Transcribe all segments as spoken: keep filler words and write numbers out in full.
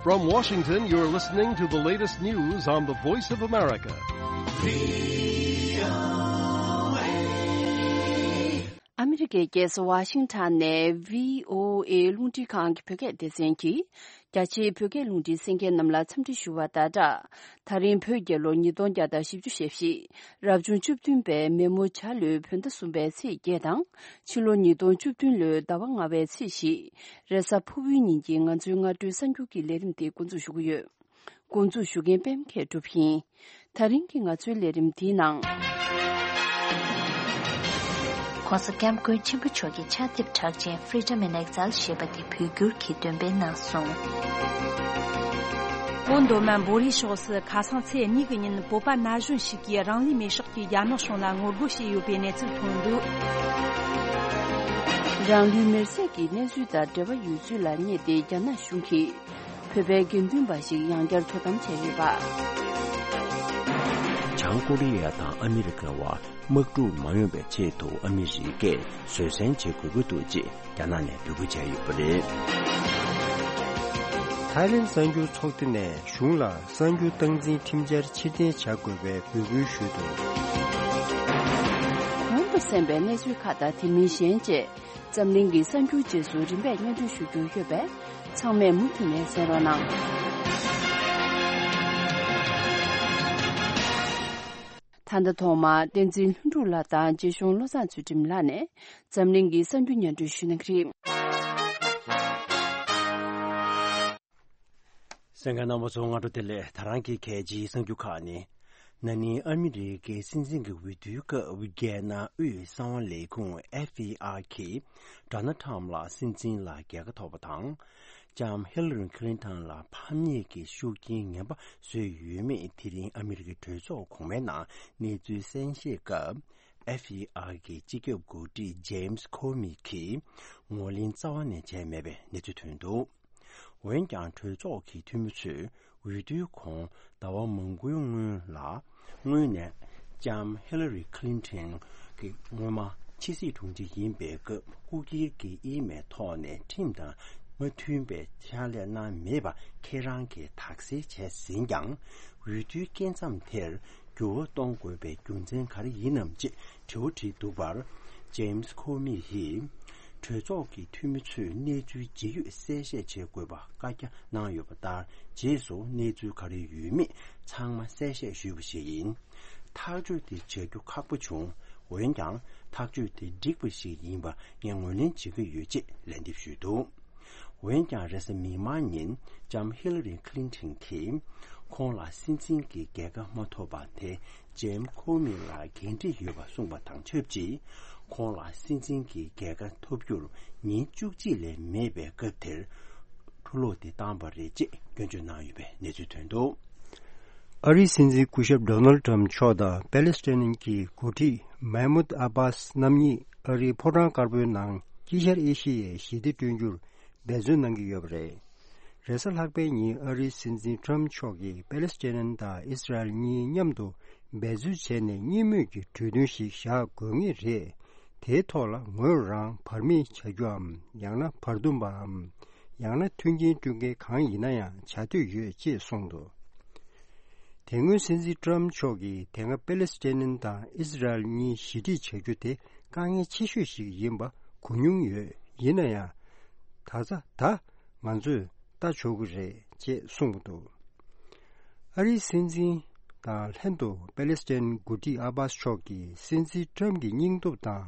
From Washington, you're listening to the latest news on the Voice of America. ཨ་མི་རི་ཀའི་རྒྱལ་ས་ཝ་ཤིང་ཊོན་ནས་བྷི་ཨོ་ཨེ་རླུང་འཕྲིན་ཁང་གི་བོད་སྐད་སྡེ་ཚན་གྱིས། རྒྱ་ཆེའི་བོད་སྐད་རླུང་འཕྲིན་གསན་མཁན་རྣམས་ལ་འཚམས་འདྲི་ཞུ་བ་དང་སྦྲགས། ད་རིང་བོད་རྒྱལ་ལོ་ཉིས་སྟོང་བརྒྱ་དང་བཞི་བཅུ་ཞེ་བཞི། རབ་བྱུང་བཅུ་བདུན་པའི་མེ་མོ་བྱ་ལོའི་བོད་ཟླ་གསུམ་པའི་ཚེས་བརྒྱད་དང་། ཕྱི་ལོ་ཉིས་སྟོང་བཅུ་བདུན་ལོའི་ཟླ་བ་ལྔ་པའི་ཚེས་བཞི། རེས་གཟའ་ཕུར་བུའི་ཉིན་གྱི་ང་ཚོའི་སྔ་དྲོའི་གསར་འགྱུར་གྱི་ལས་རིམ་དེ་འགོ་འཛུགས་ཞུ་གི་ཡོད། འགོ་འཛུགས་ཞུ་མཁན་པད་མ་མཁས་གྲུབ་ཡིན། ད་རིང་གི་ང་ཚོའི་ལས་རིམ་འདིའི་ནང་། ྋགོང་ས་ྋསྐྱབས་མགོན་ཆེན་པོ་མཆོག་གི་ཕྱག་དེབ་གྲགས་ཅན་Freedom in Exile ཞེས་པ་དེ་བོད་བསྒྱུར་གྱིས་འདོན་སྤེལ་གནང་སོང་། བོད་མདོ་སྨད་འབོ་རིའི་ཕྱོགས་སུ་ཁ་སང་ཚེས་གཉིས་ཀྱི་ཉིན་བོད་པ་ན་གཞོན་ཞིག་གིས་རང་ལུས་མེར་སྲེག་གིས་རྒྱ་ནག་གཞུང་ལ་ངོ་རྒོལ་བྱས་ཡོད་པའི་གནས་ཚུལ་ཐོན་འདུག། རང་ལུས་མེར་སྲེག་གི་གནས་ཚུལ་དང་འབྲེལ་བ་ཡོད་ཚུལ་ལ་བསྙད་དེ་རྒྱ་ནག་གཞུང་གིས། བོད་པའི་དགེ་འདུན་པ་ཞིག་ཡང་བསྐྱར་དོ་དམ་བྱས་ཡོད་པ། བྱང་ཀོ་རི་ཡ་དང་ཨ་མི་རི་ཀའི་དམག་འཁྲུག་མ་ཡོང་བའི་ཆེད་དུ་ཨ་མི་རི་ཀས་བཟོད་བསྲན་བྱེད་དགོས་ཀྱི་འདུག་ཅེས་རྒྱ་ནག་ནས་འབོད་སྐུལ་བྱས་ཡོད་པ་རེད། ཐའི་ལེན་གསར་འགྱུར་ཚོགས་སྡེ་ནས་གཞུང་ལ་གསར་འགྱུར་སྟངས་འཛིན་ཁྲིམས་འཆར་ཕྱིར་འཐེན་བྱ་དགོས་པའི་འབོད་སྐུལ་ཞུས་འདུག། གོང་དུ་གསན་པའི་གནས་ཚུལ་ཁག་དང་དེ་མིན་གཞན་བཅས། འཛམ་གླིང་གི་གསར་འགྱུར་རྗེས་སུ་རིམ་པས་སྙན་སྒྲོན་ཞུ་རྒྱུ་ཡོད་པས། ཚང་མས་མུ་མཐུད་ནས་གསན་རོགས་གནང་། ད་ལྟ་ཐོག་མར་བསྟན་འཛིན་ལྷུན་གྲུབ་ལགས་དང་རྗེ་གཞུང་བློ་བཟང་ཚུལ་ཁྲིམས་ལགས་ནས་འཛམ་གླིང་གི་གསར་འགྱུར་སྙན་སྒྲོན་ཞུ་གནང་གི་རེད། གསན་མཁན་རྣམ་པ་ཚོ་སྔ་དྲོ་བདེ་ལེགས། ད་རང་གི་གལ་ཆེའི་གསར་འགྱུར་ཁག་ནི། ན་ནིང་ཨ་མི་རི་ཀའི་སྲིད་འཛིན་གྱི་འོས་བསྡུའི་སྐབས་རྒྱལ་ནང་དབུས་གསང་བ་ལས་ཁུངས་F B I གིས་ཌོ་ནལ་ཁྲམ་ལ་སྲིད་འཛིན་ལ་རྒྱལ་ཁ་ཐོབ་པ་དང་། ལྕམ་ཧི་ལ་རི་ཁི་ལིན་ཐན་ལ་ཕམ་ཉེས་ཀྱི་ཤུགས་རྐྱེན་ངན་པ་བཟོས་ཡོད་མེད་དེ་རིང་ཨ་མི་རི་ཀའི་གྲོས་ཚོགས་གོང་མའི་ནང་གནས་ཚུལ་གསན་བཤད་སྐབས། F B I གི་སྤྱི་ཁྱབ་འགོ་ཁྲིད་ཇེམ་སི་ཁོ་མི་གིས་ངོས་ལེན་རྩ་བ་ནས་བྱས་མེད་པའི་གནས་ཚུལ་ཐོན་འདུག། འོན་ཀྱང་གྲོས་ཚོགས་ཀྱི་འཐུས་མི་ཚོས་འོས་བསྡུའི་གོང་ཟླ་བ་མང་པོའི་སྔོན་ལ། སྔོན་ནས་ལྕམ་ཧི་ལ་རི་ཁི་ལིན་ཐན་གྱིས་སྔོན་མ་ཕྱི་སྲིད་དྲུང་ཆེ་ཡིན་པའི་སྐབས་སྐུ་སྒེར་གྱི་ཨི་མེལ་ཐོག་ནས་ཁྲིམས་དང་མ་མཐུན་པའི་ཕྱག་ལས་གནང་མེད་པ་ཁྱེད་རང་གིས་དག་སེལ་བྱས་ཟིན་ཀྱང་། འོས་བསྡུའི་སྐབས་མཚམས་དེར་འགྱུར་བ་གཏོང་དགོས་པའི་རྒྱུ་མཚན་ག་རེ་ཡིན་ནམ་ཅེས་དྲི་བ་དྲིས་འདུག་པར། ཇེམ་སི་ཁོ་མི་ཡིས་གྲོས་ཚོགས་ཀྱི་འཐུས་མི་ཚོས་གནས་ཚུལ་ཇི་ཡོད་གསལ་བཤད་བྱེད་དགོས་པ་བཀའ་རྒྱ་གནང་ཡོད་པ་ལྟར། རྗེས་སུ་གནས་ཚུལ་ག་རེ་ཡོད་མེད་ཚང་མ་གསལ་བཤད་ཞུས་པ་ཞིག་ཡིན། ཐག་གཅོད་དེ་བྱ་རྒྱུ་ཁག་པོ་བྱུང་། འོན་ཀྱང་ཐག་གཅོད་དེ་འགྲིག་པ་ཞིག་ཡིན་པ་ངས་ངོས་ལེན་བྱེད་ཀྱི་ཡོད་ཅེས་ལན་འདེབས་ཞུས་འདུག། འོན་ཀྱང་རེས་གཟའ་མིག་དམར་ཉིན་ལྕམ་ཧི་ལ་རི་ཁི་ལིན་ཐན་གྱིས་ཁོང་ལ་སྲིད་འཛིན་གྱི་རྒྱལ་ཁ་མ་ཐོབ་པ་དེ་ཇེམ་ཁོ་མི་ལ་འགན་འཁྲི་ཡོད་པ་གསུངས་པ་དང་ཆབས་ཅིག། ཁོང་ལ་སྲིད་འཛིན་གྱི་རྒྱལ་ཁ་ཐོབ་རྒྱུར་ཉིན་བཅུ་གཅིག་ལས་མེད་པའི་སྐབས་དེར་འཁྲུ་སློག་དེ་བཏང་པ་རེད་ཅེས་སྐྱོན་བརྗོད་གནང་ཡོད་པའི་གནས་ཚུལ་ཐོན་འདུག། ཨ་རིའི་སྲིད་འཛིན་སྐུ་ཞབས་ཌོ་ནལ་ཊམ་མཆོག་དང་པེ་ལེ་སི་ཐན་གྱི་འགོ་ཁྲིད་མེ་མུད་ཨ་བྷཱས་རྣམ་གཉིས་ཨ་རིའི་ཕོ་བྲང་དཀར་པོའི་ནང་དཀྱིལ་ཤར་ཨེ་ཤི་ཡའི་ཞི་བདེ་བསྐྲུན་རྒྱུར་འབད་བརྩོན་གནང་གི་ཡོད་པ་རེད། རེས་གཟའ་ལྷག་པའི་ཉིན་ཨ་རིའི་སྲིད་འཛིན་ཊམ་མཆོག་གིས་པེ་ལེ་སི་ཐན་དང་ཨིས་ར་ཨེལ་གཉིས་མཉམ་དུ་འབད་རྩོལ་བྱས་ནས་གཉིས་མོས་ཀྱི་གྲོས་མཐུན་ཞིག་བཞག་དགོས་ངེས་རེད། དེའི་ཐོག་ལ་ངོས་རང་བར་མེད་བྱ་རྒྱུའམ་ཡང་ན་བར་འདུམ་པའམ་ཡང་ན་མཐུན་རྐྱེན་སྐྲུན་མཁན་གང་ཡིན་ན་ཡང་བྱ་འདོད་ཡོད་ཅེས་གསུངས་འདུག། དེ་སྔོན་སྲིད་འཛིན་ཊམ་མཆོག་གིས་དེ་སྔ་པེ་ལེ་སི་ཐན་དང་ཨིས་ར་ཨེལ་གཉིས་ཞི་འགྲིག་བྱ་རྒྱུ་དེ་དཀའ་ངལ་ཆེ་ཤོས་ཤིག་ཡིན་པ་གོ་མྱོང་ཡོད། ཡིན་ན་ཡང་། ད་ཆ་ད་ང་ཚོས་ལྟ་ཆོག་གི་རེད་ཅེས་གསུངས་འདུག། ཨ་རིའི་སྲིད་འཛིན་དང་ལྷན་དུ་པེ་ལེ་སི་ཐན་འགོ་ཁྲིད་ཨ་བྷཱས་མཆོག་གིས་སྲིད་འཛིན་ཊམ་གྱི་སྙིང་སྟོབས་དང་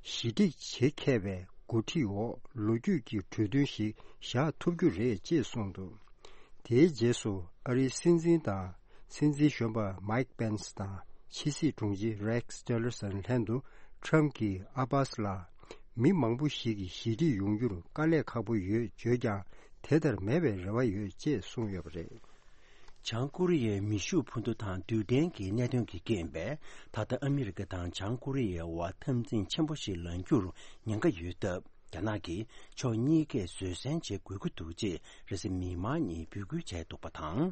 ཞི་འགྲིག་བྱེད་མཁས་པའི་འགོ་ཁྲིད་འོག་ལོ་རྒྱུས་ཀྱི་གྲོས་མཐུན་ཞིག་བཞག་ཐུབ་རྒྱུ་རེད་ཅེས་གསུངས་འདུག། དེའི་རྗེས་སུ་ཨ་རིའི་སྲིད་འཛིན་དང་སྲིད་འཛིན་གཞོན་པ་མའིག་པེན་སི་དང་ཕྱི་སྲིད་དྲུང་ཆེ་རེག་ཊི་ལར་སོན་ལྷན་དུ་ཊམ་གྱིས་ཨ་བྷཱས་ལ་མི་མང་པོ་ཞིག་གིས་ཞི་འགྲིག་ཡོང་རྒྱུར་དཀའ་ལས་ཁག་པོ་ཡོད་བརྗོད་ཀྱང་དེ་ལྟར་མེད་པའི་རེ་བ་ཡོད་ཅེས་གསུངས་ཡོད་པ་རེད། བྱང་ཀོ་རི་ཡའི་མེ་ཤུགས་འཕུར་མདའ་དང་རྡུལ་ཕྲན་གྱི་གནད་དོན་གྱི་རྐྱེན་པས་ད་ལྟ་ཨ་མི་རི་ཀ་དང་བྱང་ཀོ་རི་ཡའི་དབར་འཐབ་འཛིང་ཆེན་པོ་ཞིག་ལངས་རྒྱུར་ཉེན་ཁ་ཡོད་སྟབས། རྒྱ་ནག་གིས་ཕྱོགས་གཉིས་ཀས་བཟོད་བསྲན་བྱེད་དགོས་ཀྱི་འདུག་ཅེས་རེས་གཟའ་མིག་དམར་ཉིན་འབོད་སྐུལ་བྱས་འདུག་པ་དང་།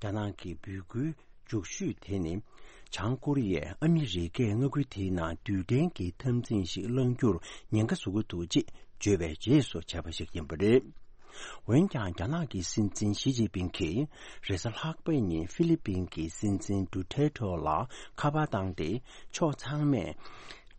རྒྱ་ནག་གི་འབོད་སྐུལ་མཇུག་ཤོས་དེ་ནི། བྱང་ཀོ་རི་ཡས་ཨ་མི་རི་ཀས་མངའ་ཁུལ་དེའི་ནང་རྡུལ་ཕྲན་གྱི་འཐབ་འཛིང་ཞིག་བསླང་རྒྱུར་ཉེན་ཁ་བཟོ་གི་འདུག་ཅེས་བརྗོད་པའི་རྗེས་སུ་བྱས་པ་ཞིག་ཡིན་པ་རེད། འོན་ཀྱང་རྒྱ་ནག་གི་སྲིད་འཛིན་ཞི་ཅིན་ཕིང་གིས་རེས་གཟའ་ལྷག་པའི་ཉིན་ཧྥི་ལི་པིན་གྱི་སྲིད་འཛིན་ཌུ་ཐེར་ཐེ་ལ་ཁ་པར་བཏང་སྟེ། ཕྱོགས་ཚང་མས་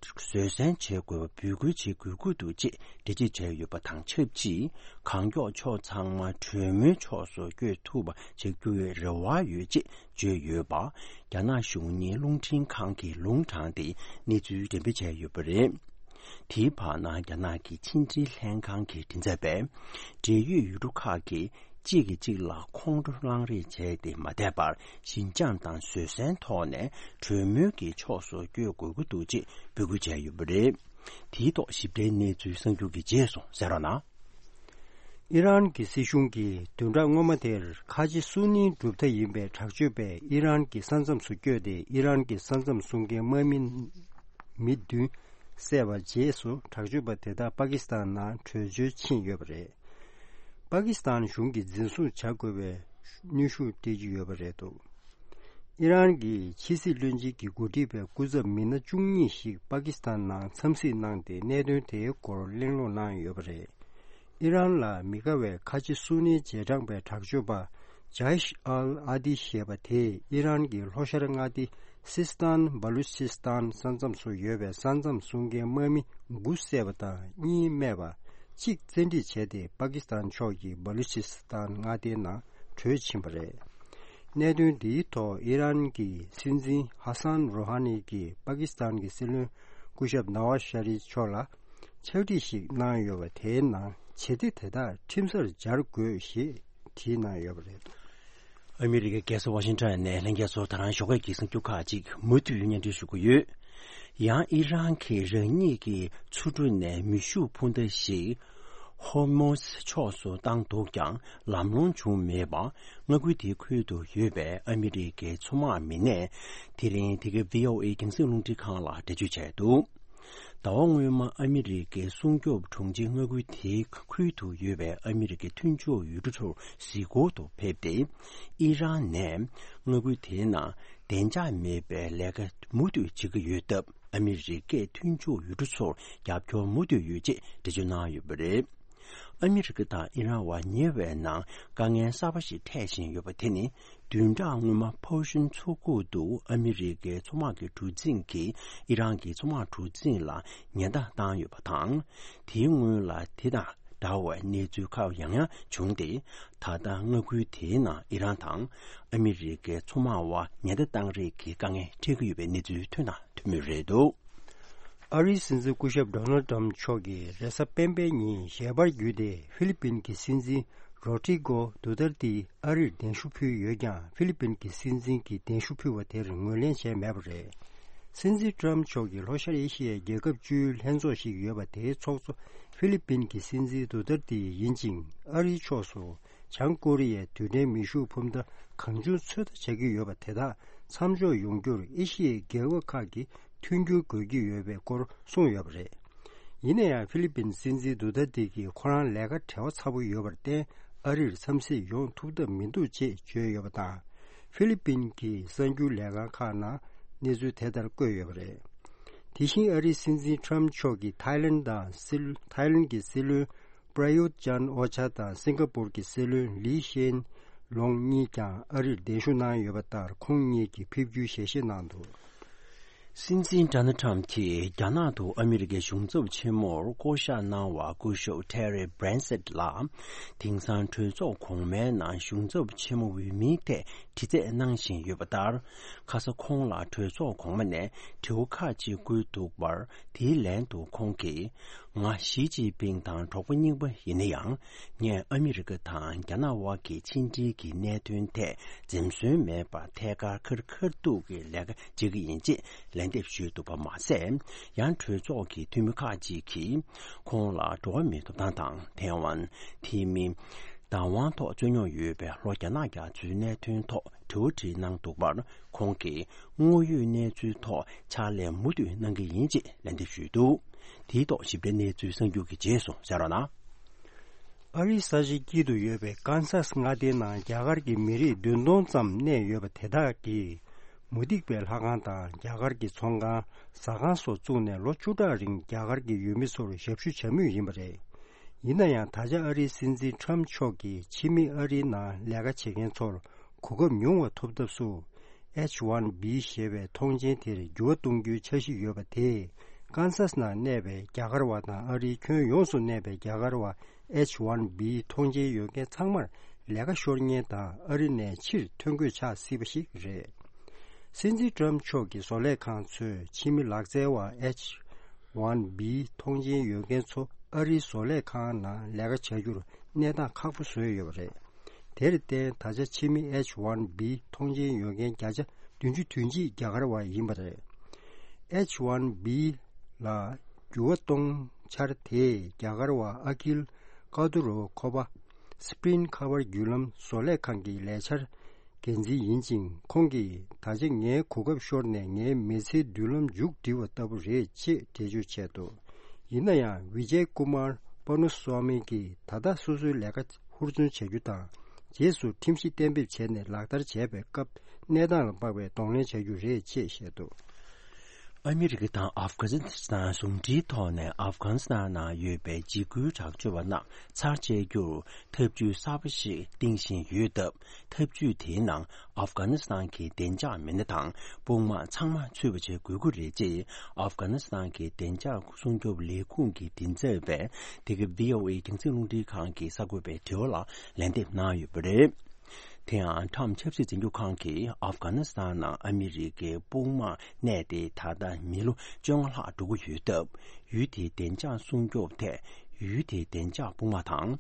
བཟོད་བསྲན་བྱེད་དགོས་པ་འབོད་སྐུལ་བྱེད་དགོས་ཀྱི་འདུག་ཅེས་འགྲེལ་བརྗོད་བྱས་ཡོད་པ་དང་ཆབས་ཅིག་གང་མགྱོགས་ཕྱོགས་ཚང་མ་གྲོས་མོལ་ཕྱོགས་སུ་བསྐྱོད་ཐུབ་པ་བྱེད་རྒྱུའི་རེ་བ་ཡོད་ཅེས་བརྗོད་ཡོད་པ། རྒྱ་ནག་གཞུང་གཉེར་རླུང་འཕྲིན་ཁང་གིས་ལུང་དྲངས་ཏེ་གནས་ཚུལ་འགྲེམས་སྤེལ་བྱས་ཡོད་པ་རེད། དེའི་བར་ན་རྒྱ་ནག་གི་ཕྱི་འབྲེལ་ལྷན་ཁང་གི་མགྲིན་ཚབ་པས། འབྲེལ་ཡོད་ཡུལ་གྲུ་ཁག་གིས་གཅིག་གིས་གཅིག་ལ་ཁོང་ཁྲོ་གླེང་རེས་བྱས་ཏེ་མ་བསྡད་པར། ཞི་འཇམ་དང་བཟོད་བསྲན་ཐོག་ནས་གྲོས་མོལ་གྱི་ཕྱོགས་སུ་བསྐྱོད་དགོས་ཀྱི་འདུག་ཅེས་འབོད་སྐུལ་བྱས་ཡོད་པ་རེད། དེའི་ཐོག་ཞིབ་ཕྲའི་གནས་ཚུལ་གསར་འགྱུར་གྱི་རྗེས་སུ་གསན་རོགས་གནང་། ཨི་རན་གྱི་སྲིད་གཞུང་གིས་བདུན་ཕྲག་སྔོན་མ་དེར་ཁ་ཆེ་སུ་ནིའི་གྲུབ་མཐའ་ཡིན་པའི་དྲག་སྤྱོད་པས་ཨི་རན་གྱི་ས་མཚམས་སུ་བསྐྱོད་དེ། ཨི་རན་གྱི་ས་མཚམས་སྲུང་མཁན་དམག་མི་མི་བདུན་བསད་པ་རྗེས་སུ། དྲག་སྤྱོད་པ་དེ་དག་པ་ཀི་སི་ཐན་ནང་བྲོས་བྱོལ་ཕྱིན་ཡོད་པ་རེད། པ་ཀི་སི་ཐན་གཞུང་གིས་འཛིན་བཟུང་བྱ་དགོས་པའི་གནོན་ཤུགས་སྤྲད་ཀྱི་ཡོད་པ་རེད་འདུག་ཨི་རན་གྱི་ཕྱི་སྲིད་བློན་ཆེན་གྱིས་འགོ་ཁྲིད་པའི་སྐུ་ཚབ་མི་སྣ་བཅུ་གཉིས་ཤིག་པ་ཀི་སི་ཐན་ནང་འཚམས་གཟིགས་གནང་སྟེ། གནད་དོན་དེའི་སྐོར་གླེང་སློང་གནང་ཡོད་པ་རེད། ཨི་རན་ལ་མི་དགའ་བའི་ཁ་ཆེ་སུ་ནིའི་རྗེས་འབྲང་པའི་དྲག་སྤྱོད་པ་ཇཱིཤ་ཨལ་ཨ་དི་ཞེས་པ་དེས་ཨི་རན་གྱི་ལྷོ་ཤར་མངའ་སྡེ་སིས་ཐན་བ་ལུ་ཅིས་ཐན་ས་མཚམས་སུ་ཡོད་པའི་ས་མཚམས་སྲུང་མཁན་དམག་མི་དགུ་བསད་པ་དང་གཉིས་རྨས་པ། གཅིག་བཙན་ཁྲིད་བྱས་ཏེ། པ་ཀི་སི་ཐན་ཕྱོགས་ཀྱི་བ་ལུ་ཅིས་ཐན་མངའ་སྡེའི་ནང་བྲོས་ཕྱིན་པ་རེད། གནད་དོན་འདིའི་ཐོག་ཨི་རན་གྱི་སྲིད་འཛིན་ཧ་སན་རོ་ཧ་ནི་གིས་པ་ཀི་སི་ཐན་གྱི་སྲིད་བློན་སྐུ་ཞབས་ནཱ་ཝཱ་ཤ་རི་ཕྱོགས་ལ་ཕྱག་བྲིས་ཤིག་གནང་ཡོད་པ། དེའི་ནང་བྱེད་གཏེ་དེ་དག་ཁྲིམས་སར་སྦྱར་དགོས་ཞེས་བྲིས་གནང་ཡོད་པ་རེད། ཨ་མི་རི་ཀའི་རྒྱལ་ས་ཝ་ཤིང་ཊོན་ནས་ལྷན་རྒྱས་ཚོར་ད་རང་ཞོགས་ཀས་ཀྱི་གསར་འགྱུར་ཁག་ཅིག་མུ་མཐུད་སྙན་སྒྲོན་ཞུ་གི་ཡོད། ཡང་ཨི་རན་གྱིས་རང་ཉིད་ཀྱི་མཚོ་གྲུ་ནས་མེ་ཤུགས་འཕུར་མདའ་ཞིག་ཧོར་མུ་ཛ་ཕྱོགས་སུ་བཏང་འདུག་ཀྱང་ལམ་ལྷོང་བྱུང་མེད་པ། མངའ་ཁུལ་དེའི་ཁུལ་དུ་ཡོད་པའི་ཨ་མི་རི་ཀའི་མཚོ་དམག་མི་སྣས་དེ་རིང་དེ་གའི་བྷི་ཨོ་ཨེ་རྒྱང་སྲིང་རླུང་འཕྲིན་ཁང་ལ་འགྲེལ་བརྗོད་བྱས་འདུག་ཟླ་བ་སྔོན་མ་ཨ་མི་རི་ཀའི་སྲུང་སྐྱོབ་དྲུང་ཆེ་མངའ་ཁུལ་དེའི་ཁུལ་དུ་ཡོད་པའི་ཨ་མི་རི་ཀའི་མཐུན་ཕྱོགས་ཡུལ་གྲུ་ཚོར་གཟིགས་སྐོར་དུ་ཕེབས་ཏེ། ཨི་རན་ནས་མངའ་ཁུལ་དེའི་ནང་བདེ་འཇགས་མེད་པའི་ལས་ཀ་མུ་མཐུད་བྱེད་ཀྱི་ཡོད་སྟབས། ཨ་མི་རི་ཀས་མཐུན་ཕྱོགས་ཡུལ་གྲུ་ཚོར་རྒྱབ་སྐྱོར་མུ་མཐུད་ཡོད་ཅེས་འགྲེལ་བརྗོད་གནང་ཡོད་པ་རེད། ཨ་མི་རི་ཀ་དང་ཨི་རན་བར་ཉེ་བའི་ནང་དཀའ་ངལ་གསར་པ་ཞིག་འཕྲད་བཞིན་ཡོད་པ་དེ་ནི། བདུན་ཕྲག་སྔོན་མ་ཕོ་ཤུན་མཚོ་ཁུག་ཏུ་ཨ་མི་རི་ཀའི་མཚོ་དམག་གི་གྲུ་གཟིངས་ཀྱིས་ཨི་རན་གྱི་མཚོ་དམག་གྲུ་གཟིངས་ལ་ཉེན་བརྡ་བཏང་ཡོད་པ་དང་། དེའི་སྔོན་ལ་དེ་དང་འདྲ་བའི་གནས་ཚུལ་ཁག་ཡང་ཡང་བྱུང་སྟེ། ད་ལྟ་མངའ་ཁུལ་དེའི་ནང་ཨི་རན་དང་ཨ་མི་རི་ཀའི་མཚོ་དམག་དབར་ཉེན་བརྡ་བཏང་རེས་ཀྱི་དཀའ་ངལ་འཕྲད་ཀྱི་ཡོད་པའི་གནས་ཚུལ་ཐོན་དང་ཐོན་མུས་རེད་འདུག་ཨ་རིའི་སྲིད་འཛིན་སྐུ་ཞབས་ཌོ་ནལ་ཌི་ཊརམ་ཕི་མཆོག་གིས་རེས་གཟའ་སྤེན་པའི་ཉིན་ཞལ་པར་བརྒྱུད་དེ། ཧྥི་ལི་པིན་གྱི་སྲིད་འཛིན་རོ་ཏྲི་གོ་ཌུ་ཏར་ཏི་ཨ་རིར་གདན་ཞུ་ཕུལ་ཡོད་ཀྱང་། ཧྥི་ལི་པིན་གྱི་སྲིད་འཛིན་གྱིས་གདན་ཞུ་ཕུལ་བ་དེར་ངོས་ལེན་བྱས་མེད་པ་རེད། སྲིད་འཛིན་ཊརམ་ཕི་མཆོག་གིས་ལྷོ་ཤར་ཨེ་ཤི་ཡའི་རྒྱལ་ཁབ་བཅུའི་ལྷན་ཚོགས་ཤིག་ཡོད་པ། དེའི་ཚོགས་གཙོ་ཧྥི་ལི་པིན་གྱི་སྲིད་འཛིན་ཌུ་ཏར་ཏི་ཡིན་ཅིང་། ཨ་རིའི་ཕྱོགས་སུ་བྱང་ཀོ་རི་ཡའི་རྡུལ་ཕྲན་མེ་ཤུགས་འཕུར་མདའ་གང་བྱུང་ཚོད་ལྟ་བྱ་གི་ཡོད་པ་དེ་དག་མཚམས་འཇོག་ཡོང་རྒྱུར་ཨེ་ཤི་ཡའི་རྒྱལ་ཁབ་ཁག་གིས་མཐུན་འགྱུར་དགོས་ཀྱི་ཡོད་པའི་སྐོར་གསུངས་ཡོད་པ་རེད། ཡིན་ན་ཡང་། ཧྥི་ལི་པིན་སྲིད་འཛིན་ཌུ་ཏར་ཏི་གིས་ཁོ་རང་ལས་ཀ་བྲེལ་བ་ཚ་པོ་ཡོད་པར་བརྟེན། ཨ་རིར་འཚམས་གཟིགས་ཡོང་ཐུབ་ཐབས་མི་འདུག་ཅེས་བརྗོད་ཡོད་པ་དང་། ཧྥི་ལི་པིན་གྱི་གསར་འགྱུར་ལས་ཁང་ཁག་ནང་གནས་ཚུལ་དེ་ལྟར་བཀོད་ཡོད་པ་རེད། དེ་བཞིན་ཨ་རིའི་སྲིད་འཛིན་ཊརམ་ཕི་མཆོག་གིས་ཐའི་ལེན་དང་སྲིད། ཐའི་ལེན་གྱི་སྲིད་བློན་པྲ་ཡུད་ཅན་ཨོ་ཆ་དང་སིང་ག་པུར་གྱི་སྲིད་བློན་ལི་ཤེན་ལོང་གཉིས་ཀྱང་ཨ་རིར་གདན་ཞུ་གནང་ཡོད་པ་ལྟར། ཁོང་གཉིས་ཀྱིས་ཕེབས་རྒྱུའི་ཞལ་བཞེས་གནང་འདུག་སྲིད་འཛིན་ཌོ་ནལ་ཊརམ་གྱིས་རྒྱ་ནག་ཏུ་ཨ་མི་རི་ཀའི་གཞུང་ཚབ་ཆེན་མོར་བསྐོ་གཞག་གནང་བ་སྐུ་ཞབས་ཊེ་རི་བྷི་རན་སེད་ལ། དེང་སང་གྲོས་ཚོགས་གོང་མའི་ནང་གཞུང་ཚབ་ཆེན་མོ་འོས་མིའི་ཐད་དྲི་རྩད་གནང་བཞིན་ཡོད་པ་ལྟར། ཁ་ས་ཁོང་ལ་གྲོས་ཚོགས་གོང་མ་ནས་དྲི་བ་ཁག་ཅིག་བཀོད་འདུག་པར། དེའི་ལན་དུ་ཁོང་གིས། ང་ཞི་ཅིན་ཕིང་དང་གྲོགས་པོ་རྙིང་པ་ཡིན་ན་ཡང་། ངས་ཨ་མི་རི་ཀ་དང་རྒྱ་ནག་དབར་གྱི་ཕྱི་འབྲེལ་གྱི་གནད་དོན་ཐད་འཛེམ་ཟོན་མེད་པར་ཐད་ཀར་ཁ་རི་ཁ་ཐུག་གི་ལས་ཀ་བྱེད་ཀྱི་ཡིན་ཅེས་ལན་འདེབས་ཞུས་འདུག་པ་མ་ཟད། ཡང་གྲོས་ཚོགས་ཀྱི་འཐུས་མི་ཁག་ཅིག་གིས་ཁོང་ལ་འགྲོ་བ་མིའི་ཐོབ་ཐང་དང་ཐའེ་ཝན། དེ་མིན། བདག་དབང་ཐོག་རྩོད་རྙོག་ཡོད་པའི་ལྷོ་རྒྱ་ནག་རྒྱ་མཚོའི་གནད་དོན་ཐོག་དྲི་བ་དྲིས་གནང་འདུག་པར། ཁོང་གིས་དངོས་ཡོད་གནས་ཚུལ་ཐོག་ཕྱག་ལས་མུ་མཐུད་གནང་གི་ཡིན་ཅེས་ལན་འདེབས་ཞུས་འདུག་དེའི་ཐོག་ཞིབ་ཕྲའི་གནས་ཚུལ་གསར་འགྱུར་གྱི་རྗེས་སུ་གསན་རོགས་གནང་། ཨ་རིའི་ས་ཆའི་དཀྱིལ་དུ་ཡོད་པའི་ཀན་སཱས་མངའ་སྡེའི་ནང་རྒྱ་གར་གྱི་མི་རིགས་བདུན་སྟོང་ཙམ་གནས་ཡོད་པ་དེ་དག་གིས། མུ་སྟེགས་པའི་ལྷ་ཁང་དང་རྒྱ་གར་གྱི་ཚོང་ཁང་། ཟ་ཁང་སོགས་བཙུགས་ནས་ལོ་བཅུ་ཕྲག་རིང་རྒྱ་གར་གྱི་ཡུལ་མི་ཚོར་ཞབས་ཞུ་བྱ་མུས་ཡིན་པ་རེད། ཡིན་ན་ཡང་ད་ཆ་ཨ་རིའི་སྲིད་འཛིན་ཁྲམ་མཆོག་གིས་ཕྱི་མི་ཨ་རིའི་ནང་ལས་ཀ་བྱེད་མཁན་ཚོར་གོ་སྐབས་ཉུང་བ་ཐོབ་ཐབས་སུ། H one B ཞེས་པའི་ཐོངས་མཆན་དེར་འགྱུར་བ་གཏོང་རྒྱུའི་འཆར་གཞི་ཡོད་པ་དེས། ཀན་སཱས་ནང་གནས་པའི་རྒྱ་གར་བ་དང་ཨ་རིའི་ཁྱོན་ཡོངས་སུ་གནས་པའི་རྒྱ་གར་བ་H one B ཐོངས་མཆན་ཡོད་མཁན་ཚང་མར་ལས་ཀ་ཤོར་ཉེན་དང་ཨ་རི་ནས་ཕྱིར་ཐོན་དགོས་ཆགས་སྲིད་པ་ཞིག་རེད། སྲིད་འཛིན་ཏྲམ་མཆོག་གི་བཟོ་ལས་ཁང་ཚོས་ཕྱི་མི་ལག་རྩལ་བ་H one B ཐོངས་མཆན་ཡོད་མཁན་ཚོ་ཨ་རིའི་བཟོ་ལས་ཁང་ནང་ལས་ཀ་བྱ་རྒྱུར་གནས་སྟངས་ཁག་པོ་བཟོས་ཡོད་པ་རེད། དེར་བརྟེན། ད་ཆ་ཕྱི་མི་H one B ཐོངས་མཆན་ཡོད་མཁན་བརྒྱ་ཆ་བདུན་ཅུ་དོན་གཅིག་རྒྱ་གར་བ་ཡིན་པ་རེད། H one B ལ་འགྱུར་བ་གཏོང་འཆར་དེས་རྒྱ་གར་བ་ཨ་ཁིལ་ཀ་ཏུ་རོ་ཁོ་པ་སི་པྲིན་ཁ་པར་བརྒྱུད་ལམ་བཟོ་ལས་ཁང་གི་ལས་འཆར་འགན་འཛིན་ཡིན་ཅིང་། ཁོང་གིས། ད་ཆ་ངའི་གོ་སྐབས་ཤོར་ནས་ངའི་མི་ཚེའི་མདུན་ལམ་མཇུག་བསྒྲིལ་བ་ལྟ་བུ་རེད་ཅེས་འགྲེལ་བརྗོད་བྱས་འདུག་ཡིན་ན་ཡང་། ཝི་ཇེ་ཀུ་མར་པ་ནུ་སྭ་མི་གིས་ད་ལྟ་སོ་སོའི་ལས་ཀ་ཧུར་བརྩོན་བྱ་རྒྱུ་དང་། རྗེས་སུ་ཁྲིམས་གཞི་གཏན་འབེབས་བྱས་ནས་ལག་བསྟར་བྱས་པའི་སྐབས་གནས་སྟངས་ལ་དམིགས་པའི་གདོང་ལེན་བྱ་རྒྱུ་རེད་ཅེས་བཤད་འདུག་ཨ་མི་རི་ཀ་དང་ཨབ་གྷ་ནི་སི་ཐན་ཟུང་འབྲེལ་ཐོག་ནས་ཨབ་གྷ་ནི་སི་ཐན་ནང་ཡོད་པའི་འཇིགས་སྐུལ་དྲག་སྤྱོད་པ་རྣམས་ཚར་བཅད་རྒྱུར་ཐབས་ཇུས་གསར་པ་ཞིག་བཏིང་བཞིན་ཡོད་སྟབས། ཐབས་ཇུས་དེའི་ནང་ཨབ་གྷ་ནི་སི་ཐན་གྱི་བདེ་འཇགས་མི་སྣ་དང་དཔུང་དམག་ཚང་མ་ཚུད་པ་བྱེད་དགོས་ཀྱི་རེད་ཅེས་ཨབ་གྷ་ནི་སི་ཐན་གྱི་བདེ་འཇགས་སྲུང་སྐྱོབ་ལས་ཁུངས་ཀྱི་མགྲིན་ཚབ་པས་དེ་ག་བྷི་ཨོ་ཨེ་རྒྱང་སྲིང་རླུང་འཕྲིན་ཁང་གི་གསར་འགོད་པའི་དྲི་བ་ལ་ལན་འདེབས་གནང་ཡོད་པ་རེད། དེ་ཡང་ཁྲམ་ཆབ་སྲིད་འཛིན་སྐྱོང་ཁང་གིས་ཨབ་གྷ་ནི་སི་ཐན་ནང་ཨ་མི་རི་ཀའི་དཔུང་དམག་གནས་ཏེ་ད་ལྟ་མི་ལོ་བཅོ་ལྔ་ལྷག་འགྲོ་གི་ཡོད་སྟབས། ཡུལ་དེའི་བདེ་འཇགས་སྲུང་སྐྱོབ་ཐད་ཡུལ་དེའི་བདེ་འཇགས་དཔུང་དམག་དང་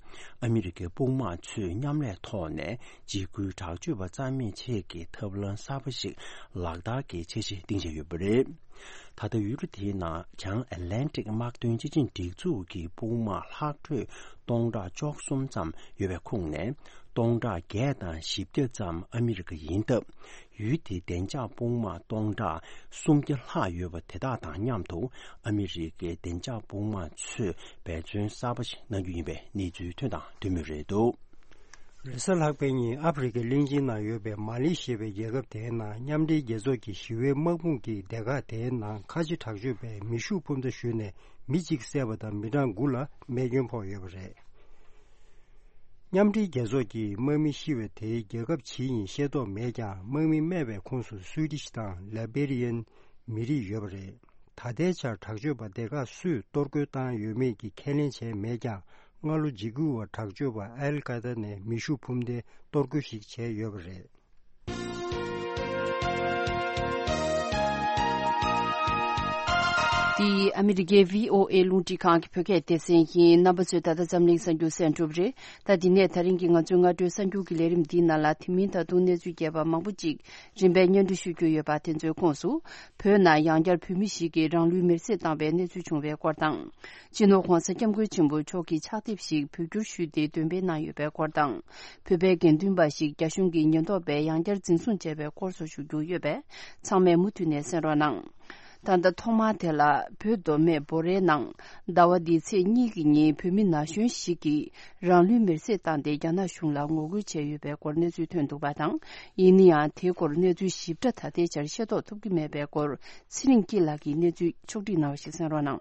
ཨ་མི་རི་ཀའི་དཔུང་དམག་ཚོས་མཉམ་ལས་ཐོག་ནས་འཇིགས་སྐུལ་དྲག་སྤྱོད་པ་རྩ་མེད་ཆེད་ཀྱི་ཐབས་ལམ་གསར་པ་ཞིག་ལག་བསྟར་གྱི་འཆར་གཞི་བཏིང་བཞིན་ཡོད་པ་རེད། ད་ལྟ་ཡུལ་གྲུ་དེའི་ནང་བྱང་ཨེ་ལན་ཀྲིག་དམག་དོན་སྤྱི་ཆིངས་སྒྲིག་འཛུགས་ཀྱི་དཔུང་དམག་ལྷག་འཕྲོས་སྟོང་ཕྲག་བཅུ་གསུམ་ཙམ་ཡོད་པའི་ཁོངས་ནས་སྟོང་ཕྲག་བརྒྱད་དང་བཞི་བརྒྱ་ཙམ་ཨ་མི་རི་ཀ་ཡིན་སྟབས། ཡུལ་དེའི་བདེ་འཇགས་དཔུང་དམག་སྟོང་ཕྲག་སུམ་བརྒྱ་ལྷག་ཡོད་པ་དེ་དག་དང་མཉམ་དུ་ཨ་མི་རི་ཀའི་བདེ་འཇགས་དཔུང་དམག་ཚོས་འབད་བརྩོན་གསར་པ་ཞིག་གནང་རྒྱུ་ཡིན་པའི་གནས་ཚུལ་ཐོན་དང་ཐོན་མུས་རེད་འདུག་རེས་གཟའ་ལྷག་པའི་ཉིན་ཨ་ཕི་རི་ཀའི་གླིང་ཆེན་ནང་ཡོད་པའི་མ་ལི་ཞེས་པའི་རྒྱལ་ཁབ་དེའི་ནང་མཉམ་འབྲེལ་རྒྱལ་ཚོགས་ཀྱི་ཞི་བའི་དམག་དཔུང་གི་སྡེ་ཁག་དེའི་ནང་ཁ་ཆེ་དྲག་སྤྱོད་པས་མེ་ཤུགས་འཕུར་མདའ་གཞུས་ནས་མི་གཅིག་བསད་པ་དང་མི་གྲངས་དགུ་ལ་རྨས་སྐྱོན་ཕོག་ཡོད་པ་རེད། མཉམ་འབྲེལ་རྒྱལ་ཚོགས་ཀྱིས་དམག་མི་ཤི་བའི་དེའི་རྒྱལ་ཁབ་ཇི་ཡིན་ཤེས་རྟོགས་མེད་ཀྱང་། དམག་མི་རྨས་པའི་ཁོངས་སུ་སུའི་ཏི་ཤི་དང་ལེ་བེ་རི་ཡན་མི་རིགས་ཡོད་པ་རེད། ད་ལྟའི་ཆར་དྲག་སྤྱོད་པ་སྡེ་ཁག་སུས་གཏོར་རྒོལ་བཏང་ཡོད་མེད་ཀྱི་ཁས་ལེན་བྱས་མེད་ཀྱང་། སྔ་ལོ་འཇིགས་སྐུལ་བ་དྲག་སྤྱོད་པ་ཨལ་ཀ་ད་ནས་མེ་ཤུགས་འཕུར་མདའི་གཏོར་རྒོལ་ཞིག་བྱས་ཡོད་པ་རེད། འདི་ཨ་མི་རི་ཀའི་བྷི་ཨོ་ཨེ་རླུང་འཕྲིན་ཁང་གི་བོད་སྐད་སྡེ་ཚན་ཡིན། རྣམ་པ་ཚོས་ད་ལྟ་འཛམ་གླིང་གསར་འགྱུར་གསན་གྲུབ་རེད། ད་འདི་ནས་ད་རིང་གི་ང་ཚོའི་སྔ་དྲོའི་གསར་འགྱུར་གྱི་ལས་རིམ་འདིའི་ནང་ལ། དེ་མིན་ད་དུང་གནས་ཚུལ་རྒྱས་པ་མང་པོ་ཅིག་རིམ་པས་སྙན་སྒྲོན་ཞུ་རྒྱུ་ཡོད་པ་དེ་ཚོའི་ཁོངས་སུ། བོད་ནང་ཡང་བསྐྱར་བོད་མི་ཞིག་གིས་རང་ལུས་མེར་སྲེག་བཏང་བའི་གནས་ཚུལ་བྱུང་བའི་སྐོར་དང་། སྤྱི་ནོར་༧གོང་ས་༧སྐྱབས་མགོན་ཆེན་པོ་མཆོག་གིས་ཕྱག་དེབ་ཞིག་བོད་བསྒྱུར་ཞུས་ཏེ་འདོན་སྤེལ་གནང་ཡོད་པའི་སྐོར་དང་། བོད་པའི་དགེ་འདུན་པ་ཞིག་རྒྱ་གཞུང་གི་ཉེན་རྟོག་པས་ཡང་བསྐྱར་འཛིན་བཟུང་བྱས་པའི་སྐོར་སོགས་ཞུ་རྒྱུ་ཡོད་པས། ཚང་མས་མུ་མཐུད་ནས་གསན་རོགས་གནང་། ད་ལྟ་ཐོག་མར་དེ་ལ། བོད་མདོ་སྨད་བོད་རའི་ནང་ཟླ་བ་འདིའི་ཚེས་གཉིས་ཀྱི་ཉིན་བོད་མི་ན་གཞོན་ཞིག་གིས་རང་ལུས་མེར་སྲེག་བཏང་སྟེ་རྒྱ་ནག་གཞུང་ལ་ངོ་རྒོལ་བྱས་ཡོད་པའི་སྐོར་གནས་ཚུལ་ཐོན་འདུག་པ་དང་། ཡིན་ན་ཡང་། དེའི་སྐོར་གནས་ཚུལ་ཞིབ་ཕྲ་ད་ལྟའི་ཆར་ཤེས་རྟོགས་ཐུབ་ཀྱི་མེད་པའི་སྐོར། ཚེ་རིང་སྐྱིད་ལགས་ཀྱིས་གནས་ཚུལ་ཕྱོགས་བསྒྲིགས་གནང་བ་ཞིག་གསན་རོགས་གནང་།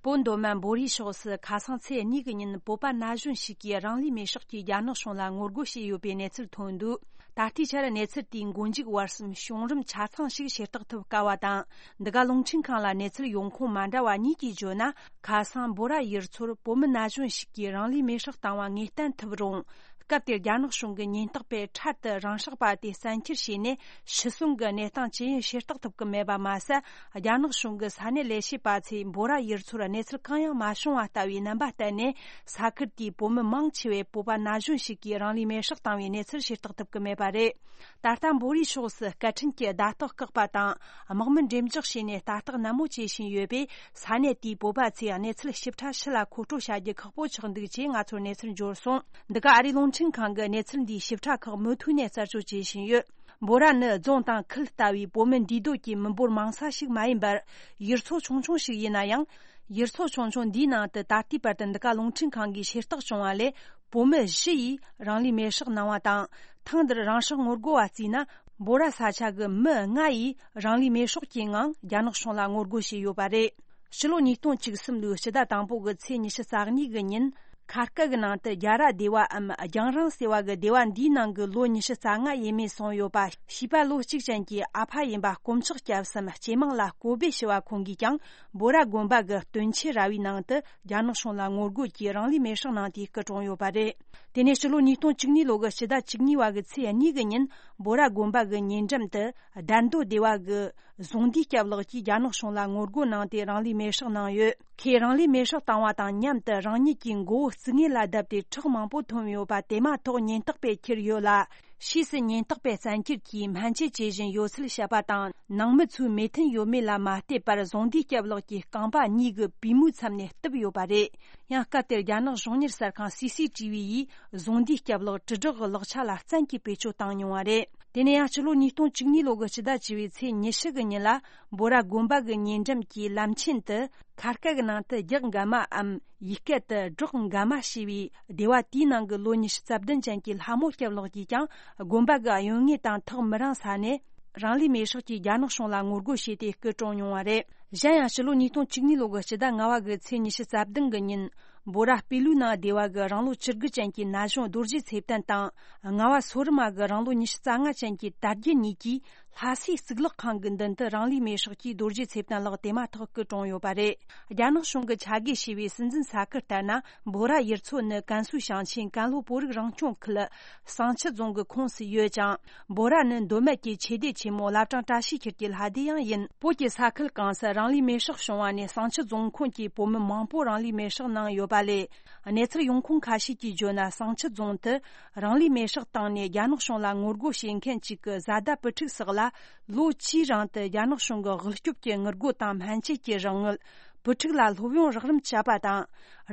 བོད་མདོ་སྨད་འབོ་རའི་ཕྱོགས་སུ་ཁ་སང་ཚེས་གཉིས་ཀྱི་ཉིན་བོད་པ་ན་གཞོན་ཞིག་གིས་རང་ལུས་མེར་སྲེག་གིས་རྒྱ་ནག་གཞུང་ལ་ངོ་རྒོལ་བྱས་ཡོད་པའི་གནས་ཚུལ་ཐོན་འདུག་ད་ལྟའི་ཆར་གནས་ཚུལ་དེའི་མགོ་མཇུག་བར་གསུམ་བྱུང་རིམ་ཆ་ཚང་ཞིག་ཤེས་རྟོགས་ཐུབ་དཀའ་བ་དང་། འདི་ག་རླུང་འཕྲིན་ཁང་ལ་གནས་ཚུལ་ཡོང་ཁུངས་མ་འདྲ་བ་གཉིས་ཀྱིས་བརྗོད་ན། ཁ་སང་འབོ་ར་ཡུལ་ཚོར་བོད་མི་ན་གཞོན་ཞིག་གིས་རང་ལུས་མེར་སྲེག་བཏང་བ་ངེས་གཏན་ཐུབ་རུང་། སྐབས་དེར་རྒྱ་ནག་གཞུང་གི་ཉེན་རྟོག་པས་འཕྲལ་དུ་རང་སྲེག་པ་དེ་བཙན་ཁྱེར་བྱས་ནས་ཤི་གསོན་གྱི་གནས་སྟངས་ཇི་ཡིན་ཤེས་རྟོགས་ཐུབ་ཀྱི་མེད་པ་མ་ཟད། རྒྱ་ནག་གཞུང་གི་ས་གནས་ལས་བྱེད་པ་ཚོས་འབོ་ར་ཡུལ་ཚོར་གནས་ཚུལ་གང་ཡང་མ་བྱུང་བ་ལྟ་བུའི་རྣམ་པ་བསྟན་ནས། ས་ཁུལ་དེའི་བོད་མི་མང་ཆེ་བས་བོད་པ་ན་གཞོན་ཞིག་གིས་རང་ལུས་མེར་སྲེག་བཏང་བའི་གནས་ཚུལ་ཤེས་རྟོགས་ཐུབ་ཀྱི་མེད་པ་རེད། ད་ལྟ་འབོ་རའི་ཕྱོགས་སུ་སྐད་འཕྲིན་གྱི་བརྡ་རྟགས་བཀག་པ་དང་། དམག་མི་འགྲེམས་འཇོག་བྱས་ནས་ལྟ་རྟོག་ནན་མོ་བྱེད་བཞིན་ཡོད་པས། ས་གནས་དེའི་བོད་པ་ཚོས་གནས་ཚུལ་ཞིབ་ཕྲ་ཕྱི་ལ་མཁོ་སྤྲོད་བྱ་རྒྱུ་ཁག་པོ་ཆགས་འདུག་ཅེས་ང་ཚོར་གནས་ཚུལ་འབྱོར་སོང་། འདི་ག་ཨ་རིའི་རླུང་འཕྲིན་ཁང་གིས་གནས་ཚུལ་འདིའི་ཞིབ་ཕྲ་ཁག་མུ་མཐུད་ནས་རྩད་གཅོད་བྱེད་བཞིན་ཡོད། འབོ་ར་ནི་རྫོང་དང་ཁུལ་ལྟ་བུའི་བོད་མི་འདུས་སྡོད་ཀྱི་མི་འབོར་མང་ས་ཞིག་མ་ཡིན་པར། ཡུལ་ཚོ་ཆུང་ཆུང་ཞིག་ཡིན་ན་ཡང་། ཡུལ་ཚོ་ཆུང་ཆུང་འདིའི་ནང་དུ་ད་ལྟའི་བར་དུ་འདི་ག་རླུང་འཕྲིན་ཁང་གིས་ཤེས་རྟོགས་བྱུང་བ་ལས། བོད་མི་བཞི་ཡིས་རང་ལུས་མེར་སྲེག་གནང་བ་དང་། ཐེངས་འདིར་རང་སྲེག་ངོ་རྒོལ་བ་བརྩིས་ན། འབོ་ར་ས་ཆ་གི་མི་ལྔ་ཡིས་རང་ལུས་མེར་སྲེག་གི་ངང་རྒྱ་ནག་གཞུང་ལ་ངོ་རྒོལ་བྱས་ཡོད་པ་རེད། ཕྱི་ལོ་ཉིས་སྟོང་བཅུ་གསུམ་ལོའི་སྤྱི་ཟླ་དང་པོ་གི་ཚེས་ཉི་ཤུ་རྩ་གཉིས་ཀྱི་ཉིན། ཁ་སྐད་ཀྱི་ནང་དུ་རྒྱ་ར་སྡེ་བའམ་རྒྱང་རིང་ཟེར་བ་གི་སྡེ་བ་འདིའི་ནང་གི་ལོ་ཉི་ཤུ་རྩ་ལྔ་ཡས་མས་སོང་ཡོད་པ། བྱིས་པ་ལོ་གཅིག་ཅན་གྱི་ཨ་ཕ་ཡིན་པ་དཀོན་མཆོག་སྐྱབས་སམ་སྐྱེས་མིང་ལ་ཀོ་བེ་ཞུ་བ་ཁོང་གིས་ཀྱང་། འབོ་ར་དགོན་པ་གི་སྟོན་ཆེ་ར་བའི་ནང་དུ་རྒྱ་ནག་གཞུང་ལ་ངོ་རྒོལ་གྱིས་རང་ལུས་མེར་སྲེག་གནང་སྟེ་སྐུ་གྲོངས་ཡོད་པ་རེད། དེ་ནས་ཕྱི་ལོ་ཉིས་སྟོང་བཅུ་གཉིས་ལོ་གི་ཕྱི་ཟླ་བཅུ་གཉིས་པ་གི་ཚེས་གཉིས་ཀྱི་ཉིན། འབོ་ར་དགོན་པ་གི་ཉེ་འགྲམ་དུ་དར་མདོ་སྡེ་བ་གི་གཟུངས་འདུས་སྐྱབས་ལགས་ཀྱིས་རྒྱ་ནག་གཞུང་ལ་ངོ་རྒོལ་གནང་སྟེ་རང་ལུས་མེར་སྲེག་གནང་ཡོད། ཁོས་རང་ལུས་མེར་སྲེག་བཏང་བ་དང་མཉམ་དུ་རང་ཉིད་ཀྱི་མགོ་བོ་རྩིག་ངོས་ལ་བརྡབས་ཏེ་ཁྲག་མང་པོ་འཐུང་ཡོད་པ་དེ་མ་ཐག་ཉེན་རྟོག་པས་ཁྱེར་ཡོད་ལ། ཕྱིས་སུ་ཉེན་རྟོག་པས་བཙན་འཁྱེར་གྱིས་སྨན་བཅོས་བྱེད་བཞིན་ཡོད་ཚུལ་བཤད་པ་དང་། ནང་མི་ཚོའི་མོས་མཐུན་ཡོད་མེད་ལ་མ་ལྟོས་པར་གཟུངས་འདུས་སྐྱབས་ལགས་ཀྱི་རྐང་པ་གཉིས་ཀྱི་པུས་མོའི་མཚམས་ནས་གཏུབས་ཡོད་པ་རེད། ཡང་སྐབས་དེར་རྒྱ་ནག་གཞུང་གཉེར་གསར་ཁང་སི་སི་ཊི་ཝི་ཡིས་གཟུངས་འདུས་སྐྱབས་ལགས་དྲིལ་བསྒྲགས་ཀྱི་ལག་ཆ་ལ་བཙན་གྱིས་བེད་སྤྱོད་བཏང་མྱོང་བ་རེད། དེ་ནས་ཡང་ཕྱི་ལོ་ཉིས་སྟོང་བཅུ་གཉིས་ལོ་གི་ཕྱི་ཟླ་བཅུ་པའི་ཚེས་ཉི་ཤུ་གི་ཉིན་ལ། འབོ་ར་དགོན་པ་གི་ཉེ་འགྲམ་གྱི་ལམ་ཆེན་དུ་ཁ་སྐད་ཀྱི་ནང་དུ་རྒྱག་འགའ་མའམ་ཡིག་སྐད་དུ་སྒྲོག་འགའ་མ་ཞེས་པའི་སྡེ་བ་དེའི་ནང་གི་ལོ་ཉི་ཤུ་རྩ་བདུན་ཅན་གྱི་ལྷ་མོ་སྐྱབས་ལགས་ཀྱིས་ཀྱང་དགོན་པ་གི་གཡོན་ངོས་དང་ཐག་མི་རིང་ས་ནས་རང་ལུས་མེར་སྲེག་གིས་རྒྱ་ནག་གཞུང་ལ་ངོ་རྒོལ་བྱས་ཏེ་སྐུ་གྲོངས་མྱོང་བ་རེད། གཞན་ཡང་ཕྱི་ལོ་ཉིས་སྟོང་བཅུ་གཉིས་ལོ་གི་ཕྱི་ཟླ་ལྔ་པ་གི་ཚེས་ཉི་ཤུ་རྩ་བདུན་གི་ཉིན། འབོ་ར་པི་ལུའི་ནང་སྡེ་བ་གི་རང་ལོ་བཅུ་དགུ་ཅན་གྱི་ན་གཞོན་རྡོ་རྗེ་ཚེ་བརྟན་དང་། ལྔ་པ་སོ་རི་མ་གི་རང་ལོ་ཉི་ཤུ་རྩ་ལྔ་ཅན་གྱི་དར་རྒྱས་གཉིས་ཀྱིས། ལྷ་སའི་གཙུག་ལག་ཁང་གི་མདུན་དུ་རང་ལུས་མེར་སྲེག་གིས་རྡོ་རྗེ་ཚེ་བརྟན་ལགས་དེ་མ་ཐག་སྐུ་གྲོངས་ཡོད་པ་རེད། རྒྱ་ནག་གཞུང་གི་ཆ་བགོས་བྱས་པའི་སྲིད་འཛིན་ས་ཁུལ་ལྟར་ན། འབོ་ར་ཡུལ་ཚོ་ནི་ཀན་སུའུ་ཞིང་ཆེན་ཀན་ལྷོ་བོད་རིགས་རང་སྐྱོང་ཁུལ་བསང་ཆུ་རྫོང་གི་ཁོངས་སུ་ཡོད་ཅིང་། འབོ་ར་ནི་མདོ་སྨད་ཀྱི་ཆོས་སྡེ་ཆེན་མོ་བླ་བྲང་བཀྲ་ཤིས་འཁྱིལ་གྱི་ལྷ་སྡེ་ཡང་ཡིན། བོད་ཀྱི་ས་ཁུལ་གང་སར་རང་ལུས་མེར་སྲེག་བྱུང་བ་ནས་བསང་ཆུ་རྫོང་ཁོངས་ཀྱི་བོད་མི་མང་པོ་རང་ལུས་མེར་སྲེག་གནང་ཡོད་པ་ལས། གནས་ཚུལ་ཡོང་ཁུངས་ཁ་ཤས་ཀྱིས་བརྗོད་ན། བསང་ཆུ་རྫོང་དུ་རང་ལུས་མེར་སྲེག་བཏང་ནས་རྒྱ་ནག་གཞུང་ལ་ངོ་རྒོལ་བྱེད་མཁན་གཅིག་གི་བཟའ་ཟླ་བུ་ཕྲུག་སོགས་ལ། ལོ་བཅུའི་རིང་དུ་རྒྱ་ནག་གཞུང་གི་དབུལ་སྐྱོབ་ཀྱི་དངུལ་སྒོར་དང་སྨན་བཅོས་ཀྱི་རོགས་དངུལ། བུ་ཕྲུག་ལ་སློབ་ཡོན་རགས་རིམ་བཅད་པ་དང་།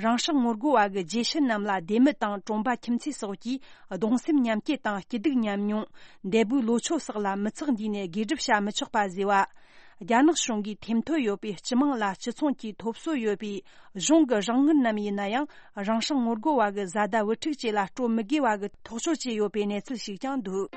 རང་སྲེག་ངོ་རྒོལ་བ་གི་རྗེས་ཤུལ་རྣམས་ལ་སྡེ་མི་དང་གྲོང་པ་ཁྱིམ་མཚེས་སོགས་ཀྱིས་གདུང་སེམས་མཉམ་སྐྱེད་དང་སྐྱིད་སྡུག་མཉམ་མྱོང་། འདས་པོའི་ལོ་ཕྱོགས་སོགས་ལ་མི་ཚེ་འདིའི་ནས་དགེ་སྒྲུབ་བྱ་མི་ཆོག་པ་བཟོས་པ། རྒྱ་ནག་གཞུང་གིས་ཐེམ་ཐོ་ཡོད་པའི་སྤྱི་དམངས་ལ་སྤྱི་ཚོགས་ཀྱི་ཐོབ་སོ་ཡོད་པའི་གཞུང་གི་རང་དངུལ་རྣམས་ཡིན་ན་ཡང་། རང་སྲེག་ངོ་རྒོལ་བ་གི་བཟའ་ཟླ་བུ་ཕྲུག་བཅས་ལ་སྤྲོད་མི་དགོས་པ་གི་ཐག་གཅོད་བྱས་ཡོད་པའི་གནས་ཚུལ་ཞིག་ཀྱང་འདུག་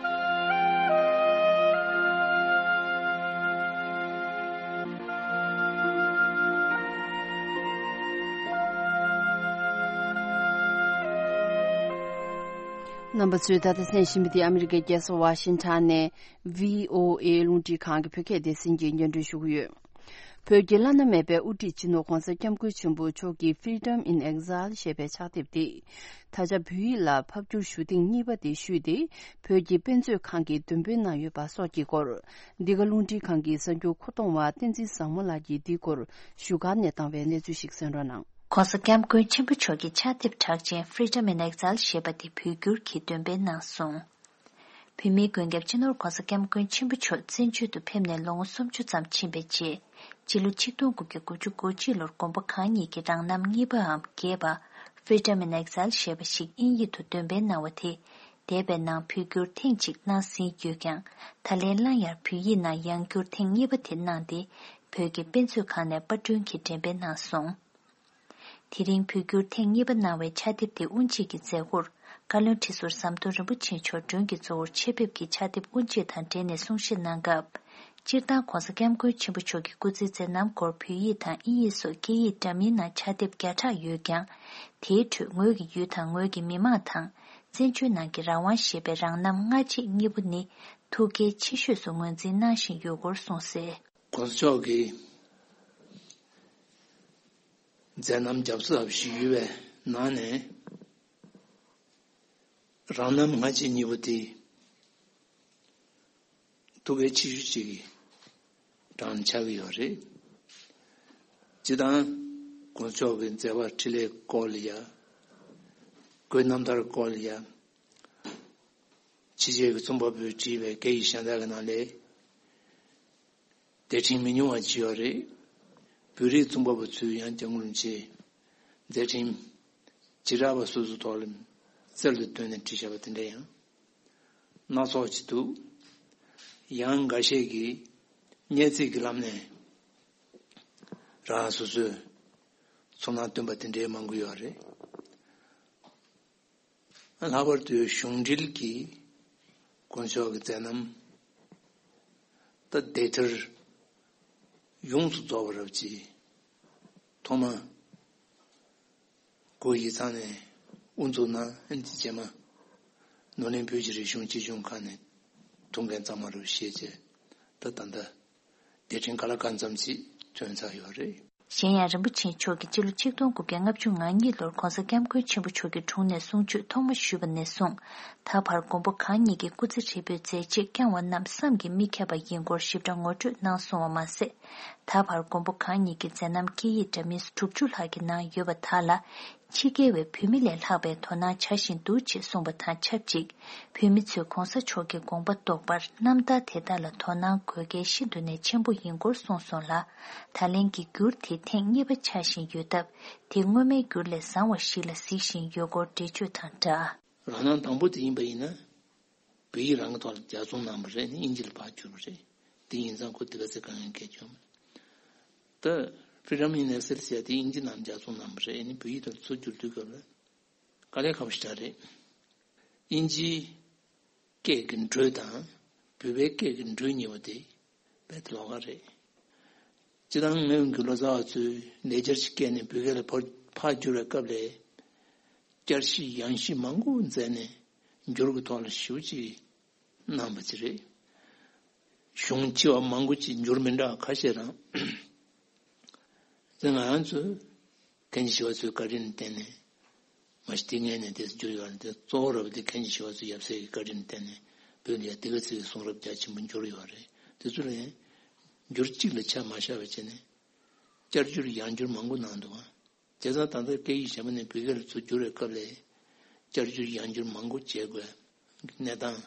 རྣམ་པ་ཚོས་ད་ལྟ་གསན་བཞིན་པ་འདི་ཨ་མི་རི་ཀའི་རྒྱལ་ས་ཝ་ཤིང་ཊོན་ནས། བྷི་ཨོ་ཨེ་རླུང་འཕྲིན་ཁང་གི་བོད་སྐད་སྡེ་ཚན་གྱིས་སྙན་སྒྲོན་ཞུ་གི་ཡོད། བོད་ཀྱི་བླ་ན་མེད་པའི་དབུ་ཁྲིད་སྤྱི་ནོར་༧གོང་ས་༧སྐྱབས་མགོན་ཆེན་པོ་མཆོག་གི་Freedom in Exile ཞེས་པའི་ཕྱག་དེབ་དེ། ད་ཆ་བོད་ཡིག་ལ་ཕབ་བསྒྱུར་ཞུ་ཐེངས་གཉིས་པ་དེ་ཞུས་ཏེ། བོད་ཀྱི་དཔེ་མཛོད་ཁང་གིས་འདོན་སྤེལ་གནང་ཡོད་པ་སོགས་ཀྱི་སྐོར། འདི་ག་རླུང་འཕྲིན་ཁང་གི་གསར་འགྱུར་མཁོ་གཏོང་བ་བསྟན་འཛིན་བཟང་མོ་ལགས་ཀྱིས་འདིའི་སྐོར་བཞུགས་སྒར་ནས་བཏང་བའི་གནས་ཚུལ་ཞིག་གསན་རོགས་གནང་། ༧གོང་ས་༧སྐྱབས་མགོན་ཆེན་པོ་མཆོག་གི་ཕྱག་དེབ་གྲགས་ཅན་Freedom in Exile ཞེས་པ་དེ་བོད་བསྒྱུར་གྱིས་འདོན་སྤེལ་གནང་སོང་། བོད་མིའི་མགོན་སྐྱབས་སྤྱི་ནོར་༧གོང་ས་༧སྐྱབས་མགོན་ཆེན་པོ་མཆོག་བཙན་བྱོལ་དུ་ཕེབས་ནས་ལོ་ངོ་སུམ་ཅུ་ཙམ་ཕྱིན་པའི་རྗེས། སྤྱི་ལོ་ཆིག་སྟོང་དགུ་བརྒྱ་དགུ་བཅུ་གོ་གཅིག་ལོར་དགོན་པ་གང་ཉིད་ཀྱི་རང་རྣམ་གཉིས་པའམ་རྒྱས་པ། Freedom in Exile ཞེས་པ་ཞིག་དབྱིན་ཡིག་ཏུ་འདོན་སྤེལ་གནང་བ་དེ། འདས་པའི་ནང་བོད་བསྒྱུར་ཐེངས་གཅིག་གནང་ཟིན་ཡོད་ཀྱང་། ད་ལན་སླར་ཡང་བོད་ཡིག་ནང་ཡང་བསྒྱུར་ཐེངས་གཉིས་པ་དེ་གནང་སྟེ། བོད་ཀྱི་དཔེ་མཛོད་ཁང་ནས་པར་སྐྲུན་གྱིས་འགྲེམས་སྤེལ་གནང་སོང་། དེ་རིང་བོད་བསྒྱུར་ཐེངས་གཉིས་པ་གནང་བའི་ཕྱག་དེབ་དེ་དབུ་འབྱེད་ཀྱི་མཛད་སྒོར། བཀའ་བློན་ཁྲི་ཟུར་ཟམ་གདོང་རིན་པོ་ཆེ་མཆོག་མགྲོན་གྱི་གཙོ་བོར་ཆེད་ཕེབས་ཀྱིས་ཕྱག་དེབ་དབུ་འབྱེད་དང་འབྲེལ་ནས་གསུང་བཤད་གནང་སྐབས། སྤྱིར་བཏང་༧གོང་ས་༧སྐྱབས་མགོན་ཆེན་པོ་མཆོག་གི་སྐུ་ཚེའི་མཛད་རྣམ་སྐོར་བོད་ཡིག་དང་དབྱིན་ཡིག་སོགས་སྐད་ཡིག་འདྲ་མིན་ནང་ཕྱག་དེབ་བརྒྱ་ཕྲག་ཡོད་ཀྱང་། དེའི་ཁྲོད་ངོས་ཀྱི་ཡུལ་དང་ངོས་ཀྱི་མི་དམངས་དང་། བཙན་བྱོལ་ནང་གི་རང་དབང་ཞེས་པའི་རང་རྣམ་སྔ་རྗེས་གཉིས་པོ་ནི་ཐུགས་གལ་ཆེ་ཤོས་སུ་ངོས་འཛིན་གནང་བཞིན་ཡོད་སྐོར་གསུངས་གསལ། ༧གོང་ས་མཆོག་གི་མཛད་རྣམ་རྒྱབ་གཟབ་ཞིག་ཡོད་པའི་ནང་ནས། རང་རྣམ་སྔ་རྗེས་གཉིས་པོ་དེ་ཐུགས་གལ་ཆེ་ཤོས་ཅིག་གི་གྲས་ཆགས་ཀྱི་ཡོད་རེད། སྤྱིར་བཏང་༧གོང་ས་མཆོག་གི་མཛད་པ་འཕྲིན་ལས་སྐོར་ལ་ཡ། བཀོད་རྣམ་ཐར་སྐོར་ལ་ཡ། ཕྱི་རྒྱལ་གྱི་རྩོམ་པ་པོས་བྲིས་པའི་སྐད་ཡིག་གཞན་དག་གི་ནང་ལས། དེབ་ཕྲེང་མི་ཉུང་བ་ཅིག་ཡོད་རེད། བོད་རིགས་རྩོམ་པ་པོ་ཚོས་ཡང་སྐྱབས་མགོན་རིན་པོ་ཆེའི་མཛད་འཕྲིན་བྱེ་བྲག་པ་སོ་སོའི་ཐོག་ལ་གསལ་དུ་བཏོན་ནས་བྲིས་བཞག་པ་དེ་འདྲ་ཡང་སྣ་ཚོགས་ཅིག་འདུག། ཡང་འགའ་ཤས་ཀྱིས་སྙན་ཚིག་གི་ལམ་ནས་རང་སོ་སོའི་ཚོར་སྣང་བཏོན་པ་དེ་འདྲའི་མང་པོ་ཡོད་རེད། ལྷག་པར་དུ་གཞུང་འབྲེལ་གྱི་དཀོན་མཆོག་གི་མཛད་རྣམ་ད་དེབ་ཐེར་ཡོངས་སུ་རྫོགས་པ་རབ་ཀྱི་ཐོག་མ་ སྒོ་གཞི་ཚང་ནས་དབུ་འཛུགས་གནང་། ཨ་ནི་རྗེས་མ་ནོར་གླིང་བོད་ཀྱི་རིག་གཞུང་སྤྱི་གཞུང་ཁང་ནས་ཐུགས་འགན་གཙང་མ་རུ་བཞེས་བྱས། ད་ད་ལྟ་རྒྱལ་ཕྲན་ག་ལ་གང་འཚམ་ཅིག་ཐོན་ཚར་ཡོད་རེད། གཞན་ཡང་རིན་པོ་ཆེ་མཆོག་གིས་སྤྱི་ལོ་ཆིག་སྟོང་དགུ་བརྒྱ་ལྔ་བཅུ་ང་གཉིས་ལོར་༧གོང་ས་༧སྐྱབས་མགོན་ཆེན་པོ་མཆོག་གི་དྲུང་ནས་གསུང་ཆོས་ཐོག་མ་ཞུས་པ་ནས་བཟུང་། ད་བར་མགོན་པོ་གང་ཉིད་ཀྱི་སྐུ་ཚེ་ཧྲིལ་པོའི་མཛད་རྗེས་བསྐྱངས་བ་རྣམས་བསམ་གྱིས་མི་ཁྱབ་པ་ཡིན་སྐོར་ཞིབ་ཕྲ་ངོ་སྤྲོད་གནང་སོང་བ་མ་ཟད། ད་བར་མགོན་པོ་གང་ཉིད་ཀྱི་མཛད་རྣམ་སྐད་ཡིག་འདྲ་མིན་དྲུག་ཅུ་ལྷག་གི་ནང་ཡོད་པ་དག་ལ། ཕྱི་རྒྱལ་བའི་བོད་མི་ལས་ལྷག་པའི་དོ་སྣང་བྱ་བཞིན་འདུག་ཅེས་གསུངས་པ་དང་ཆབས་ཅིག་བོད་མི་ཚོས་༧གོང་ས་མཆོག་གི་དགོངས་པ་རྟོགས་པར་རྣམ་ཐར་དེ་དག་ལ་དོ་སྣང་དགོས་གལ་ཤིན་ཏུ་ནས་ཆེན་པོ་ཡིན་སྐོར་གསུངས་སོང་ལ། ད་ལན་གྱི་འགྱུར་དེ་ཐེངས་གཉིས་པ་ཆགས་བཞིན་ཡོད་སྟབས། དེ་སྔོན་མའི་འགྱུར་ལས་བཟང་བ་ཞིག་ལ་གཟིགས་བཞིན་ཡོད་སྐོར་འགྲེལ་བརྗོད་དང་སྦྲགས། རང་སྣང་དང་པོ་དེ་ཡིན་པ་ཡིན་ན། བོད་ཡིག་རང་གི་ཐོག་ལ་ལྗགས་རྩོམ་གནང་བ་རེད། ཨ་ནི་དབྱིན་ཇི་ལ་ཕར་བསྒྱུར་བ་རེད། དེ་ཡིན་ཙང་ཁོ་དེ་ག་ཚོད་དཀའ་ངལ་འཕྲད་ཀྱི་ཡོད་མ་རེད། ད་Freedom in Exile ཟེར་ཡ་དེ་དབྱིན་ཇི་ནང་ལྗགས་རྩོམ་གནང་བ་རེད། ཨ་ནི་བོད་ཡིག་ཐོག་ཚུར་བསྒྱུར་དུས་སྐབས་ལ་དཀའ་ལས་ཁག་པོ་ཞིག་རེད། དབྱིན་ཇིའི་སྐད་ཀྱི་འགྲོས་དང་བོད་པའི་སྐད་ཀྱི་འགྲོས་གཉིས་པོ་དེ་རྦད་དེ་ལོགས་ཀ་རེད། སྤྱིར་བཏང་ངོས་ཀྱི་ལོ་ཙཱ་བ་ཚོས་ལེགས་སྦྱར་གྱི་སྐད་ནས་བོད་སྐད་ལ་ཕར་ཕར་བསྒྱུར་བའི་སྐབས་ལ། བསྐྱར་ཞིབ་ཡང་ཞིབ་མང་པོ་མཛད་ནས་འགྱུར་གྱི་ཐོག་ལ་ཞེ་པོ་ཅིག་གནང་བ་ཅིག་རེད། གཞུང་ཆེ་བ་མང་པོ་ཅིག་འགྱུར་མི་འདྲ་བ་ཁ་ཤས་རང་། དེ་ང་རང་ཚོས་མཁན་ཆེན་ཞི་བ་འཚོའི་བཀའ་དྲིན་ལ་བརྟེན་ནས། མ་གཞི་དེ་སྔོན་ནས་དེ་འགྱུར་ཡོད་རེད། དེ་གཙོ་བོ་རབ་དེ་མཁན་ཆེན་ཞི་བ་འཚོ་ཡབ་སྲས་ཀྱི་བཀའ་དྲིན་ལ་བརྟེན་ནས་བོད་ལ་ཡ་དེ་ག་ཚོད་ཀྱི་གསུང་རབ་རྒྱ་ཆེན་པོ་འགྱུར་ཡོད་རེད། དེ་ཚོ་ལ་ཡང་འགྱུར་གཅིག་ལ་ཆ་མ་བཞག་པ་བྱས་ནས་བསྐྱར་བསྒྱུར་ཡང་བསྒྱུར་མང་པོ་གནང་འདུག་བ། བྱས་ཙང་ད་ལྟ་སྐད་ཡིག་གཞན་པ་ནས་བོད་སྐད་ལ་ཚུར་བསྒྱུར་བའི་སྐབས་ལ་བསྐྱར་བསྒྱུར་ཡང་བསྒྱུར་མང་པོ་བྱེད་དགོས་གནས་སྟངས་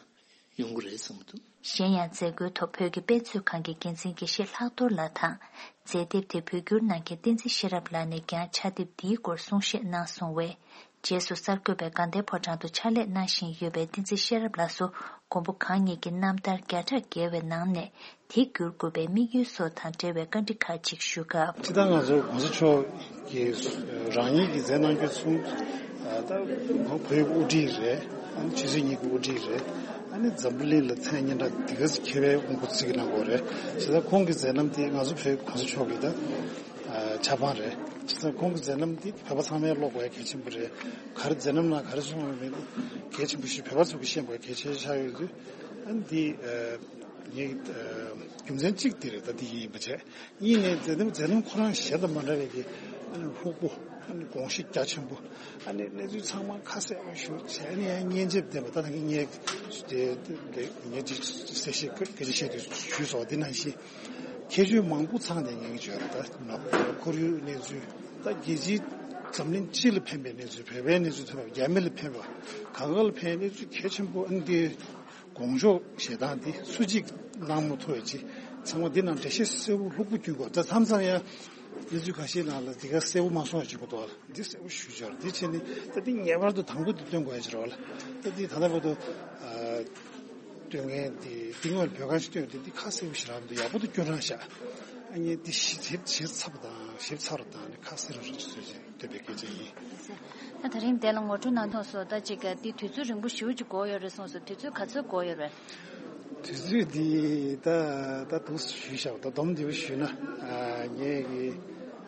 ཡོང་གི་རེད་བསམ་གྱི་འདུག། གཞན་ཡང་མཛད་སྒོའི་ཐོག་བོད་ཀྱི་དཔེ་མཛོད་ཁང་གི་འགན་འཛིན་དགེ་བཤེས་ལྷག་རྡོར་ལགས་དང་། མཛད་དེབ་དེ་བོད་བསྒྱུར་གནང་མཁན་བསྟན་འཛིན་ཤེས་རབ་ལགས་ནས་ཀྱང་ཕྱག་དེབ་འདིའི་སྐོར་གསུང་བཤད་གནང་སོང་བས། རྗེས་སུ་གསར་འགོད་པས་དགའ་ལྡན་ཕོ་བྲང་དུ་ཕྱག་ལས་གནང་བཞིན་ཡོད་པའི་བསྟན་འཛིན་ཤེས་རབ་ལགས་སུ་མགོན་པོ་གང་ཉིད་ཀྱི་རྣམ་ཐར་བརྒྱ་ཕྲག་བརྒལ་བའི་ནང་ནས། དེ་བསྒྱུར་དགོས་པའི་དམིགས་ཡུལ་སོགས་དང་འབྲེལ་བའི་བཀའ་འདྲི་ཁག་ཅིག་ཞུ་སྐབས། སྤྱིར་བཏང་ང་ཚོ་༧གོང་ས་མཆོག་གིས་རང་ཉིད་ཀྱིས་མཛད་གནང་རྒྱུ་གསུམ། ད་བོད་ཀྱི་དབུ་ཁྲིད་རེད། ཨ་ནི་ཆོས་སྲིད་གཉིས་ཀྱི་དབུ་ཁྲིད་རེད། ཨ་ནི་འཛམ་བུ་གླིང་ལ་མཚན་སྙན་གྲགས་དེ་ག་ཚོད་ཁྱད་པའི་དབུ་འགོ་ཚུགས་ཀྱི་གནང་དགོས་རེད། བྱས་ཙང་ཁོང་གི་མཛད་རྣམ་དེ་ང་ཚོ་བོད་༧གོང་ས་མཆོག་གི་ད་ཆབ་འབངས་རེད། བྱས་ཙང་ཁོང་གི་མཛད་རྣམ་དེ་བོད་པ་ཚང་མས་ཀློག་དགོས་ཡ་གལ་ཆེན་པོ་རེད། ག་རེ་མཛད་རྣམ་ནང་ག་རེ་གསུངས་ཡོད་མེད་དེ་གལ་ཆེན་པོ་ཞིག་བོད་པ་ཚོ་གིས་ཤེས་དགོས་ཡ་གལ་ཆེ་ཆགས་ཡོད་དུས། ཨ་ནི་དེ་ངའི་རྒྱུ་མཚན་གཅིག་དེ་རེད། ད་དེ་ཡིན་པ་བྱས། གཉིས་ནས་མཛད་རྣམ་མཛད་རྣམ་ཁོ་རང་གཞན་དང་མ་འདྲ་བའི་གི་ཨ་ནི་ལྷུག་པོ། ཨ་ནི་དགོངས་གཞི་རྒྱ་ཆེན་པོ། ཨ་ནི་གནས་ཚུལ་ཚང་མ་ཁ་གསལ་པོ་ཞུ་བྱས་ནས་ཡང་སྙན་འཇེབས་ལྡན་པ། ད་ད་གིན་ངས་དེ་ངས་ཅིག་གསལ་བཤད་སྐད་ཆ་བཤད་དུས་ཞུས་སོང་། དེ་ནང་བཞིན་ཁྱད་ཆོས་མང་པོ་ཚང་བསྡད་མཁན་གྱི་ཡོད་རེད། ད་ཁོར་ཡུག་གནས་ཚུལ། ད་རྒྱལ་སྤྱིའི་འཛམ་གླིང་སྤྱི་ལ་ཕན་པའི་གནས་ཚུལ། བོད་པའི་གནས་ཚུལ་ཐོན་པ། རྒྱ་མི་ལ་ཕན་པ། གང་ག་ལ་ཕན་པའི་གནས་ཚུལ་གལ་ཆེན་པོ། ཨ་ནི་དེ། དགོངས་ཞུ་བཞེས་སྟངས་འདི་སུ་གཅིག་གནང་མ་ཐུབ་པའི་ཅིག་ཚང་མ་འདི་ནང་འགྲེལ་བཤད་གསལ་པོ་ལྷུག་པོ་སྐྱོན་དགོས། ད་མཚམས་མཚམས་ཡང་གནས་ཚུལ་ཁ་ཤས་ནང་ལ་འདི་ག་གསལ་པོ་མ་སོང་བ་ཅིག་གོ་འདུག་ལ། འདི་གསལ་པོ་ཞུ་འབྱོར་འདི་བྱས་ནས་ད་འདི་ངེས་པར་དུ་དང་པོ་འདི་སྟོན་དགོས་ཡ་ཅིག་རེད་བ་ལ། ད་འདི་ད་ལྟ་བར་དུ་སྟོན་མཁན་འདི་འདི་སྔོན་བོད་ཁང་ཞིག་སྟོན་འདི་འདི་ཁ་གསལ་པོ་ཞིག་རག་མི་འདུག། ཡག་པོ་འདུག། སྐྱོན་རང་བཞག། ཨ་ནི་འདི་ཞིབ་ཞིབ་ཞིབ་ཚགས་པོ་དང་ཞིབ་ཚགས་རུ་དང་ནི་ཁ་གསལ་རུ་རུ་ཅིག་བཟོས་ཅིག་འདོད་པའི་སྐད་ཆ་ཡིན། ད་ད་རིང་དེ་ལ་ངོ་སྤྲོད་གནང་ཐོག་སོ་ད་ཅིག་ག་འདི་དུས་ཚོད་རིང་པོ་ཞེ་པོ་ཅིག་འགོར་ཡོད་རེད་གསུངས་སོ། དུས་ཚོད་ག་ཚོད་འགོར་ཡོད་རེད། དུས་ཚོད་འདི་ད་ད་འདུག་ཞུས་བཞག། ད་སྡོམ་འདི་པ་ཞུས་ན། ཨ་ངས་གི་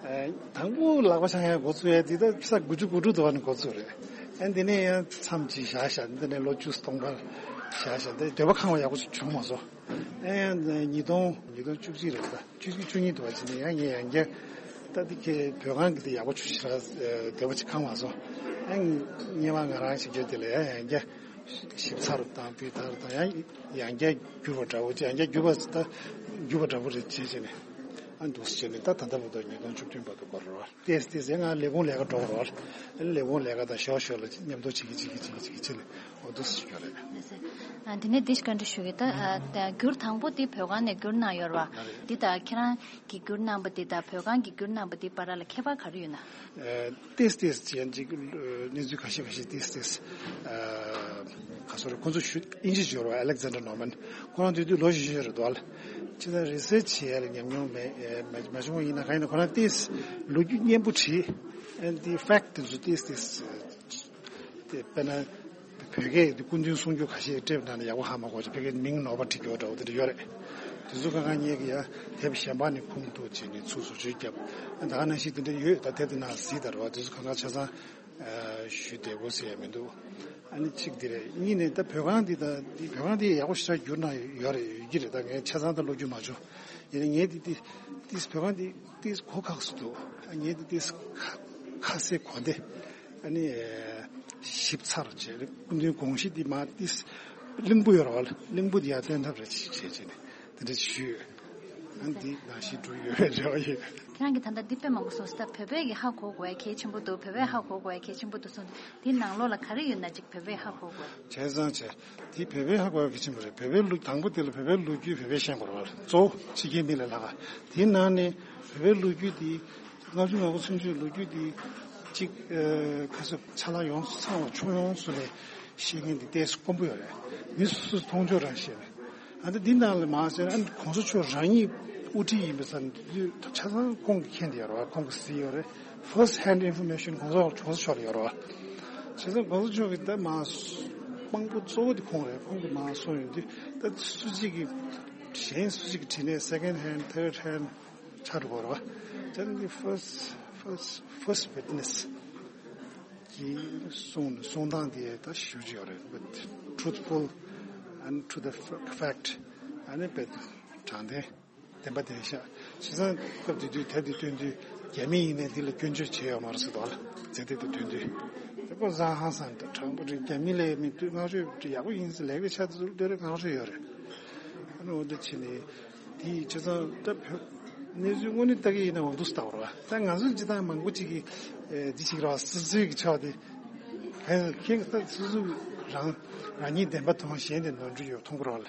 ཨ་དང་པོ་ལག་པ་འཆང་ཡ་འགོ་བཙུགས་ཡ་འདི་ད་ས་དགུ་བཅུ་གོ་དྲུག་དུ་བ་ནས་འགོ་བཙུགས་རེད། ཨ་འདི་ནས་ཡང་མཚམས་ཅིག་བཞག་བཞག། འདི་ནས་ལོ་བཅུ་སྟོང་ཕར་བཞག་བཞག། འདི་འདོད་པ་ཁེངས་པ་ཡག་པོ་ཅིག་བྱུང་མ་སོང་། ཨ་ཡང་ཉིས་སྟོང་ཉིས་སྟོང་བཅུ་གཅིག་རེད་ད། བཅུ་གཅིག་བཅུ་གཉིས་དུ་བ་ཕྱིན་ནས་ཡང་ངས་ཡང་བསྐྱར་ད་འདི་ཁའི་བོད་ཁང་གི་དེ་ཡག་པོ་ཆུ་ཞིག་ར་བདེ་བ་ཅིག་ཁང་མ་སོང་། ཡང་སྔོན་མ་ང་རང་ཞིག་བརྒྱབ་དེ་ལ་ཡང་ཡང་བསྐྱར་ཞིབ་ཚགས་རུ་དང་སྤུས་དག་རུ་དང་ཡང་ཡང་བསྐྱར་བསྒྱུར་བ་འདྲ་བོ་ཅིག་ཡང་བསྐྱར་བསྒྱུར་བ་ད་བསྒྱུར་བ་འདྲ་བོ་རེད་བྱས་བྱས་ནས་ཨ་འདུག་སེ་བྱས་ནས་ད་ད་ལྟ་བར་དུ་ཉིས་སྟོང་བཅུ་བདུན་བར་དུ་འགོར་རོགས། ཏེས་ཏེས་ཡང་ང་ལས་ཁུངས་ལས་ཀ་འགྲོ་རོགས། ལས་ཁུངས་ལས་ཀ་དང་ཞོག་ཞོག་ལ་མཉམ་དུ་བྱེད་ཀྱི་བྱེད་ཀྱི་བྱེད་ཀྱི་བྱེད་ཀྱི་བྱེད་ལ་འོ་འདུག་སེ་བྱས་རེད། ཨ་འདི་ནས་འདི་ཞིག་བཀའ་འདྲི་ཞུ་གི་ད། ཨ་ད་བསྒྱུར་དང་པོ་འདི་བོད་ཁང་ནས་བསྒྱུར་གནང་ཡོད་རེད་བ། འདི་ད་ཁྱེད་རང་གིས་བསྒྱུར་གནང་པ་འདི་དང་བོད་ཁང་གིས་བསྒྱུར་གནང་པ་འདི་བར་ལ་ཁྱད་པར་ག་རེ་ཡོད་ན། ཨ་ཏེས་ཏེས་ཅན་ཅིག་གནས་ཚུལ་ཁ་ཤས་ཁ་ཤས་ཏེས་ཏེས་ཨ་ག་སོ་རེ་ཁོ་ཚོ་ཞུ་ཨིན་ཇི་སྦྱོར་བ་ཨ་ལེག་ཛན་ཌར་ནོར་མན་ཁོ་རང་དུས་དུས་ལོ་བཞི་བཞི་རེད་འདུག་ཨ་ལ། ཅི་ད་རི་སེར་ཆི་བྱེད་ཡ་ལ་ཉམས་མྱོང་མེད་མ་མ་བྱུང་བ་ཡིན་ན་གང་ཡིན་ན་ཁོ་རང་ཏེས་ལོ་རྒྱུས་སྙན་པོ་བྲིས། ཨ་འདི་ཕེག་ཊི་དེ་ཚོ་ཏེས་ཏེས། དེ་དཔེར་ན། བོད་སྐད་དེ་སྐུ་མདུན་གསུང་རྒྱུ་ཁ་ཤས་ཊེབ་ནང་ནས་ཡག་པོ་ཧ་མ་གོ་ཅིག་བོད་སྐད་མིང་ནོར་བ་བྲིས་ཡོད་འདྲ་བོ་དེ་འདྲ་ཡོད་རེད། དེ་ཚོ་གང་གང་ཉིད་ཀྱི་ཡ་དེབ་གཞན་པ་ནས་ཁུངས་གཏུགས་བྱས་ནས་ཚུར་བཟོ་བཅོས་བརྒྱབ། ད་ག་ནང་བཞིན་དེ་འདྲ་ཡོད། ད་དེབ་དེ་ནང་གཟིགས་དང་རོ་དེ་ཚོ་གང་གང་ཆ་ཚང་ ཞུ་བདེ་པོ་ཟེར་ཡ་མི་འདུག་ཨ་ནི་གཅིག་འདི་རེད། གཉིས་ནས་ད་བོད་ཁང་འདི་དང་འདི་བོད་ཁང་འདི་ཡག་པོ་ཞེ་དྲག་བསྒྱུར་གནང་ཡོད་རེད། ཡོད་ཀྱི་རེད། ད་ངས་ཆ་ཚང་ད་ཀློག་རྒྱུ་མ་བྱུང་། ཡིན་ནའི་ངས་འདི་འདི་འདི་བོད་ཁང་འདི་འདི་གོ་ཁག་སུ་འདུག་ཨ་ངས་འདི་འདི་ཁ་ཁ་སེ་གོ་བདེ་ཨ་ནི་ཞིབ་ཚགས་བྱས། སྐུ་མདུན་དགོངས་གཞི་འདི་མ་འདི་གླིང་བུ་ཡོད་རེད་བ། གླིང་བུ་འདི་ཡར་སྟོན་ཐབས་རེ་བྱས་བྱས་ནས་དེ་འདྲ་ཞུས། ཨ་འདི་ནང་བཞིན་འགྲོ་ཡོད་རེད་བ་ཡོད། ཁྱེད་རང་གིས་ད་ལྟ་འདི་དཔེ་མང་པོ་གསུངས་སོང་། ད་བོད་པས་ཀྱི་ཧ་གོ་དགོས་ཡ་གལ་ཆེན་པོ་འདུག་བོད་པས་ཧ་གོ་དགོས་ཡ་གལ་ཆེན་པོ་འདུག་གསུངས། འདི་ནང་ལོགས་ལ་ག་རེ་ཡོད་ན་ཅིག་བོད་པས་ཧ་གོ་དགོས། བྱས་ཙང་བྱས། འདི་བོད་པས་ཧ་གོ་ཡ་གལ་ཆེན་པོ་རེད། བོད་པའི་ལུགས་དང་པོ་དེ་ལ་བོད་པའི་ལོ་རྒྱུས་བོད་པས་ཤེས་དགོས་རེད་བ། གཙོ་བོ་ཕྱི་རྒྱལ་མི་ལས་ལྷག་ག་དེའི་ནང་ནས་བོད་པའི་ལོ་རྒྱུས་འདི་ལྔ་བཅུ་ང་དགུ་ཚུན་ཆོད་ལོ་རྒྱུས་འདི་གཅིག་ཁ་སོ་ཆ་ལག་ཡོངས་སུ་ཚང་བ་ཁྱོན་ཡོངས་སུ་ལས་ཤེས་མཁན་འདི་ཏོག་ཙམ་དཀོན་པོ་ཡོད་རེད། མི་སོ་སོས་མཐོང་ཆོས་རང་ཤེས་རེད། ཨ་ནི་འདི་ནང་ལ་མ་ཟེར་ན་ཨ་ནི་གོང་ས་མཆོག་རང་ཉིད་དབུ་ཁྲིད་ཡིན་པའི་ས་ཆ་ཚང་ཁོང་གིས་མཁྱེན་བསྡད་ཡོད་རེད་བ། ཁོང་གིས་གཟིགས་ཡོད་རེད། first hand information གོང་ས་གོང་ས་མཆོག་ལ་ཡོད་རེད་བ། བྱས་ཙང་གོང་ས་མཆོག་གིས་ད་མ་དཔང་པོ་གཙོ་བོ་དེ་ཁོང་རེད། ཁོང་གིས་མ་གསུངས་ཡོང་དུས་ད་སུ་གཅིག་གིས་གཞན་སུ་གཅིག་གིས་བྲིས་ནས་second hand, third hand ཆགས་འགྲོ་གི་རེད་བ། བྱས་ཙང་འདི་first, first, first witness གི་གསུང་གསུང་སྟངས་དེ་ད་ཞུ་གི་ཡོད་རེད། But truthful and to the f- fact ཨ་ནི་དཔེ་དྲང་བདེན་བདེན་པ་བདེན་ཤག་བྱས་ཙང་སྐབས་དེ་དུས་དེབ་དེ་བཏོན་དུས་རྒྱ་མི་ཡིན་ནའི་འདི་ལ་སྐྱོན་བརྗོད་བྱས་ཡོད་མ་རེད་ཟེར་དོ་ལ། མཛད་དེ་དེ་བཏོན་དུས་དེ་ཀོ་བཟང་ཧང་སང་དྲང་པོ་རེད། རྒྱ་མི་ལས་མི་དུས་བསྔགས་བརྗོད་ཡག་པོ་ཡིན་ཟེར་ལས་ཀའི་ཆ་དེ་ཚོ་ལྟོས་རེ་བསྔགས་བརྗོད་ཡོད་རེད། ཨ་ནི་འོ་འདི་བྱས་ནས། དེ་ཡི་བྱས་ཙང་ད་བོད་གནས་ཚུལ་དངོས་གནས་ལྟ་གི་ཡིན་ན་འོ་འདུག་སེ་ལྟ་བ་རེད་བ། ད་ང་ཚོ་སྤྱི་བཏང་མང་པོ་ཅིག་གིས་འདི་ཞིག་རེད་བ། སོ་སོའི་གི་ཆ་དེ་ཕན་ཁྱེད་ད་སོ་སོ་རང་རང་ཉིད་བདེན་པ་མཐོང་གཞན་དེ་ནོར་འཁྲུལ་ཡོད་མཐོང་གི་རེད་བ་ལ།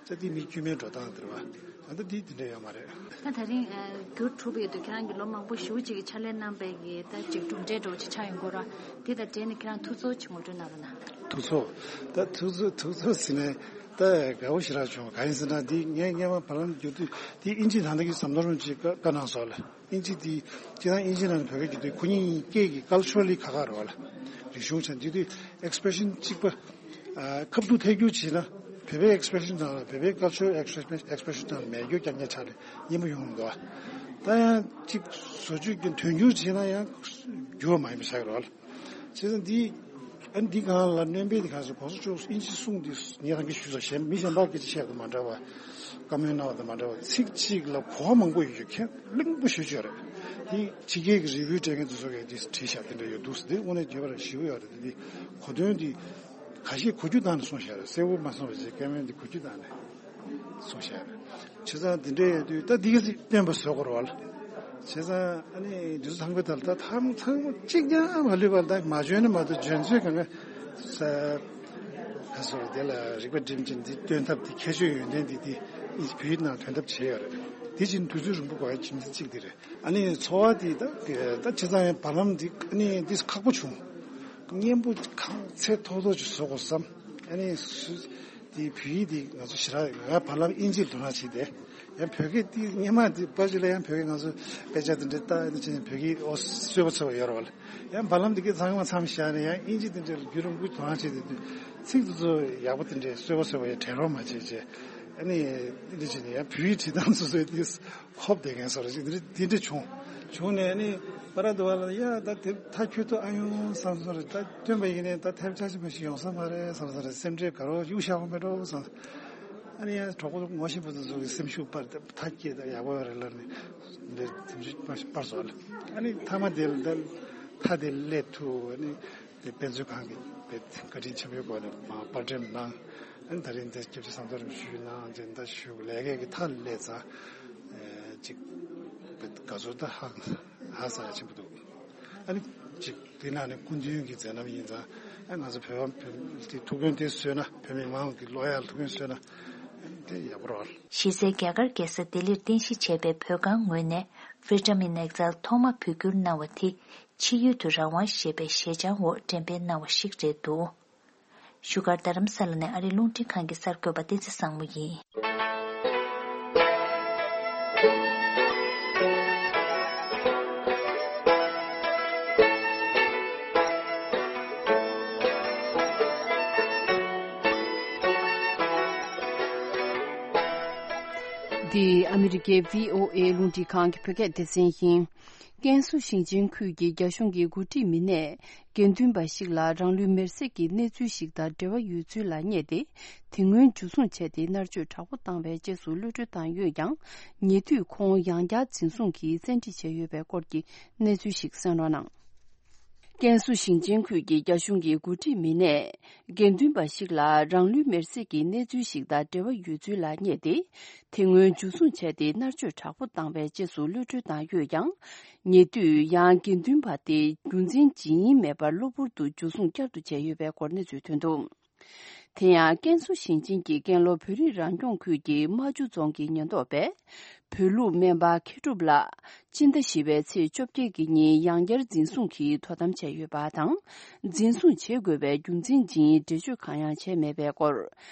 ད་དེ་མི་དཀྱུས་མའི་འགྲོ་སྟངས་དེ་རེད་བ། ད་ལྟ་དེ་དེ་འདྲ་ཡོད་མ་རེད། ད་ད་རིང་ཨ་བསྒྱུར་གྲུབ་ཡོད་དུས་ཁྱེད་རང་གིས་ལོ་མང་པོ་ཞེ་པོ་ཅིག་གི་ཕྱག་ལས་གནང་པའི་གི་ད་ཅིག་གྲུབ་འབྲས་འདྲ་བོ་ཅིག་ཆགས་ཡོང་གི་རེད་བ། དེ་དང་འབྲེལ་ནས་ཁྱེད་རང་ཐུགས་ཚོར་ཅིག་ངོ་སྤྲོད་གནང་རོགས་གནང་། ཐུགས་ཚོར། ད་ཐུགས་ཚོར་ཐུགས་ཚོར་ཟེར་ནས་ད་དགའ་པོ་ཞེ་དྲག་བྱུང་། གང་ཡིན་ཟེར་ན་འདི་ངས་སྔོན་མ་བར་ལམ་བསྒྱུར་དུས་འདི་ཨིན་ཇི་ནང་ལ་གི་ཟམ་གདོང་རིན་པོ་ཆེས་བཀའ་གནང་སོང་ལ། ཨིན་ཇི་འདི་སྤྱིར་བཏང་ཨིན་ཇི་ནང་ལ་བོད་སྐད་བསྒྱུར་དུས་ཁོ་གཉིས་སྐད་ཀྱི་culturally ཁ་ཁ་རེད་བ་ལ། རིག་གཞུང་ཆ་འདི་དུས་expression གཅིག་པ། ཨ་ཁ་ཐུག་ཐད་སྒྱུར་བྱས་ན་བོད་པའི་expression དང་བོད་པའི་cultural expression expression དང་མེད་སྒྱུར་རྐྱང་རྐྱང་ཆགས་ནས་སྙན་པོ་ཡོང་གི་འདུག་ད་ཡང་གཅིག་བཟོ་བཅོས་ཀྱི་དོན་སྒྱུར་བྱས་ན་ཡང་འགྱུར་བ་མ་ཡིན་པ་ཆགས་ཀྱི་རེད་བ་ལ། བྱས་ཙང་འདི་ཨ་འདི་སྒང་ལ་སྣོན་པའི་འདི་གང་ཟེར་གོང་ས་མཆོག་ཨིན་ཇི་གསུང་འདི་ངས་རང་གིས་ཞུས་ཙང་གཞན་མི་གཞན་པ་སྐད་ཆ་བཤད་དང་མ་འདྲ་བ། བཀའ་མོལ་གནང་བ་དང་མ་འདྲ་བ་ཚིག་གཅིག་ལ་གོ་བ་མང་པོ་ཡོད་རྒྱུ་ཁས་ལེན་པོ་ཞུ་ཆོག་རེད། འདི་ཕྱི་རྒྱལ་གྱི་རི་བོའི་སྤྲད་མཁན་དེ་ཚོ་གས་འདི་བྲིས་ཤག་དེ་འདྲ་ཡོད་འདུག་དེ་དངོས་གནས་བརྗོད་པ་རང་ཞིབ་པོ་ཡོད་རེད། དེ་འདི་གོ་དོན་འདི་ཁ་ཤས་གོ་རྒྱུ་བཏང་ནས་གསུངས་ཤག་རེད། གསལ་པོ་མ་གསུངས་པ་བྱས་བཀའ་མོལ་འདི་གོ་རྒྱུ་བཏང་ནས། སོང་ཤག་རེད། བྱས་ཙང་འདི་འདྲ་ཡོད་དུས་ད་འདི་ག་ཚིག་སྟོན་པ་བཟོ་དགོས་རེད་བ་ལ། བྱས་ཙང་ཨ་ནི་འདི་ཚོ་ཚང་མའི་ཐད་ལ་ད་ཐང་ཚང་མ་གཅིག་ཀྱང་མ་ལུས་པ་ལ་ད་མ་འཇོན་ན་མ་གཏོགས་འཇོན་ཚོད་གང་ག་ས། ཁ་སོ་དེ་ལ་རིག་པ་སྒྲིམ་ཅིང་འདི་སྟོན་ཐབས་འདི་ཁྱད་ཆོས་ཡོན་ཏན་འདི་འདི་ཨིན་བོད་ཡིག་ནང་ཐོན་ཐབས་བྱས་ཡོད་རེད། འདི་བཞིན་དུས་ཚོད་རིང་པོ་འགོར་ཡ་རྒྱུ་མཚན་གཅིག་འདི་རེད། ཨ་ནི་འཚོ་བ་འདི་ད་ད་བྱས་ཙང་ཡང་བར་ལམ་འདི་ཨ་ནི་འདི་ཁག་པོ་བྱུང་། སྙན་པོ་ཁང་ཚད་མཐོ་ཐོག་ཅིག་བཟོ་དགོས་བསམ། ཨ་ནི་སུ། དེའི་བོད་ཡིག་དེ་ང་ཚོ་ཞེ་དྲག་ང་བར་ལམ་དབྱིན་ཇིར་དོ་སྣང་བྱས་ཏེ། ཡང་བོད་སྐད་དེ་སྔོན་མ་དེ་པར་ཅིག་ལ་ཡང་བོད་སྐད་ང་ཚོ་དཔེ་ཆ་དེ་འདྲ་ལྟ་ཡིན་ཕྱིན་བོད་སྐད་ཨོ་གསོལ་པ་འཚོལ་བ་ཡོད་རེད་བ་ལ། ཡང་བར་ལམ་དེ་གའི་ཚང་མ་མཚམས་བཞག་ནས་ཡང་དབྱིན་ཇི་དེ་འདྲ་ལ་བསྒྱུར་རིང་པོ་དོ་སྣང་བྱས་ཏེ་དུས་ཚིག་དེ་ཚོ་ཡག་པོ་དེ་འདྲ་གསོལ་པ་འཚོལ་བ་ཡང་དྲན་རོགས་མ་བྱེད་ཅེས། ཨ་ནི་འདི་འདྲ་བྱས་ནས་ཡང་བོད་ཡིག་བྲིས་སྟངས་སོ་སོའི་དེ་ཧོབ་བསྡད་མཁན་བཟོ་འདྲ་ཅིག་འདི་འདྲ་འདི་འདྲ་བྱུང་། བྱུང་ནས་ཨ་ནི་པ་ར་དུ་བ་ལ་ཡ་ད་དེ་ཐག་ཆོད་ཐུབ་ཨ་ཡོང་བསམ་སོང་རེད། ད་སྟོན་པ་ཡིན་ནའི་ད་ཐབས་ཆག་ཆེན་པོ་ཞིག་ཡོང་ས་མ་རེད་བསམ་སོང་རེད། སེམས་ཁྲལ་དགའ་རོགས་གཡུག་བཞག་དགོས་མེད་འགྲོ་བསམ། ཨ་ནི་ཡང་གྲོགས་པོ་ངོ་ཤེས་པ་ཚོ་ཚོ་གི་སེམས་ཤུགས་སྤར་ཏེ་ཐག་བཅད་ད་ཡག་པོ་ཡོད་རེད་ལབ་ནས་འདིར་སེམས་ཤུགས་སྤར་སོང་ལ། ཨ་ནི་མཐའ་མ་དེ་ལ་ད་མཐའ་དེ་སླེབས་ཐུབ། ཨ་ནི་དེ་དཔེ་མཛོད་ཁང་གི་དཔེ་བཀའ་དྲིན་ཆེན་པོའི་སྒོ་ནས་མར་པར་འགྲེམས་གནང་། ཨ་ནི་ད་རིང་འདིར་སྐྱབས་རྗེ་ཟམ་གདོང་རིན་པོ་ཆེ་ཞུས་གནང་ཅེས་ད་ཞུ་ལས་ཀའི་གི་མཐའ་སླེབས་ཙང་། ཨེ་ཅིག་དཔེ་དགའ་ཚོར་ད་ཧ་ཧ་སང་ཡ་ཆེན་པོ་འདུག་ཨ་ནི་ཅིག་དེ་ནང་ནས་སྐུ་མདུན་གྱི་མཛད་རྣམ་ཡིན་ཙང་ཨ་ང་ཚོ་བོད་པ་བོད་དེ་ཐུགས་ཕན་དེ་གསོས་ན་བོད་མི་མང་གི་བློ་ཡར་ཐུགས་ཕན་གསོས་ན་དེ་ཡག་པོ་རེད། གཞི་རྩའི་རྒྱ་གར་རྒྱལ་ས་ལྡི་ལིར་རྟེན་གཞི་བྱས་པའི་བོད་ཁང་ངོས་ནས་Freedom in Exile ཐོག་མ་བོད་བསྒྱུར་གནང་བ་དེ་ཕྱི་ཡུལ་དུ་རང་དབང་ཞེས་པའི་ཞལ་བྱང་འོག་འགྲེམས་སྤེལ་གནང་བ་ཞིག་རེད་འདུག་བཞུགས་སྒར་རྡ་རམ་ས་ལ་ནས་ཨ་རིའི་རླུང་འཕྲིན་ཁང་གི་གསར་འགོད་པ་བསྟན་འཛིན་བཟང་མོ་ཡིན། འདི་ཨ་མི་རི་ཀའི་བྷི་ཨོ་ཨེ་རླུང་འཕྲིན་ཁང་གི་བོད་སྐད་སྡེ་ཚན་ཡིན། ཀན་སུའུ་ཞིང་ཆེན་ཁུལ་གྱི་རྒྱ་གཞུང་གི་འགོ་ཁྲིད་མི་སྣས་དགེ་འདུན་པ་ཞིག་ལ་རང་ལུས་མེར་སྲེག་གི་གནས་ཚུལ་ཞིག་དང་འབྲེལ་བ་ཡོད་ཚུལ་ལ་བསྙད་དེ། དེ་སྔོན་འཇུ་བཟུང་བྱས་ཏེ་མནར་གཅོད་དྲག་པོ་བཏང་བའི་རྗེས་སུ་གློད་གྲོལ་བཏང་ཡོད་ཀྱང་། ཉེ་དུས་ཁོང་ཡང་བསྐྱར་འཛིན་བཟུང་གིས་བཙན་ཁྲིད་བྱས་ཡོད་པའི་སྐོར་གྱི་གནས་ཚུལ་ཞིག་གསན་རོགས་གནང་། ཀན་སུའུ་ཞིང་ཆེན་ཁུལ་གྱི་རྒྱ་གཞུང་གི་འགོ་ཁྲིད་མི་སྣས་དགེ་འདུན་པ་ཞིག་ལ་རང་ལུས་མེར་སྲེག་གི་གནས་ཚུལ་ཞིག་དང་འབྲེལ་བ་ཡོད་ཚུལ་ལ་བསྙད་དེ། དེ་སྔོན་འཇུ་བཟུང་བྱས་ཏེ་མནར་གཅོད་དྲག་པོ་བཏང་བའི་རྗེས་སུ་གློད་གྲོལ་བཏང་ཡོད་ཀྱང་། ཉེ་དུས་ཡང་དགེ་འདུན་པ་དེ་རྒྱུ་མཚན་ཇི་ཡིན་མེད་པར་གློ་བུར་དུ་འཇུ་བཟུང་བསྐྱར་དུ་བྱས་ཡོད་པའི་སྐོར་གནས་ཚུལ་ཐོན་འདུག་དེ་ཡང་ཀན་སུའུ་ཞིང་ཆེན་གྱི་ཀན་ལྷོ་བོད་རིགས་རང་སྐྱོང་ཁུལ་གྱི་རྨ་ཆུ་རྫོང་གི་ཉེན་རྟོག་པས། བོད་ལུགས་སྨན་པ་མཁས་གྲུབ་ལགས་སྤྱི་ཟླ་བཞི་པའི་ཚེས་བཅོ་བརྒྱད་ཀྱི་ཉིན་ཡང་བསྐྱར་འཛིན་བཟུང་གིས་དོ་དམ་བྱས་ཡོད་པ་དང་། འཛིན་བཟུང་བྱེད་དགོས་པའི་རྒྱུ་མཚན་ཇི་ཡིན་འགྲེལ་བརྗོད་གང་ཡང་བྱས་མེད་པའི་སྐོར།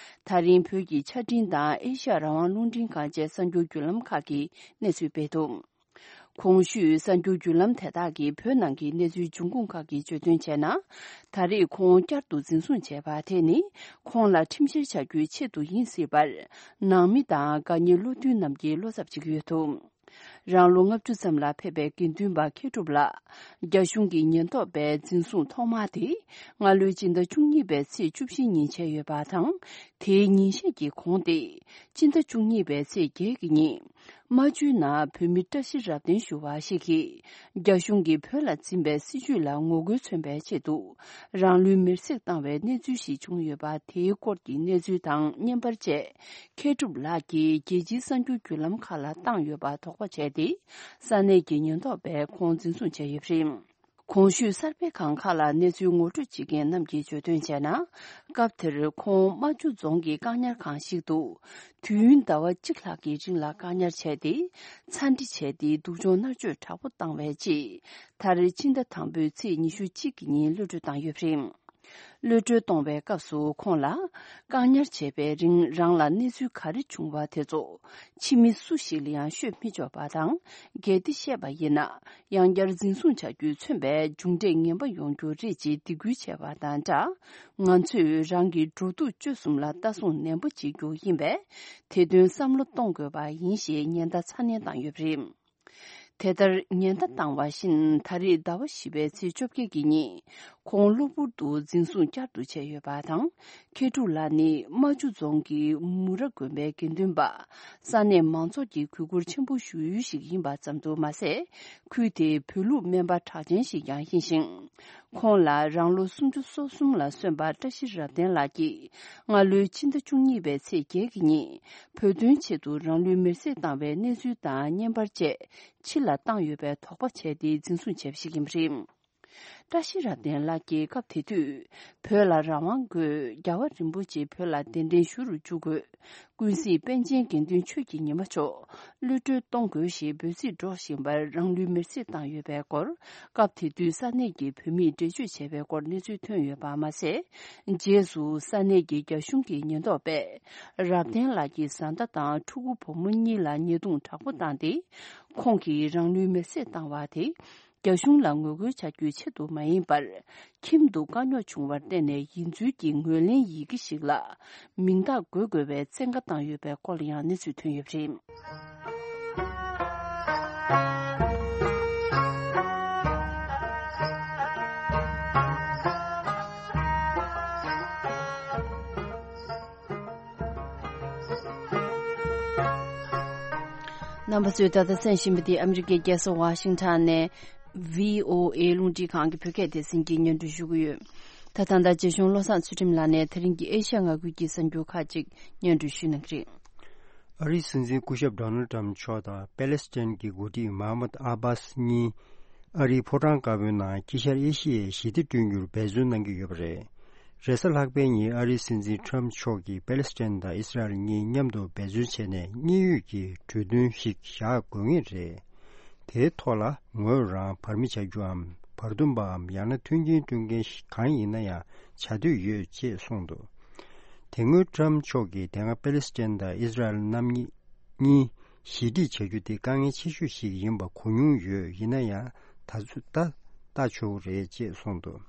ད་རིང་བོད་ཀྱི་ཆ་འཕྲིན་དང་ཨེ་ཤ་ཡ་རང་དབང་རླུང་འཕྲིན་ཁང་བཅས་གསར་འགྱུར་བརྒྱུད་ལམ་ཁག་གིས་གནས་ཚུལ་སྤེལ་འདུག་གོང་ཞུས་གསར་འགྱུར་བརྒྱུད་ལམ་དེ་དག་གིས་བོད་ནང་གི་གནས་ཚུལ་འབྱུང་ཁུངས་ཁག་གིས་བརྗོད་དོན་བྱས་ན། ད་རེས་ཁོང་བསྐྱར་དུ་འཛིན་བཟུང་བྱས་པ་དེ་ནི་ཁོང་ལ་ཁྲིམས་བཤེར་བྱ་རྒྱུའི་ཆེད་དུ་ཡིན་སྲིད་པར། ནང་མི་དང་དགའ་ཉེ་བློ་མཐུན་རྣམས་ཀྱིས་བློ་འཚབ་བྱེད་ཀྱི་ཡོད་འདུག་རང་ལོ་ལྔ་བཅུ་ཙམ་ལ་ཕེབས་པའི་དགེ་འདུན་པ་མཁས་གྲུབ་ལགས། རྒྱ་གཞུང་གི་ཉེན་རྟོག་པས་འཛིན་བཟུང་ཐོག་མ་དེ་སྔ་ལོའི་སྤྱི་ཟླ་བཅུ་གཉིས་པའི་ཚེས་བཅུ་བཞི་ཉིན་བྱས་ཡོད་པ་དང་། དེའི་ཉིན་ཤས་ཀྱི་གོང་སྟེ། སྤྱི་ཟླ་བཅུ་གཉིས་པའི་ཚེས་བརྒྱད་ཀྱི་ཉིན། རྨ་ཆུའི་ནང་བོད་མི་བཀྲ་ཤིས་རབ་བརྟན་ཞུ་བ་ཞིག་གིས། རྒྱ་གཞུང་གིས་བོད་ལ་འཛིན་པའི་སྲིད་བྱུས་ལ་ངོ་རྒོལ་མཚོན་པའི་ཆེད་དུ། རང་ལུས་མེར་སྲེག་བཏང་བའི་གནས་ཚུལ་ཞིག་བྱུང་ཡོད་པ་དེའི་སྐོར་གྱི་གནས་ཚུལ་དང་བརྙན་པར་བཅས། མཁས་གྲུབ་ལགས་ཀྱིས་རྒྱལ་སྤྱིའི་གསར་འགྱུར་བརྒྱུད་ལམ་ཁག་ལ་བཏང་ཡོད་པ་དོགས་པ་བྱས་ཏེ། ས་གནས་ཀྱི་ཉེན་རྟོག་པས་ཁོང་འཛིན་བཟུང་བྱས་ཡོད་པ་རེད། གོང་ཞུས་གསར་སྤེལ་ཁང་ཁག་ལ་གནས་ཚུལ་ངོ་སྤྲོད་བྱེད་མཁན་རྣམས་ཀྱིས་བརྗོད་དོན་བྱས་ན། སྐབས་དེར་ཁོང་རྨ་ཆུ་རྫོང་གི་བཀག་ཉར་ཁང་ཞིག་ཏུ། དུས་ཡུན་ཟླ་བ་གཅིག་ལྷག་གི་རིང་ལ་བཀག་ཉར་བྱས་ཏེ། ཚ་འདྲི་བྱས་ཏེ་སྡུག་སྦྱོང་མནར་གཅོད་དྲག་པོ་བཏང་བའི་རྗེས། མཐར་ཕྱི་ཟླ་དང་པོའི་ཚེས་ཉི་ཤུ་གཅིག་གི་ཉིན་གློད་གྲོལ་བཏང་ཡོད་པ་རེད། གློད་གྲོལ་གཏོང་བའི་སྐབས་སུ་ཁོང་ལ། བཀག་ཉར་བྱས་པའི་རིང་རང་ལ་གནས་ཚུལ་ག་རེ་བྱུང་བ་དེ་ཚོ། ཕྱི་མི་སུ་ཞིག་ལ་ཡང་ཤོད་མི་ཆོག་པ་དང་། གལ་ཏེ་བཤད་པ་ཡིན་ན། ཡང་བསྐྱར་འཛིན་བཟུང་བྱ་རྒྱུས་མཚོན་པའི་མཇུག་འབྲས་ངན་པ་ཡོང་རྒྱུ་རེད་ཅེས་སྡིགས་སྐུལ་བྱས་པ་དང་སྦྲགས། ང་ཚོས་རང་གི་འགྲོ་འདུག་སྤྱོད་གསུམ་ལ་ལྟ་སྲུང་ནན་པོ་བྱེད་རྒྱུ་ཡིན་པས། དེ་དོན་བསམ་བློ་གཏོང་དགོས་པ་ཡིན་ཞེས་ཉེན་བརྡ་ཚ་ནན་བཏང་ཡོད་པ་རེད། དེ་ལྟར་ཉེན་བརྡ་བཏང་བ་བཞིན་ད་རེས་ཟླ་བ་བཞི་པའི་ཚེས་བཅོ་བརྒྱད་ཀྱི་ཉིན། ཁོང་གློ་བུར་དུ་འཛིན་བཟུང་བསྐྱར་དུ་བྱས་ཡོད་པ་དང་། མཁས་གྲུབ་ལགས་ནི་རྨ་ཆུ་རྫོང་གི་མུ་ར་དགོན་པའི་དགེ་འདུན་པ། ས་གནས་མང་ཚོགས་ཀྱིས་གུས་བཀུར་ཆེན་པོ་ཞུ་ཡུལ་ཞིག་ཡིན་པ་ཙམ་དུ་མ་ཟད། ཁུལ་དེའི་བོད་ལུགས་སྨན་པ་གྲགས་ཅན་ཞིག་ཀྱང་ཡིན་ཞིང་། ཁོང་ལ་རང་ལོ་སུམ་ཅུ་སོ་གསུམ་ལ་སོན་པ་བཀྲ་ཤིས་རབ་བརྟན་ལགས་ཀྱིས། སྔ་ལོའི་ཕྱི་ཟླ་བཅུ་གཉིས་པའི་ཚེས་བརྒྱད་ཀྱི་ཉིན། བོད་དོན་ཆེད་དུ་རང་ལུས་མེར་སྲེག་བཏང་བའི་གནས་ཚུལ་དང་བརྙན་པར་བཅས། ཕྱི་ལ་བཏང་ཡོད་པའི་དོགས་པ་བྱས་ཏེ་འཛིན་བཟུང་བྱས་པ་ཞིག་ཡིན་པ་རེད། བཀྲ་ཤིས་རབ་བརྟན་ལགས་ཀྱིས་སྐབས་དེ་དུས། བོད་ལ་རང་དབང་དགོས། རྒྱལ་བ་རིན་པོ་ཆེ་བོད་ལ་གདན་འདྲེན་ཞུ་རུ་འཇུག་དགོས། ཀུན་གཟིགས་པཎ་ཆེན་དགེ་འདུན་ཆོས་ཀྱི་ཉི་མ་མཆོག་གློད་གྲོལ་གཏོང་དགོས་ཞེས་འབོད་ཚིག་སྒྲོག་བཞིན་པར་རང་ལུས་མེར་སྲེག་བཏང་ཡོད་པའི་སྐོར། སྐབས་དེ་དུས་ས་གནས་ཀྱི་བོད་མིས་འགྲེལ་བརྗོད་བྱས་པའི་སྐོར་གནས་ཚུལ་ཐོན་ཡོད་པ་མ་ཟད། རྗེས་སུ་ས་གནས་ཀྱི་རྒྱ་གཞུང་གི་ཉེན་རྟོག་པས། རབ་བརྟན་ལགས་ཀྱི་བཟའ་ཟླ་དང་ཕྲུ་གུ་བུ་མོ་གཉིས་ལ་ཉེས་རྡུང་དྲག་པོ་བཏང་སྟེ། ཁོང་གིས་རང་ལུས་མེར་སྲེག་བཏང་བ་དེ། རྒྱ་གཞུང་ལ་ངོ་རྒོལ་བྱ་རྒྱུའི་ཆེད་དུ་མ་ཡིན་པར། ཁྱིམ་དུ་དཀའ་རྙོག་བྱུང་བར་བརྟེན་ནས་ཡིན་ཚུལ་གྱི་ངོས་ལེན་ཡི་གེ་ཞིག་ལ། མིང་རྟགས་འགོད་དགོས་པའི་བཙན་བཀའ་བཏང་ཡོད་པའི་སྐོར་ལ་ཡང་གནས་ཚུལ་ཐོན་ཡོད་པ་རེད། རྣམ་པ་ཚོས་ད་ལྟ་གསན་བཞིན་པ་འདི་ཨ་མི་རི་ཀའི་རྒྱལ་ས་ཝ་ཤིང་ཊོན་ནས་བྷི་ཨོ་ཨེ་རླུང་འཕྲིན་ཁང་གི་བོད་སྐད་སྡེ་ཚན་གྱིས་སྙན་སྒྲོན་ཞུ་གི་ཡོད། ད་ད་ལྟ་རྗེ་གཞུང་བློ་བཟང་ཚུལ་ཁྲིམས་ལགས་ནས་དེ་རིང་གི་ཨེ་ཤ་ཡ་མངའ་ཁུལ་གྱི་གསར་འགྱུར་ཁག་ཅིག་སྙན་སྒྲོན་ཞུ་གནང་གི་རེད། ཨ་རིའི་སྲིད་འཛིན་སྐུ་ཞབས་ཌོ་ནལ་ཊམ་མཆོག་དང་པེ་ལེ་སི་ཐན་གྱི་འགོ་ཁྲིད་མཱ་མུད་ཨ་བྷཱས་གཉིས། ཨ་རིའི་ཕོ་བྲང་དཀར་པོའི་ནང་དཀྱིལ་ཤར་ཨེ་ཤི་ཡའི་ཞི་བདེ་བསྐྲུན་རྒྱུར་འབད་བརྩོན་གནང་གི་ཡོད་པ་རེད། རེས་གཟའ་ལྷག་པའི་ཉིན་ཨ་རིའི་སྲིད་འཛིན་ཊམ་མཆོག་གིས་པེ་ལེ་སི་ཐན་དང་ཨི་སི་རལ་གཉིས་མཉམ་དུ་འབད་བརྩོན་བྱས་ནས་དངོས་ཡོད་ཀྱི་གྲོས་མཐུན་ཞིག་བཞག་དགོས་ངེས་རེད། དེའི་ཐོག་ལ་ངོས་རང་བར་མི་བྱ་རྒྱུའམ་བར་འདུམ་པའམ་ཡང་ན་མཐུན་རྐྱེན་སྐྲུན་མཁན་ཞིག་གང་ཡིན་ན་ཡང་བྱ་འདོད་ཡོད་ཅེས་གསུངས་འདུག་དེ་སྔོན་ཊམ་མཆོག་གིས་དེ་སྔ་པེ་ལེ་སི་ཐན་དང་ཨི་སི་རལ་རྣམ་གཉིས་གཉིས་ཞི་འགྲིག་བྱ་རྒྱུ་དེ་དཀའ་ངལ་ཆེ་ཤོས་ཤིག་ཡིན་པ་གོ་མྱོང་ཡོད། ཡིན་ན་ཡང་ད་ཚོད་ད་ལྟ་ཆོག་རེད་ཅེས་གསུངས་འདུག་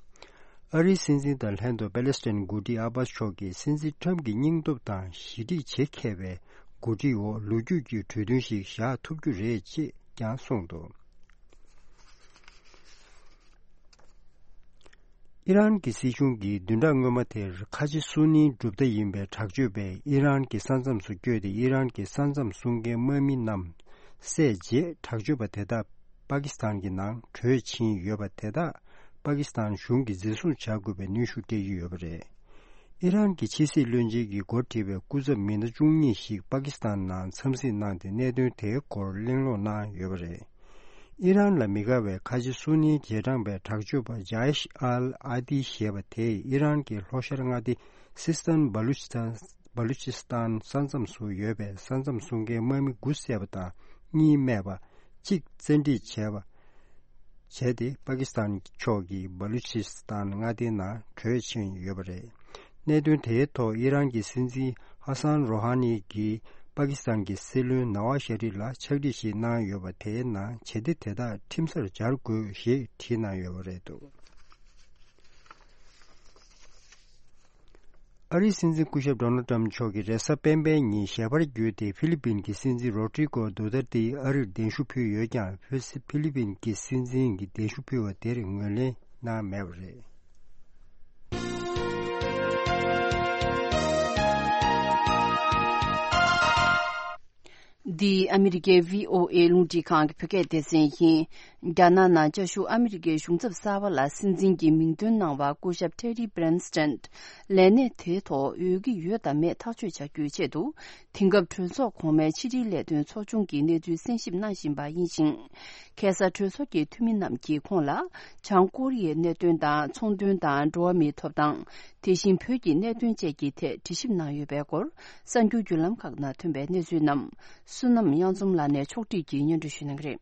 ཨ་རིའི་སྲིད་འཛིན་དང་ལྷན་དུ་པེ་ལེ་སི་ཐན་འགོ་ཁྲིད་ཨ་བྷཱས་མཆོག་གིས་སྲིད་འཛིན་ཊམ་གྱི་སྙིང་སྟོབས་དང་ཞི་འགྲིག་བྱེད་མཁས་པའི་འགོ་ཁྲིད་འོག་ལོ་རྒྱུས་ཀྱི་གྲོས་མཐུན་ཞིག་བཞག་ཐུབ་རྒྱུ་རེད་ཅེས་ཀྱང་གསུངས་འདུག་ཨི་རན་གྱི་སྲིད་གཞུང་གིས་བདུན་ཕྲག་སྔོན་མ་དེར་ཁ་ཆེ་སུ་ནིའི་གྲུབ་མཐའ་ཡིན་པའི་དྲག་སྤྱོད་པས་ཨི་རན་གྱི་ས་མཚམས་སུ་བསྐྱོད་དེ། ཨི་རན་གྱི་ས་མཚམས་སྲུང་མཁན་དམག་མི་རྣམས་བསད་རྗེས། དྲག་སྤྱོད་པ་དེ་དག་པ་ཀི་སི་ཐན་གྱི་ནང་བྲོས་ཕྱིན་ཡོད་པ་དེ་དག་པ་ཀི་སི་ཐན་གཞུང་གིས་འཛིན་བཟུང་བྱ་དགོས་པའི་གནོན་ཤུགས་སྤྲད་ཀྱི་ཡོད་པ་རེད། ཨི་རན་གྱི་ཕྱི་སྲིད་བློན་ཆེན་གྱི་འགོ་ཁྲིད་པའི་སྐུ་ཚབ་མི་སྣ་བཅུ་གཉིས་ཤིག་པ་ཀི་སི་ཐན་ནང་འཚམས་གཟིགས་གནང་སྟེ། གནད་དོན་དེའི་སྐོར་གླེང་སློང་གནང་ཡོད་པ་རེད། ཨི་རན་ལ་མི་དགའ་བའི་ཁ་ཆེ་སུ་ནིའི་རྗེས་འབྲང་པའི་དྲག་སྤྱོད་པ་ཇཱ་ཨེཤ་ཨལ་ཨ་ཏི་ཞེས་པ་དེས་ཨི་རན་གྱི་ལྷོ་ཤར་མངའ་སྡེ་སིས་ཐན་བ་ལུ་ཅི་སྟན། བ་ལུ་ཅི་སི་ཐན་ས་མཚམས་སུ་ཡོད་པའི་ས་མཚམས་སྲུང་མཁན་དམག་མི་དགུ་བསད་པ་དང་གཉིས་རྨས་པ། གཅིག་བཙན་ཁྲིད་བྱས་པ། བྱས་ཏེ། པ་ཀི་སི་ཐན་ཕྱོགས་ཀྱི་བ་ལུ་ཅི་སི་ཐན་མངའ་སྡེའི་ནང་བྲོས་ཕྱིན་ཡོད་པ་རེད། གནད་དོན་དེའི་ཐོག་ཨི་རན་གྱི་སྲིད་འཛིན་ཧ་སན་རོ་ཧ་ནི་གྱིས་པ་ཀི་སི་ཐན་གྱི་སྲིད་བློན་ནཱ་ཝ་ཤ་རིབ་ལ་ཕྱག་བྲིས་ཤིག་གནང་ཡོད་པ། དེའི་ནང་བྱེད་གཏེ་དེ་དག་ཁྲིམས་སར་སྦྱར་དགོས་ཞེས་བྲིས་གནང་ཡོད་པ་རེད་འདུག་ཨ་རིའི་སྲིད་འཛིན་སྐུ་ཞབས་ཌོ་ནལ་ཊམ་མཆོག་གིས་རེས་གཟའ་སྤེན་པའི་ཉིན་ཞལ་པར་བརྒྱུད་དེ། ཧྥི་ལི་པིན་གྱི་སྲིད་འཛིན་རོ་ཏྲི་ཀོ་དུ་ཏར་ཏེ་ཨ་རིར་གདན་ཞུ་ཕུལ་ཡོད་ཀྱང་། ཧྥི་ཧྥི་ལི་པིན་གྱི་སྲིད་འཛིན་གྱིས་གདན་ཞུ་ཕུལ་བ་དེར་ངོས་ལེན་གནང་མེད་པ་རེད། འདི་ཨ་མི་རི་ཀའི་བྷི་ཨོ་ཨེ་རླུང་འཕྲིན་ཁང་གི་བོད་སྐད་སྡེ་ཚན་ཡིན། རྒྱ་ནག་ནང་བཅའ་བཞུགས་ཨ་མི་རི་ཀའི་གཞུང་ཚབ་གསར་པ་ལ་སྲིད་འཛིན་གྱི་མིང་འདོན་གནང་བར་སྐུ་ཞབས་ཊེ་རི་བྷི་རན་སི་ཊན་ལས་གནས་དེའི་ཐོག་འོས་ཀྱི་ཡོད་དམ་མེད་ཐག་གཅོད་བྱ་རྒྱུའི་ཆེད་དུ། དེང་སྐབས་གྲོས་ཚོགས་གོང་མའི་ཕྱི་དྲིལ་ལས་དོན་ཚོགས་ཆུང་གི་གནས་ཚུལ་གསན་ཞིབ་གནང་བཞིན་པ་ཡིན་ཞིང་། ཁ་སང་གྲོས་ཚོགས་ཀྱི་འཐུས་མི་རྣམས་ཀྱིས་ཁོང་ལ་བྱང་ཀོ་རི་ཡའི་གནད་དོན་དང་། ཚོང་དོན་དང་། འགྲོ་བ་མིའི་ཐོབ་ཐང་། དེ་བཞིན་བོད་ཀྱི་གནད་དོན་བཅས་ཀྱི་ཐད་དྲི་ཞིབ་གནང་ཡོད་པའི་སྐོར། གསར་འགྱུར་བརྒྱུད་ལམ་ཁག་ནང་ཐོན་པའི་གནས་ཚུལ་རྣམས། བསོད་ནམས་དབྱངས་འཛོམས་ལགས་ནས་ཕྱོགས་བསྒྲིགས་ཀྱིས་སྙན་སྒྲོན་ཞུ་གནང་གི་རེད།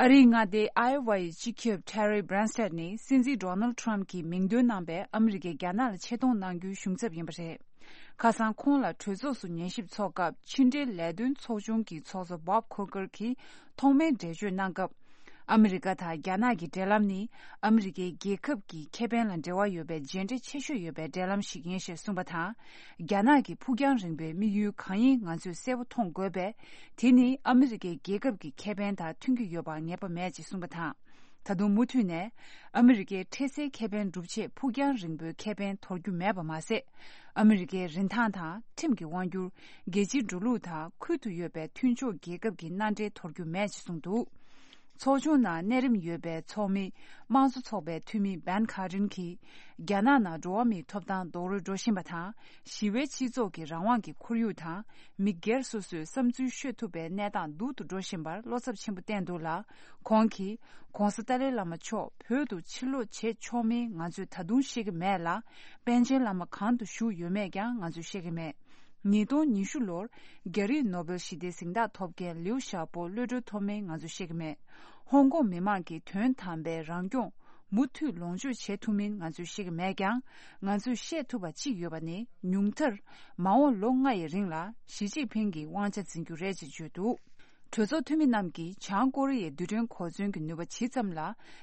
ཨ་རིའི་མངའ་སྡེ་ཨའེ་ཝ་ཡི་སྤྱི་ཁྱབ་ཊེ་རི་བྷི་རན་སི་ཊན་ནི་སྲིད་འཛིན་ཌོ་ནལ་ཊམ་གྱིས་མིང་འདོན་གནང་པའི་ཨ་མི་རི་ཀས་རྒྱ་ནག་ལ་ཆེ་མཐོང་གནང་རྒྱུའི་གཞུང་ཚབ་ཡིན་པ་རེད། ཁ་སང་ཁོང་ལ་གྲོས་ཚོགས་སུ་ཉན་ཞིབ་ཚོགས་སྐབས། ཕྱི་འབྲེལ་ལས་དོན་ཚོགས་ཆུང་གི་ཚོགས་གཙོ་བྷོབ་ཁོ་ཀར་གྱིས་ཐོག་མའི་འགྲེལ་བརྗོད་གནང་སྐབས། ཨ་མི་རི་ཀ་དང་རྒྱ་ནག་གི་འབྲེལ་ལམ་ནི་ཨ་མི་རི་ཀའི་རྒྱལ་ཁབ་ཀྱི་ཁེ་ཕན་ལ་འབྲེལ་བ་ཡོད་པའི་རྗེས་འབྲས་ཆེ་ཤོས་ཡོད་པའི་འབྲེལ་ལམ་ཞིག་ཡིན་ཞེས་གསུངས་པ་དང་། རྒྱ་ནག་གི་ཕུགས་རྒྱང་རིང་པོའི་དམིགས་ཡུལ་གང་ཡིན་ང་ཚོས་གསལ་པོ་མཐོང་དགོས་པས། དེ་ནི་ཨ་མི་རི་ཀའི་རྒྱལ་ཁབ་ཀྱི་ཁེ་ཕན་དང་མཐུན་གྱི་ཡོད་པ་ངེས་པ་མེད་ཅེས་གསུངས་པ་དང་། ད་དུང་མུ་མཐུད་ནས། ཨ་མི་རི་ཀའི་འཕྲལ་སེལ་ཁེ་ཕན་སྒྲུབ་ཆེད་ཕུགས་རྒྱང་རིང་པོའི་ཁེ་ཕན་དོར་རྒྱུ་མེད་པ་མ་ཟད། ཨ་མི་རི་ཀའི་རིན་ཐང་དང་ཁྲིམས་ཀྱི་དབང་སྒྱུར། རྒྱལ་སྤྱིའི་འགྲོ་ལུགས་དང་ཁུལ་དུ་ཡོད་པའི་མཐུན་ཕྱོགས་རྒྱལ་ཁབ་ཀྱི་མནའ་འབྲེལ་དོར་རྒྱུ་མེད་ཅེས་གསུངས་འདུག་ཚོགས་ཆུང་ནང་གནས་རིམ་ཡོད་པའི་ཚོགས་མི། དམངས་གཙོ་ཚོགས་པའི་འཐུས་མི་བན་ཁ་རིན་གྱིས། རྒྱ་ནག་ནང་འགྲོ་བ་མིའི་ཐོབ་ཐང་རྡོག་རོལ་འགྲོ་བཞིན་པ་དང་། ཞི་བའི་སྤྱི་ཚོགས་ཀྱི་རང་དབང་གི་ཁོར་ཡུག་དང་། མི་སྒེར་སོ་སོས་བསམ་ཚུལ་ཤོད་ཐུབ་པའི་གནས་སྟངས་སྡུག་ཏུ་འགྲོ་བཞིན་པར་བློ་འཚབ་ཆེན་པོ་བསྟན་འདུག་ལ། ཁོང་གིས། ྋགོང་ས་ཏཱ་ལའི་བླ་མ་མཆོག་བོད་དུ་ཕྱིར་ལོག་བྱེད་ཆོག་མིན་ང་ཚོས་ད་དུང་ཤེས་ཀྱི་མེད་ལ། པཎ་ཆེན་བླ་མ་གང་དུ་བཞུགས་ཡོད་མེད་ཀྱང་ང་ཚོས་ཤེས་ཀྱི་མེད། ཉིས་སྟོང་ཉི་ཤུ་ལོར་རྒྱ་རིགས་ནོ་བེལ་ཞི་བདེའི་གཟེངས་རྟགས་ཐོབ་མཁན་ལིའུ་ཞའོ་པོ་གློད་གྲོལ་ཐོབ་མིན་ང་ཚོས་ཤེས་ཀྱི་མེད། ཧོང་ཀོང་མི་མང་གིས་དོན་དམ་པའི་རང་སྐྱོང་མུ་མཐུད་ལོངས་སྤྱོད་བྱེད་ཐུབ་མིན་ང་ཚོས་ཤེས་ཀྱི་མེད་ཀྱང་། ང་ཚོས་བཤད་ཐུབ་པ་གཅིག་ཡོད་པ་ནི། ཉུང་མཐར་མ་འོངས་ལོ་ལྔ་ཡི་རིང་ལ་ཞི་ཅིན་ཕིང་གིས་དབང་ཆ་འཛིན་རྒྱུ་རེད་ཅེས་བརྗོད་འདུག་གྲོས་ཚོགས་འཐུས་མི་རྣམས་ཀྱིས་བྱང་ཀོ་རི་ཡའི་རྡུལ་ཕྲན་གོ་མཚོན་གྱི་ནུས་པ་ཇི་ཙམ་ལ་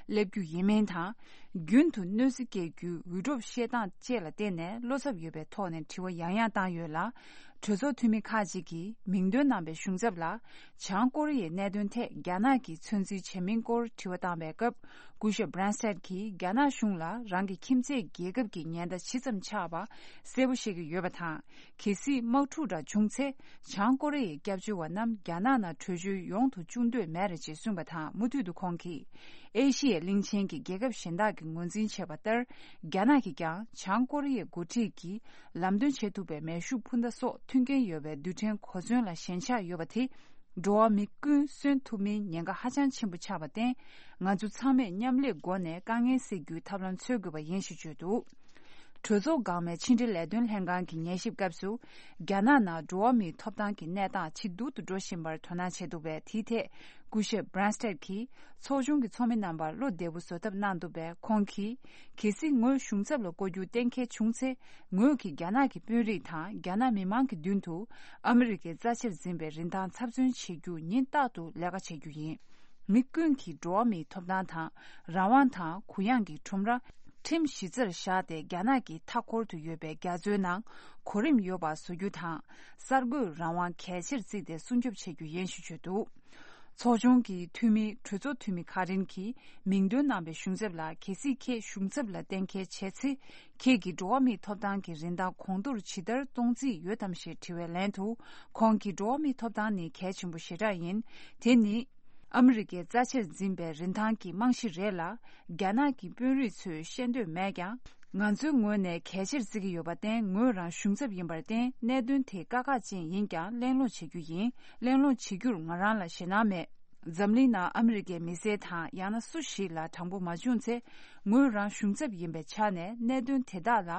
སླེབས་རྒྱུ་ཡིན་མིན་དང་། རྒྱུན་དུ་གནོད་འཚེ་སྐྱེལ་རྒྱུའི་འུད་སྒྲོག་བཤད་སྟངས་བཅས་ལ་བརྟེན་ནས་བློ་འཚབ་ཡོད་པའི་ཐོག་ནས་དྲི་བ་ཡང་ཡང་བཏང་ཡོད་ལ། གྲོས་ཚོགས་འཐུས་མི་ཁག་ཅིག་གིས་མིང་འདོན་གནང་པའི་གཞུང་ཚབ་ལ། བྱང་ཀོ་རི་ཡའི་གནད་དོན་ཐད་རྒྱ་ནག་གིས་ཚོད་འཛིན་བྱས་མིན་སྐོར་དྲི་བ་བཏང་བའི་སྐབས། སྐུ་ཞབས་བྷི་རན་སི་ཊན་གྱིས་རྒྱ་ནག་གཞུང་ལ་རང་གི་ཁྱིམ་མཚེས་རྒྱལ་ཁབ་ཀྱི་ཉེན་བརྡ་ཇི་ཙམ་ཆགས་པ་གསལ་པོ་ཤེས་ཀྱི་ཡོད་པ་དང་། གལ་སྲིད་དམག་འཁྲུག་འདྲ་བྱུང་ཚེ། བྱང་ཀོ་རི་ཡའི་སྐྱབས་བཅོལ་བ་རྣམས་རྒྱ་ནག་ནང་བྲོས་བྱོལ་ཡོང་དུ་བཅུག་འདོད་མེད་རེད་ཅེས་གསུངས་པ་དང་། མུ་མཐུད་དུ་ཁོང་གིས། ཨེ་ཤི་ཡའི་གླིང་ཆེན་གྱི་རྒྱལ་ཁབ་གཞན་དག་གིས་ངོས་འཛིན་བྱས་པ་ལྟར། རྒྱ་ནག་གིས་ཀྱང་བྱང་ཀོ་རི་ཡའི་འགོ་ཁྲིད་ཀྱིས་ལམ་སྟོན་བྱེད་ཐུབ་པའི་མེ་ཤུགས་འཕུར་མདའ་སོགས་མཐུན་རྐྱེན་ཡོད་པའི་རྡུལ་ཕྲན་གོ་མཚོན་ལ་ཞེན་ཆགས་ཡོད་པ་དེ། འགྲོ་བ་མི་ཀུན་གསོན་ཐུབ་མིན་ཉེན་ཁ་ཧ་ཅང་ཆེན་པོ་ཆགས་པར་བརྟེན། ང་ཚོ་ཚང་མས་མཉམ་ལས་སྒོ་ནས་དཀའ་ངལ་སེལ་རྒྱུའི་ཐབས་ལམ་འཚོལ་དགོས་པ་ཡིན་ཞེས་བརྗོད་འདུག་གྲོས་ཚོགས་འགག་མའི་ཕྱི་འབྲེལ་ལས་དོན་ལྷན་ཁང་གི་ཉན་ཞིབ་སྐབས་སུ། རྒྱ་ནག་ནང་འགྲོ་བ་མིའི་ཐོབ་ཐང་གི་གནས་སྟངས་ཇེ་སྡུག་ཏུ་འགྲོ་བཞིན་པར་དོ་སྣང་བྱས་འདུག་པས། དེའི་ཐད་སྐུ་ཞབས་བྷི་རན་སི་ཊན་གྱིས་ཚོགས་ཆུང་གི་ཚོགས་མི་རྣམ་པར་བློ་བདེ་པོ་བཟོ་ཐབས་གནང་འདུག་པས། ཁོང་གིས། གལ་སྲིད་ངོས་གཞུང་ཚབ་ལ་བསྐོ་རྒྱུ་གཏན་འཁེལ་བྱུང་ཚེ། ངོས་ཀྱིས་རྒྱ་ནག་གི་དཔོན་རིགས་དང་རྒྱ་ནག་མི་མང་གི་མདུན་དུ། ཨ་མི་རི་ཀའི་རྩ་ཆེར་འཛིན་པའི་རིན་ཐང་ཚབ་མཚོན་བྱེད་རྒྱུ་ཉིན་རྟག་ཏུ་ལས་ཀ་བྱེད་རྒྱུ་ཡིན། མི་ཀུན་གྱིས་འགྲོ་བ་མིའི་ཐོབ་ཐང་དང་། རང་དབང་དང་གུ་ཡངས་ཀྱི་ཁྲོམ་ར། ཁྲིམས་གཞི་རྩར་བཞག་སྟེ། རྒྱ་ནག་གི་མཐའ་འཁོར་དུ་ཡོད་པའི་རྒྱ་མཚོའི་ནང་གོ་རིམ་ཡོད་པ་བཟོ་རྒྱུ་དང་། གསར་འགོད་རང་དབང་གལ་ཆེར་བརྩིས་ཏེ་སྲུང་སྐྱོབ་བྱེད་རྒྱུ་ཡིན་ཞེས་བརྗོད་འདུག་ཚོགས་ཆུང་གི་འཐུས་མི་གྲོས་ཚོགས་འཐུས་མི་ཁ་རིན་གྱིས་མིང་འདོན་གནང་བའི་གཞུང་ཚབ་ལ། གལ་སྲིད་ཁྱེད་གཞུང་ཚབ་ལ་གཏན་འཁེལ་བྱས་ཚེ། ཁྱེད་ཀྱི་འགྲོ་བ་མིའི་ཐོབ་ཐང་གི་རིན་ཐང་གོང་མཐོར་ཇི་ལྟར་གཏོང་རྩིས་ཡོད་དམ་ཞེས་དྲི་བའི་ལན་དུ། ཁོང་གིས་འགྲོ་བ་མིའི་ཐོབ་ཐང་ནི་གལ་ཆེན་པོ་ཞེ་དྲག་ཡིན། དེ་ནི་ཨ་མི་རི་ཀས་རྩ་ཆེར་འཛིན་པའི་རིན་ཐང་གི་རྨང་གཞི་རེད་ལ། རྒྱ་ནག་གི་དཔོན་རིགས་ཚོས་ཤེས་འདོད་མེད་ཀྱང་། ང་ཚོའི་ངོས་ནས་གལ་ཆེར་བརྩི་གི་ཡོད་པར་བརྟེན། ངོས་རང་གཞུང་ཚབ་ཡིན་པར་བརྟེན། གནད་དོན་དེ་དཀའ་ཁག་ཅན་ཡིན་ཀྱང་གླེང་སློང་བྱེད་རྒྱུ་ཡིན། གླེང་སློང་བྱེད་རྒྱུར་ང་རང་ལ་ཞེད་སྣང་མེད། འཛམ་གླིང་ནང་ཨ་མི་རི་ཀའི་མི་སེར་དང་ཡང་ན་སུ་ཞིག་ལ་དྲང་པོ་མ་བྱུང་ཚེ། ངོས་རང་གཞུང་ཚབ་ཡིན་པའི་ཆ་ནས་གནད་དོན་དེ་དག་ལ་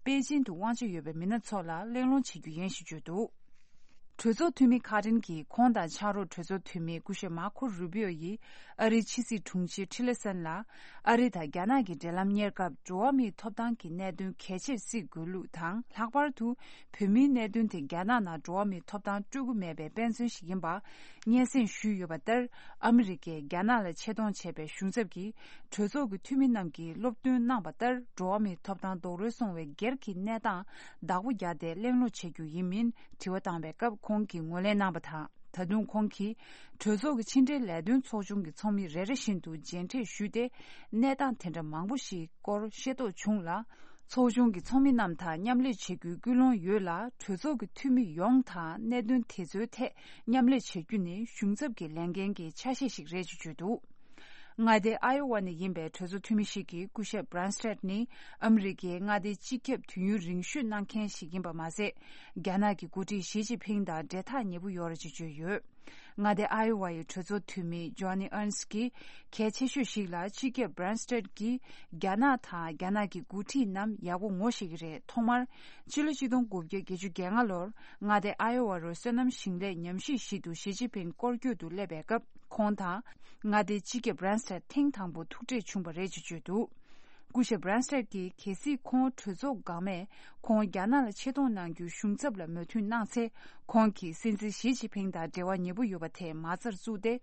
པེ་ཅིན་དུ་དབང་ཆ་ཡོད་པའི་མི་སྣ་ཚོ་ལ་གླེང་སློང་བྱེད་རྒྱུ་ཡིན་ཞེས་བརྗོད་འདུག་གྲོས་ཚོགས་འཐུས་མི་ཁ་རིན་གྱིས་ཁོང་དང་ཕྱག་རོགས་གྲོས་ཚོགས་འཐུས་མི་སྐུ་ཞབས་མར་ཁོ་རུ་བྷི་ཨོ་ཡིས་ཨ་རིའི་ཕྱི་སྲིད་དྲུང་ཆེ་ཊི་ལེ་སན་ལ། ཨ་རི་དང་རྒྱ་ནག་གི་འབྲེལ་ལམ་གཉེར་སྐབས། འགྲོ་བ་མིའི་ཐོབ་ཐང་གི་གནད་དོན་གལ་ཆེར་བརྩི་དགོས་ལུགས་དང་། ལྷག་པར་དུ་བོད་མིའི་གནད་དོན་དེ་རྒྱ་ནག་ནང་འགྲོ་བ་མིའི་ཐོབ་ཐང་སྤྲོད་ཀྱི་མེད་པའི་དཔེ་མཚོན་ཞིག་ཡིན་པ་སྙན་སེང་ཞུས་ཡོད་པ་ལྟར། ཨ་མི་རི་ཀས་རྒྱ་ནག་ལ་ཆེ་མཐོང་བྱས་པའི་གཞུང་ཚབ་ཀྱིས་གྲོས་ཚོགས་ཀྱི་འཐུས་མི་རྣམས་ཀྱིས་སློབ་སྟོན་གནང་བ་ལྟར། འགྲོ་བ་མིའི་ཐོབ་ཐང་རྡོག་རོལ་སོང་བའི་སྒེར་གྱི་གནས་སྟངས་བདག་པོ་རྒྱག་སྟེ་གླེང་སློང་བྱེད་རྒྱུ་ཡིན་མིན་དྲི་བ་བཏང་བའི་སྐབས། ཁོང་གིས་ངོས་ལེན་གནང་བ་དང་། ད་དུང་ཁོང་གིས་གྲོས་ཚོགས་ཀྱི་ཕྱི་འབྲེལ་ལས་དོན་ཚོགས་ཆུང་གི་ཚོགས་མི་རེ་རེ་བཞིན་དུ་མཇལ་འཕྲད་ཞུས་ཏེ། གནས་སྟངས་དེ་འདྲ་མང་པོ་ཞིག་སྐོར་ཤེས་རྟོགས་བྱུང་ལ། ཚོགས་ཆུང་གི་ཚོགས་མི་རྣམས་དང་མཉམ་ལས་བྱེད་རྒྱུའི་ཀུན་སློང་ཡོད་ལ། གྲོས་ཚོགས་ཀྱི་འཐུས་མི་ཡོངས་དང་གནད་དོན་དེ་ཚོའི་ཐད་མཉམ་ལས་བྱེད་རྒྱུ་ནི་གཞུང་ཚབ་ཀྱི་ལས་འགན་གྱི་ཆ་ཤས་ཤིག་རེད་ཅེས་བརྗོད་འདུག་མངའ་སྡེ་ཨའི་ཝ་ནས་ཡིན་པའི་གྲོས་ཚོགས་འཐུས་མི་ཞིག་གིས། སྐུ་ཞབས་Branstad་ནི་ཨ་མི་རི་ཀའི་མངའ་སྡེའི་སྤྱི་ཁྱབ་དུས་ཡུན་རིང་ཤོས་གནང་མཁན་ཞིག་ཡིན་པ་མ་ཟད། རྒྱ་ནག་གི་འགོ་ཁྲིད་ཞི་ཅིན་ཕིང་དང་འབྲེལ་ཐག་ཉེ་པོ་ཡོད་རེད་ཅེས་བརྗོད་ཡོད། མངའ་སྡེ་ཨའི་ཝ་ཡི་གྲོས་ཚོགས་འཐུས་མི་Johnny Ernst་གྱིས། གལ་ཆེ་ཤོས་ཤིག་ལ་སྤྱི་ཁྱབ་Branstad་གྱིས་རྒྱ་ནག་དང་རྒྱ་ནག་གི་འགོ་ཁྲིད་རྣམས་ཡག་པོ་ངོ་ཤེས་ཀྱི་རེད། ཐོག་མར་ཕྱི་ལོ་ཆིག་སྟོང་དགུ་བརྒྱ་བརྒྱད་ཅུ་གྱ་ལྔ་ལོར་མངའ་སྡེ་ཨའི་ཝ་རུ་སོ་ནམ་ཞིང་ལས་ཉམས་ཞིབ་ཞིག་ཏུ་ཞི་ཅིན་ཕིང་སྐོར་སྐྱོད་དུ་སླེབས་པའི་སྐབས། ཁོང་དང་མངའ་སྡེའི་སྤྱི་ཁྱབ་Branstad་ཐེངས་དང་པོ་ཐུག་འཕྲད་བྱུང་བ་རེད་ཅེས་བརྗོད་འདུག་སྐུ་ཞབས་Branstad་གྱིས། གལ་སྲིད་ཁོང་གྲོས་ཚོགས་འགག་མེད། ཁོང་རྒྱ་ནག་ལ་ཆེ་མཐོང་གནང་རྒྱུའི་གཞུང་ཚབ་ལ་མོས་མཐུན་གནང་ཚེ། ཁོང་གིས་སྲིད་འཛིན་ཞི་ཅིན་ཕིང་དང་འབྲེལ་བ་ཉེ་པོ་ཡོད་པ་དེ་མ་རྩར་བཙུགས་ཏེ།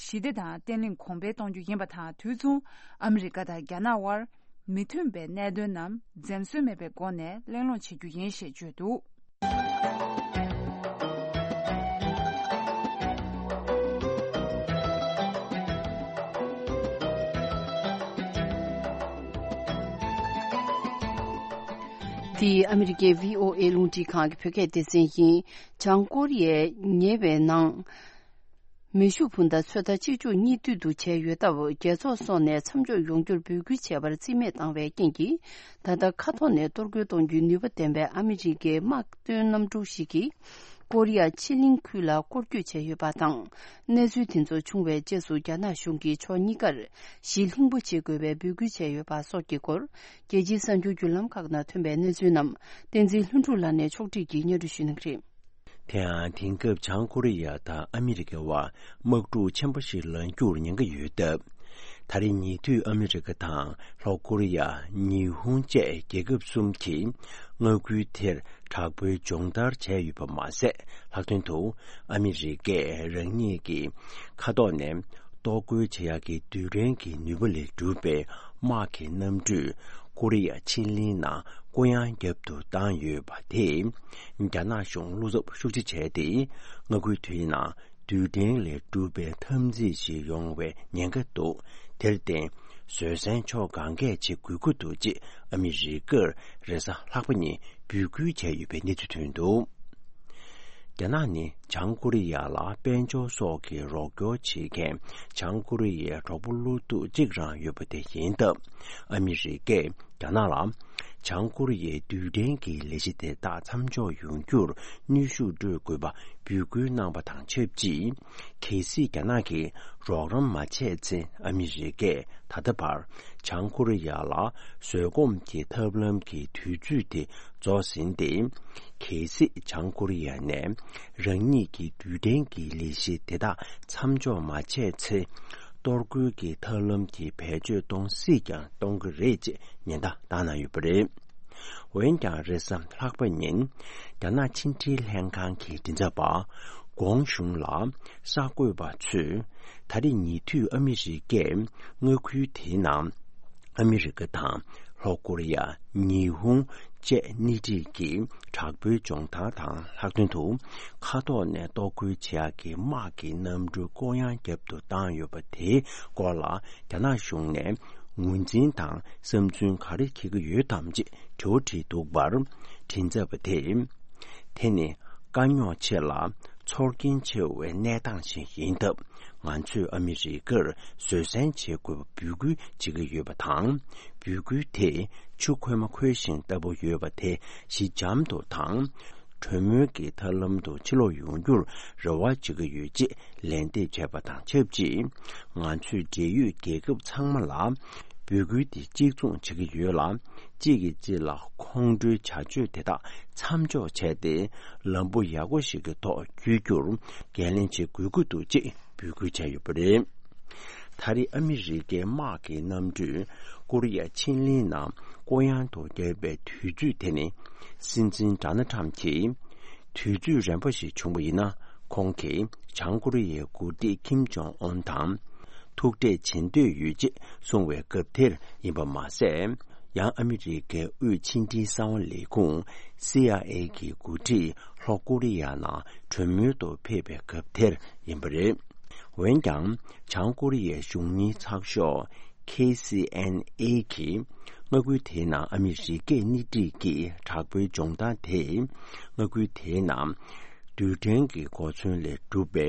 ཞི་བདེ་དང་བརྟན་ལྷིང་གོང་འཕེལ་གཏོང་རྒྱུ་ཡིན་པ་དང་། དུས་མཚུངས་ཨ་མི་རི་ཀ་དང་རྒྱ་ནག་དབར་མི་མཐུན་པའི་གནད་དོན་རྣམས་འཛེམ་ཟོན་མེད་པའི་སྒོ་ནས་གླེང་སློང་བྱེད་རྒྱུ་ཡིན་ཞེས་བརྗོད་འདུག་འདི་ཨ་མི་རི་ཀའི་བྷི་ཨོ་ཨེ་རླུང་འཕྲིན་ཁང་གི་བོད་སྐད་སྡེ་ཚན་ཡིན། བྱང་ཀོ་རི་ཡས་ཉེ་བའི་ནང་མེ་ཤུགས་འཕུར་མདའ་ཚོད་ལྟ་གཅིག་མཇུག་གཉིས་མཐུད་དུ་བྱས་ཡོད་སྟབས། རྒྱལ་ཚོགས་སོགས་ནས་མཚམས་འཇོག་ཡོང་རྒྱུར་འབོད་སྐུལ་བྱས་པར་རྩིས་མེད་བཏང་བའི་རྐྱེན་གྱིས། ད་ལྟ་མཁའ་ཐོག་ནས་གཏོར་རྒོལ་གཏོང་རྒྱུའི་ནུས་པ་ལྡན་པའི་ཨ་མི་རི་ཀའི་དམག་དོན་གནམ་གྲུ་ཞིག་གིས་ཀོ་རི་ཡ་ཕྱེད་གླིང་ཁུལ་ལ་སྐོར་སྐྱོད་བྱས་ཡོད་པ་དང་། གནས་ཚུལ་དེ་ཚོ་བྱུང་བའི་རྗེས་སུ། རྒྱ་ནག་གཞུང་གིས་ཕྱོགས་གཉིས་ཀར་ཞི་ལྷིང་པོ་བྱེད་དགོས་པའི་འབོད་སྐུལ་བྱས་ཡོད་པ་སོགས་ཀྱི་སྐོར། རྒྱལ་སྤྱིའི་གསར་འགྱུར་བརྒྱུད་ལམ་ཁག་ནང་ཐོན་པའི་གནས་ཚུལ་རྣམས། བསྟན་འཛིན་ལྷུན་གྲུབ་ལགས་ནས་ཕྱོགས་སྒྲིག་གིས་སྙན་སྒྲོན་ཞུ་གནང་གི་རེད། དེ་ཡང་དེང་སྐབས་བྱང་ཀོ་རི་ཡ་དང་ཨ་མི་རི་ཀའི་དབར་དམག་འཁྲུག་ཆེན་པོ་ཞིག་ལངས་རྒྱུར་ཉེན་ཁ་ཡོད་སྟབས། ད་རེས་ཉེ་དུས་ཨ་མི་རི་ཀ་དང་ལྷོ་ཀོ་རི་ཡ། ཉི་ཧོང་བཅས་རྒྱལ་ཁབ་གསུམ་གྱིས་མངའ་ཁུལ་དེར་དྲག་པོའི་སྦྱོང་བརྡར་བྱས་ཡོད་པ་མ་ཟད། ལྷག་དོན་དུ་ཨ་མི་རི་ཀས་རང་ཉིད་ཀྱི་མཁའ་ཐོག་ནས་གཏོར་རྒོལ་བྱེད་ཡག་གི་རྡུལ་ཕྲན་གྱི་ནུས་པ་ལས་གྲུབ་པའི་དམག་གི་གནམ་གྲུས་ཀོ་རི་ཡ་ཕྱེད་གླིང་ནང་བསྐོར་གཡང་བརྒྱབ་ཏུ་བཏང་ཡོད་པ་དེས། རྒྱ་ནག་གཞུང་བློ་འཚབ་ཤུགས་ཆེ་བྱས་ཏེ། མངའ་ཁུལ་དེའི་ནང་རྡུལ་ཕྲན་ལས་གྲུབ་པའི་འཐབ་འཛིང་ཞིག་ཡོང་བའི་ཉེན་ཁ་འདུག་དེར་བརྟེན། བཟོད་བསྲན་ཕྱོགས་གང་གས་བྱེད་དགོས་ཀྱི་འདུག་ཅེས་ཨ་མི་རི་ཀར་རེས་གཟའ་ལྷག་པ་ཉིན་འབོད་སྐུལ་བྱས་ཡོད་པའི་གནས་ཚུལ་ཐོན་འདུག་རྒྱ་ནག་ནི་བྱང་ཀོ་རི་ཡ་ལ་དཔལ་འབྱོར་སོགས་ཀྱི་རོགས་སྐྱོར་བྱེད་མཁན་བྱང་ཀོ་རི་ཡའི་གྲོགས་པོ་བློ་སྡུག་གཅིག་རང་ཡོད་པ་དེ་ཡིན་སྟབས། ཨ་མི་རི་ཀས་རྒྱ་ནག་ལ་བྱང་ཀོ་རི་ཡའི་རྡུལ་ཕྲན་གྱི་ལས་གཞི་དེ་དག་མཚམས་འཇོག་ཡོང་རྒྱུར་ནུས་ཤུགས་སྤྲོད་དགོས་པ་འབོད་སྐུལ་གནང་བ་དང་ཆབས་ཅིག་གལ་སྲིད་རྒྱ་ནག་གིས་རོགས་རམ་མ་བྱས་ཚེ། ཨ་མི་རི་ཀས་ད་ལྟ་བར་བྱང་ཀོ་རི་ཡ་ལ་བཟོད་སྒོམ་གྱི་ཐབས་ལམ་གྱི་དུས་ཚོད་དེ་རྫོགས་ཟིན་ཏེ། གལ་སྲིད་བྱང་ཀོ་རི་ཡ་ནས་རང་ཉིད་ཀྱི་རྡུལ་ཕྲན་གྱི་ལས་གཞི་དེ་དག་མཚམས་འཇོག་མ་བྱས་ཚེ། གཏོར་རྒོལ་གྱི་ཐབས་ལམ་གྱི་བེད་སྤྱོད་གཏོང་སྲིད་ཀྱང་གཏོང་གི་རེད་ཅེས་ཉེན་བརྡ་བཏང་གནང་ཡོད་པ་རེད། འོན་ཀྱང་། རེས་གཟའ་ལྷག་པ་ཉིན་རྒྱ་ནག་ཕྱི་འབྲེལ་ལྷན་ཁང་གི་མགྲིན་ཚབ་པ་ཀོང་ཞུང་ལ་གསར་འགོད་པ་ཚོས། ད་རེས་ཉེ་དུས་ཨ་མི་རི་ཀས་མངའ་ཁུལ་དེའི་ནང་ཨ་མི་རི་ཀ་དང་ ལྷོ་ཀོ་རི་ཡ། ཉི་ཧོང་བཅས་སྣེ་ཁྲིད་ཀྱིས་དྲག་པོའི་སྦྱོང་བརྡར་དང་ལྷག་དོན་དུ། མཁའ་ཐོག་ནས་གཏོར་རྒོལ་བྱེད་ཡག་གི་དམག་གི་གནམ་གྲུ་བསྐོར་གཡང་རྒྱབ་ཏུ་བཏང་ཡོད་པ་དེའི་སྐོར་ལ། རྒྱ་ནག་གཞུང་ནས་ངོས་འཛིན་དང་བསམ་ཚུལ་ག་རེ་འཁྱེར་གྱི་ཡོད་དམ་ཅེས་དྲི་བ་དྲིས་འདུག་པར། མགྲིན་ཚབ་པ་དེས། དེ་ནི་དཀའ་རྙོག་ཆེ་ལ་ཚོར་སྐྱེན་ཆེ་བའི་གནས་སྟངས་ཤིག་ཡིན་སྟབས། ང་ཚོས་ཨ་མི་རི་ཀར་བཟོད་བསྲན་བྱེད་དགོས་པ་འབོད་སྐུལ་བྱེད་ཀྱི་ཡོད་པ་དང་། འབོད་སྐུལ་དེ་ཆུ་ཁོལ་མ་ཁོལ་ཞིང་ལྟ་བུ་ཡོད་པ་དེ་ཞི་འཇམ་དུ་དང་། གྲོས་མོལ་གྱི་ཐབས་ལམ་དུ་ཕྱིར་ལོག་ཡོང་རྒྱུར་རེ་བ་བྱེད་ཀྱི་ཡོད་ཅེས་ལན་འདེབས་བྱས་པ་དང་ཆབས་ཅིག། ང་ཚོས་འབྲེལ་ཡོད་རྒྱལ་ཁབ་ཚང་མ་ལ་འབོད་སྐུལ་དེ་གཅིག་མཚུངས་བྱེད་ཀྱི་ཡོད་ལ། གཅིག་གིས་གཅིག་ལ་ཁོང་ཁྲོའི་བྱ་སྤྱོད་དེ་དག་མཚམས་འཇོག་བྱས་ཏེ། ལམ་བུ་ཡག་པོ་ཞིག་གི་ཐོག་བསྐྱོད་རྒྱུར་འགན་ལེན་བྱེད་དགོས་ཀྱི་འདུག་ཅེས་འབོད་སྐུལ་བྱས་ཡོད་པ་རེད། ད་རེས་ཨ་མི་རི་ཀའི་དམག་གི་གནམ་གྲུས་ཀོ་རི་ཡ་ཆེན་གླིང་ནང་བསྐོར་གཡང་དུ་བརྒྱབ་པའི་དུས་ཚོད་དེ་ནི། སྲིད་འཛིན་ཌོ་ནལ་ཁྲམ་གྱིས། དུས་ཚོད་རན་པ་ཞིག་བྱུང་བ་ཡིན་ན། ཁོང་གིས་བྱང་ཀོ་རི་ཡའི་འགོ་ཁྲིད་ཁིམ་ཇོང་ཨོན་དང་ཐུག་འཕྲད་བྱེད་འདོད་ཡོད་ཅེས་གསུངས་བའི་སྐབས་དེར་ཡིན་པ་མ་ཟད། ཡང་ཨ་མི་རི་ཀའི་དབུས་ཕྱི་འབྲེལ་གསང་བ་ལས་ཁུངས་སི་ཨའི་ཨེ་གི་འགོ་ཁྲིད་ལྷོ་ཀོ་རི་ཡ་ནང་གྲོས་མོལ་དུ་ཕེབས་པའི་སྐབས་དེར་ཡིན་པ་རེད། འོན་ཀྱང་། བྱང་ཀོ་རི་ཡའི་གཞུང་གཉེར་ཚགས་ཤོག་ཁེ་སི་ཨེན་ཨེ་གིས་མངའ་ཁུལ་དེའི་ནང་ཨ་མི་རི་ཀའི་སྣེ་ཁྲིད་ཀྱི་དྲག་པོའི་སྦྱོང་བརྡར་དེས། མངའ་ཁུལ་དེའི་ནང་རྡུལ་ཕྲན་གྱི་གོ་མཚོན་ལས་གྲུབ་པའི་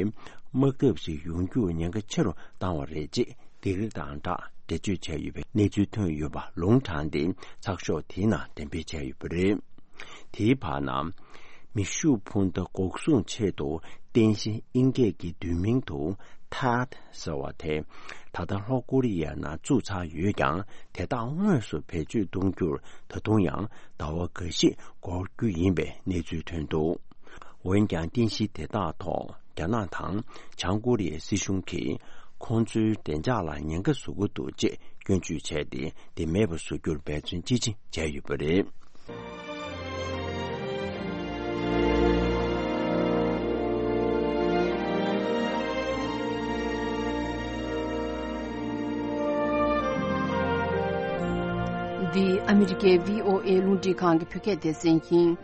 དམག་འཐབ་ཞིག་ཡོང་རྒྱུར་ཉེན་ཁ་ཆེ་རུ་བཏང་བ་རེད་ཅེས་སྡིགས་ར་དང་སྦྲགས་འགྲེལ་བརྗོད་བྱས་ཡོད་པའི་གནས་ཚུལ་ཐོན་ཡོད་པ་ལུང་དྲངས་ཏེ། ཚགས་ཤོག་དེའི་ནང་གཏན་འབེབས་བྱས་ཡོད་པ་རེད། དེའི་བར་ན། མེ་ཤུགས་འཕུར་མདའ་འགོག་སྲུང་ཆེད་དུ་རྟེན་གཞི་དབྱིན་སྐད་ཀྱི་བསྡུས་མིང་དུ་ཐཱད་ཟེར་བ་དེ། ད་ལྟ་ལྷོ་ཀོ་རི་ཡ་ནང་བཙུགས་ཚར་ཡོད་ཀྱང་། དེ་དག་དངོས་སུ་བེད་སྤྱོད་གཏོང་རྒྱུར་ད་དུང་ཡང་ཟླ་བ་འགའ་ཤས་འགོར་རྒྱུ་ཡིན་པའི་གནས་ཚུལ་ཐོན་འདུག། འོན་ཀྱང་རྟེན་གཞི་དེ་དག་ཐོག་རྒྱ་ནག་དང་བྱང་ཀོ་རི་ཡའི་སྲིད་གཞུང་གིས་ཁོང་ཚོའི་བདེ་འཇགས་ལ་ཉེན་ཁ་བཟོ་གི་འདུག་ཅེས་སྐྱོན་བརྗོད་བྱས་ཏེ། དེ་མེད་པ་བཟོ་རྒྱུར་འབད་བརྩོན་ཅི་ཆེ་བྱས་ཡོད་པ་རེད། འདི་ཨ་མི་རི་ཀའི་བྷི་ཨོ་ཨེ་རླུང་འཕྲིན་ཁང་གི་བོད་སྐད་སྡེ་ཚན་ཡིན།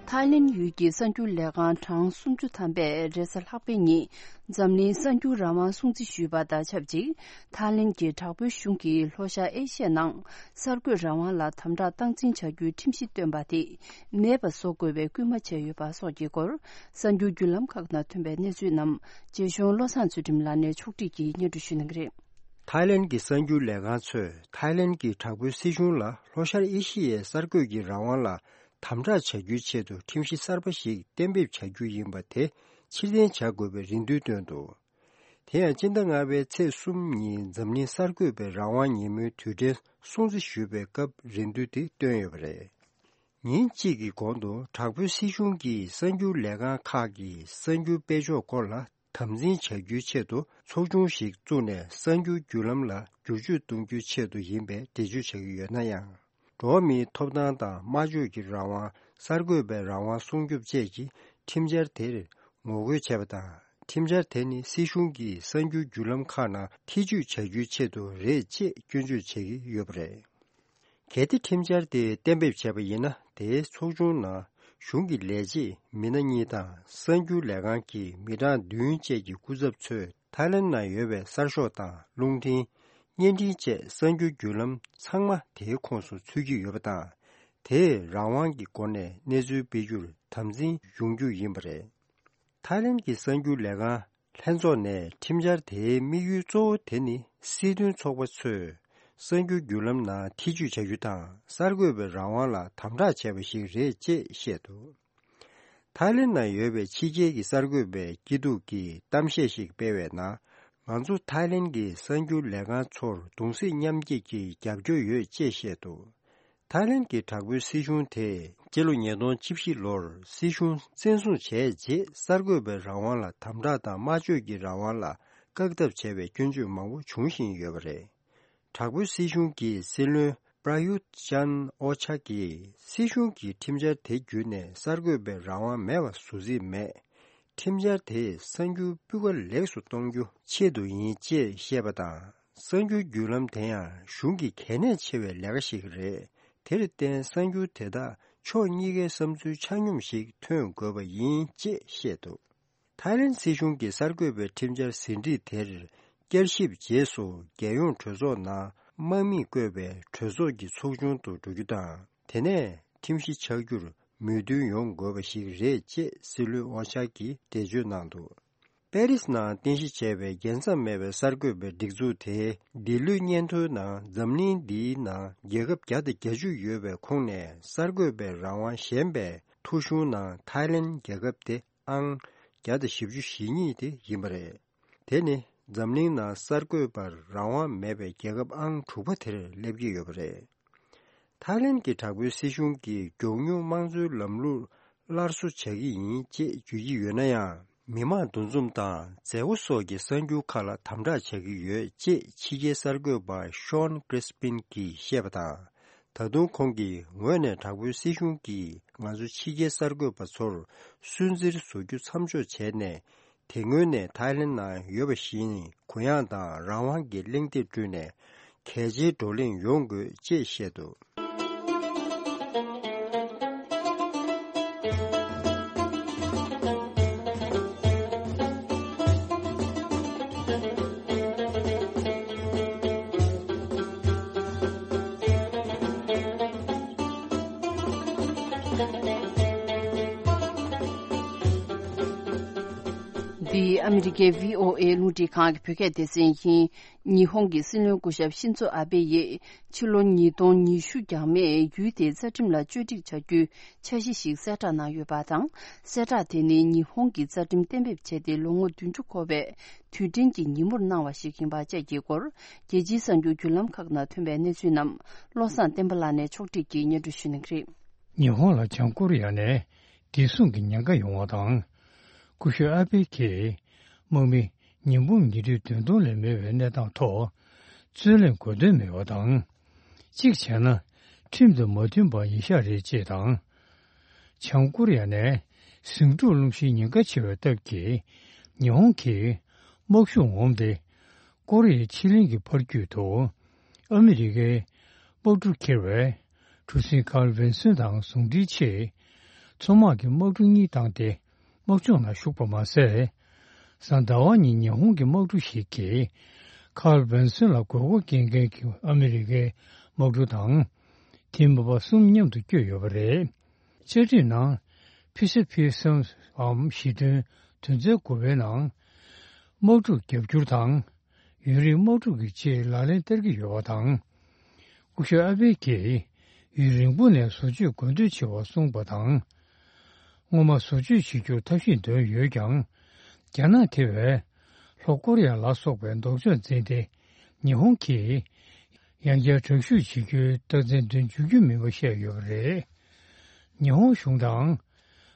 ཐའི་ལེན་ཡུལ་གྱི་གསར་འགྱུར་ལས་ཁང་གྲངས་སུམ་ཅུ་ཐམ་པས་རེས་གཟའ་ལྷག་པའི་ཉིན་འཛམ་གླིང་གསར་འགྱུར་རང་དབང་སྲུང་བརྩི་ཞུས་པ་དང་ཆབས་ཅིག། ཐའི་ལེན་གྱི་དྲག་པོའི་གཞུང་གིས་ལྷོ་ཤར་ཨེ་ཤི་ཡའི་ནང་གསར་འགོད་རང་དབང་ལ་དམ་དྲག་སྟངས་འཛིན་བྱ་རྒྱུའི་ཁྲིམས་གཞི་བཏོན་པ་དེ་མེད་པ་བཟོ་དགོས་པའི་སྐུལ་མ་བྱས་ཡོད་པ་སོགས་ཀྱི་སྐོར། གསར་འགྱུར་བརྒྱུད་ལམ་ཁག་ནང་ཐོན་པའི་གནས་ཚུལ་རྣམས་རྗེ་གཞུང་བློ་བཟང་ཚུལ་ཁྲིམས་ལགས་ནས་ཕྱོགས་སྒྲིག་གིས་སྙན་སྒྲོན་ཞུ་གནང་གི་རེད། ཐའི་ལེན་གྱི་གསར་འགྱུར་ལས་ཁང་ཚོས་ཐའི་ལེན་གྱི་དྲག་པོའི་སྲིད་གཞུང་ལ་ལྷོ་ཤར་ཨེ་ཤི་ཡའི་གསར་འགོད་ཀྱི་རང་དབང་ལ་དམ་དྲག་བྱ་རྒྱུའི་ཆེད་དུ་ཁྲིམས་གཞི་གསར་པ་ཞིག་གཏན་འབེབས་བྱ་རྒྱུ་ཡིན་པ་དེ་ཕྱིར་འཐེན་བྱ་དགོས་པའི་རེ་འདུན་བཏོན་འདུག། དེ་ཡང་སྤྱི་ཟླ་ལྔ་པའི་ཚེས་གསུམ་ཉིན་འཛམ་གླིང་གསར་འགོད་པའི་རང་དབང་ཉིན་མོའི་དུས་དྲན་སྲུང་བརྩི་ཞུས་པའི་སྐབས་རེ་འདུན་དེ་བཏོན་ཡོད་པ་རེད། ཉིན་གཅིག་གི་གོང་དུ་དྲག་པོའི་སྲིད་གཞུང་གིས་གསར་འགྱུར་ལས་ཁང་ཁག་གི་གསར་འགྱུར་སྤེལ་ཕྱོགས་སྐོར་ལ་དམ་འཛིན་བྱ་རྒྱུའི་ཆེད་དུ་ཚོགས་ཆུང་ཞིག་བཙུགས་ནས་གསར་འགྱུར་བརྒྱུད་ལམ་ལ་བསྒྱུར་བཅོས་གཏོང་རྒྱུའི་ཆེད་དུ་ཡིན་པའི་འགྲེལ་བརྗོད་བྱ་གི་ཡོད་ན་ཡང་། འགྲོ་བ་མིའི་ཐོབ་ཐང་དང་སྨྲ་བརྗོད་ཀྱི་རང་དབང་། གསར་འགོད་པའི་རང་དབང་སྲུང་སྐྱོབ་བཅས་ཀྱི་ཁྲིམས་འཆར་དེར་ངོ་རྒོལ་བྱས་པ་དང་། ཁྲིམས་འཆར་དེ་ནི་སྲིད་གཞུང་གིས་གསར་འགྱུར་བརྒྱུད་ལམ་ཁག་ནང་ཐེ་ཇུས་བྱ་རྒྱུའི་ཆེད་དུ་རེད་ཅེས་སྐྱོན་བརྗོད་བྱེད་ཀྱི་ཡོད་པ་རེད། གལ་ཏེ་ཁྲིམས་འཆར་དེ་གཏན་འབེབས་བྱས་པ་ཡིན་ན། དེའི་ཚོགས་ཆུང་ནང་གཞུང་གི་ལས་བྱེད་མི་སྣ་གཉིས་དང་། གསར་འགྱུར་ལས་ཁང་གི་མི་གྲངས་བདུན་བཅས་ཀྱི་སྐུ་ཚབ་ཚོས་ཐའི་ལེན་ནང་ཡོད་པའི་གསར་ཤོག་དང་། རླུང་འཕྲིན། བརྙན་འཕྲིན་བཅས་གསར་འགྱུར་བརྒྱུད་ལམ་ཚང་མ་དེའི་ཁོངས་སུ་ཚུད་ཀྱི་ཡོད་པ་དང་། དེས་རང་དབང་གི་སྒོ་ནས་གནས་ཚུལ་སྤེལ་རྒྱུར་དམ་འཛིན་ཡོང་རྒྱུ་ཡིན་པ་རེད། ཐའི་ལེན་གྱི་གསར་འགྱུར་ལས་ཁང་ལྷན་ཚོགས་ནས་ཁྲིམས་འཆར་དེའི་དམིགས་ཡུལ་གཙོ་བོ་དེ་ནི་སྲིད་དོན་ཚོགས་པ་ཚོས་གསར་འགྱུར་བརྒྱུད་ལམ་ནང་ཐེ་ཇུས་བྱ་རྒྱུ་དང་། གསར་འགོད་པའི་རང་དབང་ལ་དམ་དྲག་བྱས་པ་ཞིག་རེད་ཅེས་བཤད་འདུག། ཐའི་ལེན་ནང་ཡོད་པའི་ཕྱི་རྒྱལ་གྱི་གསར་འགོད་པའི་སྐྱིད་སྡུག་གི་གཏམ་བཤད་ཞིག་སྤེལ་བའི་ནང་། ང་ཚོ་ཐའི་ལེན་གྱི་གསར་འགྱུར་ལས་ཁང་ཚོར་གདུང་སེམས་མཉམ་སྐྱེད་ཀྱི་རྒྱབ་སྐྱོར་ཡོད་ཅེས་བཤད་འདུག། ཐའི་ལེན་གྱི་དྲག་པོའི་སྲིད་གཞུང་དེས་སྤྱི་ལོ་ཉིས་སྟོང་བཅུ་བཞི་ལོར་སྲིད་གཞུང་བཙན་བཟུང་བྱས་རྗེས། གསར་འགོད་པའི་རང་དབང་ལ་དམ་དྲག་དང་། སྨྲ་བརྗོད་ཀྱི་རང་དབང་ལ་བཀག་སྡོམ་བྱས་པའི་སྐྱོན་བརྗོད་མང་པོ་འབྱུང་བཞིན་ཡོད་པ་རེད། དྲག་པོའི་སྲིད་གཞུང་གི་སྲིད་བློན་པྲ་ཡུད་ཅན་ཨོ་ཆ་གིས་སྲིད་གཞུང་གི་ཁྲིམས་འཆར་དེ་བརྒྱུད་ནས་གསར་འགོད་པའི་རང་དབང་མེད་པ་བཟོ་རྩིས་མེད། ཁྲིམས་འཆར་དེས་གསར་འགྱུར་སྤུས་ཀ་ལེགས་སུ་གཏོང་རྒྱུ་ཆེད་དུ་ཡིན་ཅེས་བཤད་པ་དང་། གསར་འགྱུར་བརྒྱུད་ལམ་དེ་ཡང་གཞུང་གི་གལ་གནད་ཆེ་བའི་ལས་ཀ་ཞིག་རེད། དེར་བརྟེན་གསར་འགྱུར་དེ་དག་ཕྱོགས་གཉིས་ཀའི་བསམ་ཚུལ་ཆ་སྙོམས་ཤིག་ཐོན་དགོས་པ་ཡིན་ཅེས་བཤད་འདུག་ཐའི་ལེན་སྲིད་གཞུང་གིས་གསར་འགོད་པའི་ཁྲིམས་འཆར་ཟིན་བྲིས་དེར་བསྐྱར་ཞིབ་རྗེས་སུ་རྒྱལ་ཡོངས་གྲོས་ཚོགས་ནང་དམག་མིས་བསྐོས་པའི་གྲོས་ཚོགས་ཀྱི་ཚོགས་ཆུང་དུ་འགྲོ་རྒྱུ་དང་། དེ་ནས་ཁྲིམས་གཞི་ཆགས་རྒྱུར་མོས་མཐུན་ཡོང་དགོས་པ་ཞིག་རེད་ཅེས་སྲིད་བློན་ཨོ་ཅཱ་གིས་འགྲེལ་བརྗོད་གནང་འདུག་པེ་རིས་ནང་རྟེན་གཞི་བྱས་པའི་རྒྱལ་མཚམས་མེད་པའི་གསར་འགོད་པའི་སྒྲིག་འཛུགས་དེའི་འདི་ལོའི་སྙན་ཐོའི་ནང་འཛམ་གླིང་འདིའི་ནང་རྒྱལ་ཁབ་བརྒྱ་དང་བརྒྱད་ཅུ་ཡོད་པའི་ཁོངས་ནས་གསར་འགོད་པའི་རང་དབང་ཞན་པའི་ཐོ་གཞུང་ནང་ཐའི་ལེན་རྒྱལ་ཁབ་དེ་ཨང་བརྒྱ་དང་བཞི་བཅུ་ཞེ་གཉིས་དེ་ཡིན་པ་རེད། དེ་ནི་འཛམ་གླིང་ནང་གསར་འགོད་པར་རང་དབང་མེད་པའི་རྒྱལ་ཁབ་ཨང་དྲུག་པ་དེར་སླེབས་ཀྱི་ཡོད་པ་རེད། ཐའི་ལེན་གྱི་དྲག་པོའི་སྲིད་གཞུང་གིས་མགྱོགས་མྱུར་དམངས་གཙོའི་ལམ་ལུགས་སླར་གསོ་བྱ་གི་ཡིན་ཅེས་བརྗོད་ཀྱི་ཡོད་ན་ཡང་། མི་མང་འདུ་འཛོམས་དང་མཛད་སྒོ་སོགས་ཀྱི་གསར་འགྱུར་ཁག་ལ་དམ་དྲག་བྱ་གི་ཡོད་ཅེས་ཕྱི་རྒྱལ་གསར་འགོད་པ་ཤོན་ཀྲིས་པིན་གྱིས་བཤད་པ་དང་། ད་དུང་ཁོང་གིས་ངོས་ནས་དྲག་པོའི་སྲིད་གཞུང་གིས་ང་ཚོ་ཕྱི་རྒྱལ་གསར་འགོད་པ་ཚོར་སུན་གཙེར་བཟོ་རྒྱུ་མཚམས་འཇོག་བྱས་ནས། དེ་སྔོན་ནས་ཐའི་ལེན་ནང་ཡོད་པ་བཞིན་གུ་ཡངས་དང་རང་དབང་གི་གླེང་སྟེགས་བསྐྲུན་ནས་གལ་ཆེའི་བགྲོ་གླེང་ཡོང་དགོས་ཅེས་བཤད་འདུག་འདི་ཨ་མི་རི་ཀའི་བྷི་ཨོ་ཨེ་རླུང་འཕྲིན་ཁང་གི་བོད་སྐད་སྡེ་ཚན་ཡིན། ཉི་ཧོང་གི་སྲིད་བློན་སྐུ་ཞབས་ཤིན་ཛོ་ཨ་བྷེ་ཡིས་ཕྱི་ལོ་ཉིས་སྟོང་ཉི་ཤུ་འགྱངས་མེད་ཡུལ་དེའི་རྩ་ཁྲིམས་ལ་བཅོས་སྒྲིག་བྱ་རྒྱུའི་འཆར་གཞི་ཞིག་གསལ་བསྒྲགས་གནང་ཡོད་པ་དང་། གསལ་བསྒྲགས་དེ་ནི་ཉི་ཧོང་གི་རྩ་ཁྲིམས་གཏན་འབེབས་བྱས་ཏེ་ལོ་ངོ་བདུན་ཅུ་འཁོར་བའི་དུས་དྲན་གྱི་ཉིན་མོར་གནང་བ་ཞིག་ཡིན་པ་བཅས་ཀྱི་སྐོར། རྒྱལ་སྤྱིའི་གསར་འགྱུར་བརྒྱུད་ལམ་ཁག་ནང་ཐོན་པའི་གནས་ཚུལ་རྣམས་བློ་བཟང་བསྟན་པ་ལགས་ནས་ཕྱོགས་སྒྲིག་གིས་སྙན་སྒྲོན་ཞུ་གནང་གི་རེད། ཉི་ཧོང་ལ་བྱང་ཀོ་རི་ཡ་ནས་བདེ་སྲུང་གི་ཉེན་ཁ་ཡོང་བ་དང་། སྐུ་ཞབས་ཨ་བྷེ་གིས་དམག་མི་ཉིས་འབུམ་ཉིས་ཁྲི་བདུན་སྟོང་ལས་མེད་པའི་གནས་སྟངས་ཐོག་རྩོད་གླེང་དགོས་དོན་མེད་པ་དང་། གཅིག་བྱས་ན་ཁྲིམས་དང་མ་མཐུན་པ་ཡིན་ཤག་རེད་ཅེས་དང་། བྱང་ཀོ་རི་ཡ་ནས་ཟིང་འཁྲུག་སློང་གཞིའི་ཉེན་ཁ་ཆེ་བའི་སྟབས་ཀྱིས་ཉི་ཧོང་གིས་དམག་ཤུགས་ངོམ་སྟེ། ཀོ་རི་ཡའི་ཕྱེད་གླིང་གི་ཕར་རྒྱུད་དུ་ཨ་མི་རི་ཀའི་དམག་གྲུ་འཁྱེར་བའི་གྲུ་གཟིངས་ཁཱརལ་ཝིན་སོན་དང་ཟུང་འབྲེལ་ཆེད། མཚོ་དམག་གི་དམག་གྲུ་གཉིས་བཏང་སྟེ་དམག་སྦྱོང་ནང་ཞུགས་པ་མ་ཟད། གཟའ་ཟླ་བ་ཉིན་ཉི་ཧོང་གི་དམག་གྲུ་ཞིག་གིས་ཁཱརལ་ཝིན་སོན་ལ་དགོས་མཁོ་སྐྱེ་མཁན་གྱི་ཨ་མི་རི་ཀའི་དམག་གྲུ་དང་། དེ་མིན་པ་གསུམ་མཉམ་དུ་བསྐྱོད་ཡོད་པ་རེད། བཅའ་ཁྲིམས་ནང་ཕི་སི་ཕི་སམ་འམ་ཞི་མཐུན་དོན་ཚན་དགུ་པའི་ནང་། དམག་འཁྲུག་རྒྱབ་སྐྱོར་དང་། ཡུན་རིང་དམག་འཁྲུག་གི་ཆེད་ལག་ལེན་བསྟར་གྱི་ཡོད་པ་དང་། སྐུ་ཞབས་ཨ་བྷེ་གིས་ཡུན་རིང་པོ་ནས་བཟོ་བཅོས་དགོས་འདོད་ཆེ་བ་གསུངས་པ་དང་། སྔོན་མ་བཟོ་བཅོས་བྱེད་རྒྱུར་ཐབས་ཤེས་འདོན་ཡོད་ཀྱང་། རྒྱ་ནག་དེ་བས་ལྷོ་ཀོ་རི་ཡ་ལ་སོགས་པའི་ལྡོག་ཕྱོགས་འཛིན་ཏེ། ཉི་ཧོང་གིས་ཡང་བསྐྱར་དྲག་ཤུགས་བྱེད་རྒྱུའི་རྟགས་མཚན་འདོན་འཇུག་རྒྱུ་མིན་པ་བཤད་ཡོད་པ་རེད། ཉི་ཧོང་གཞུང་དང་།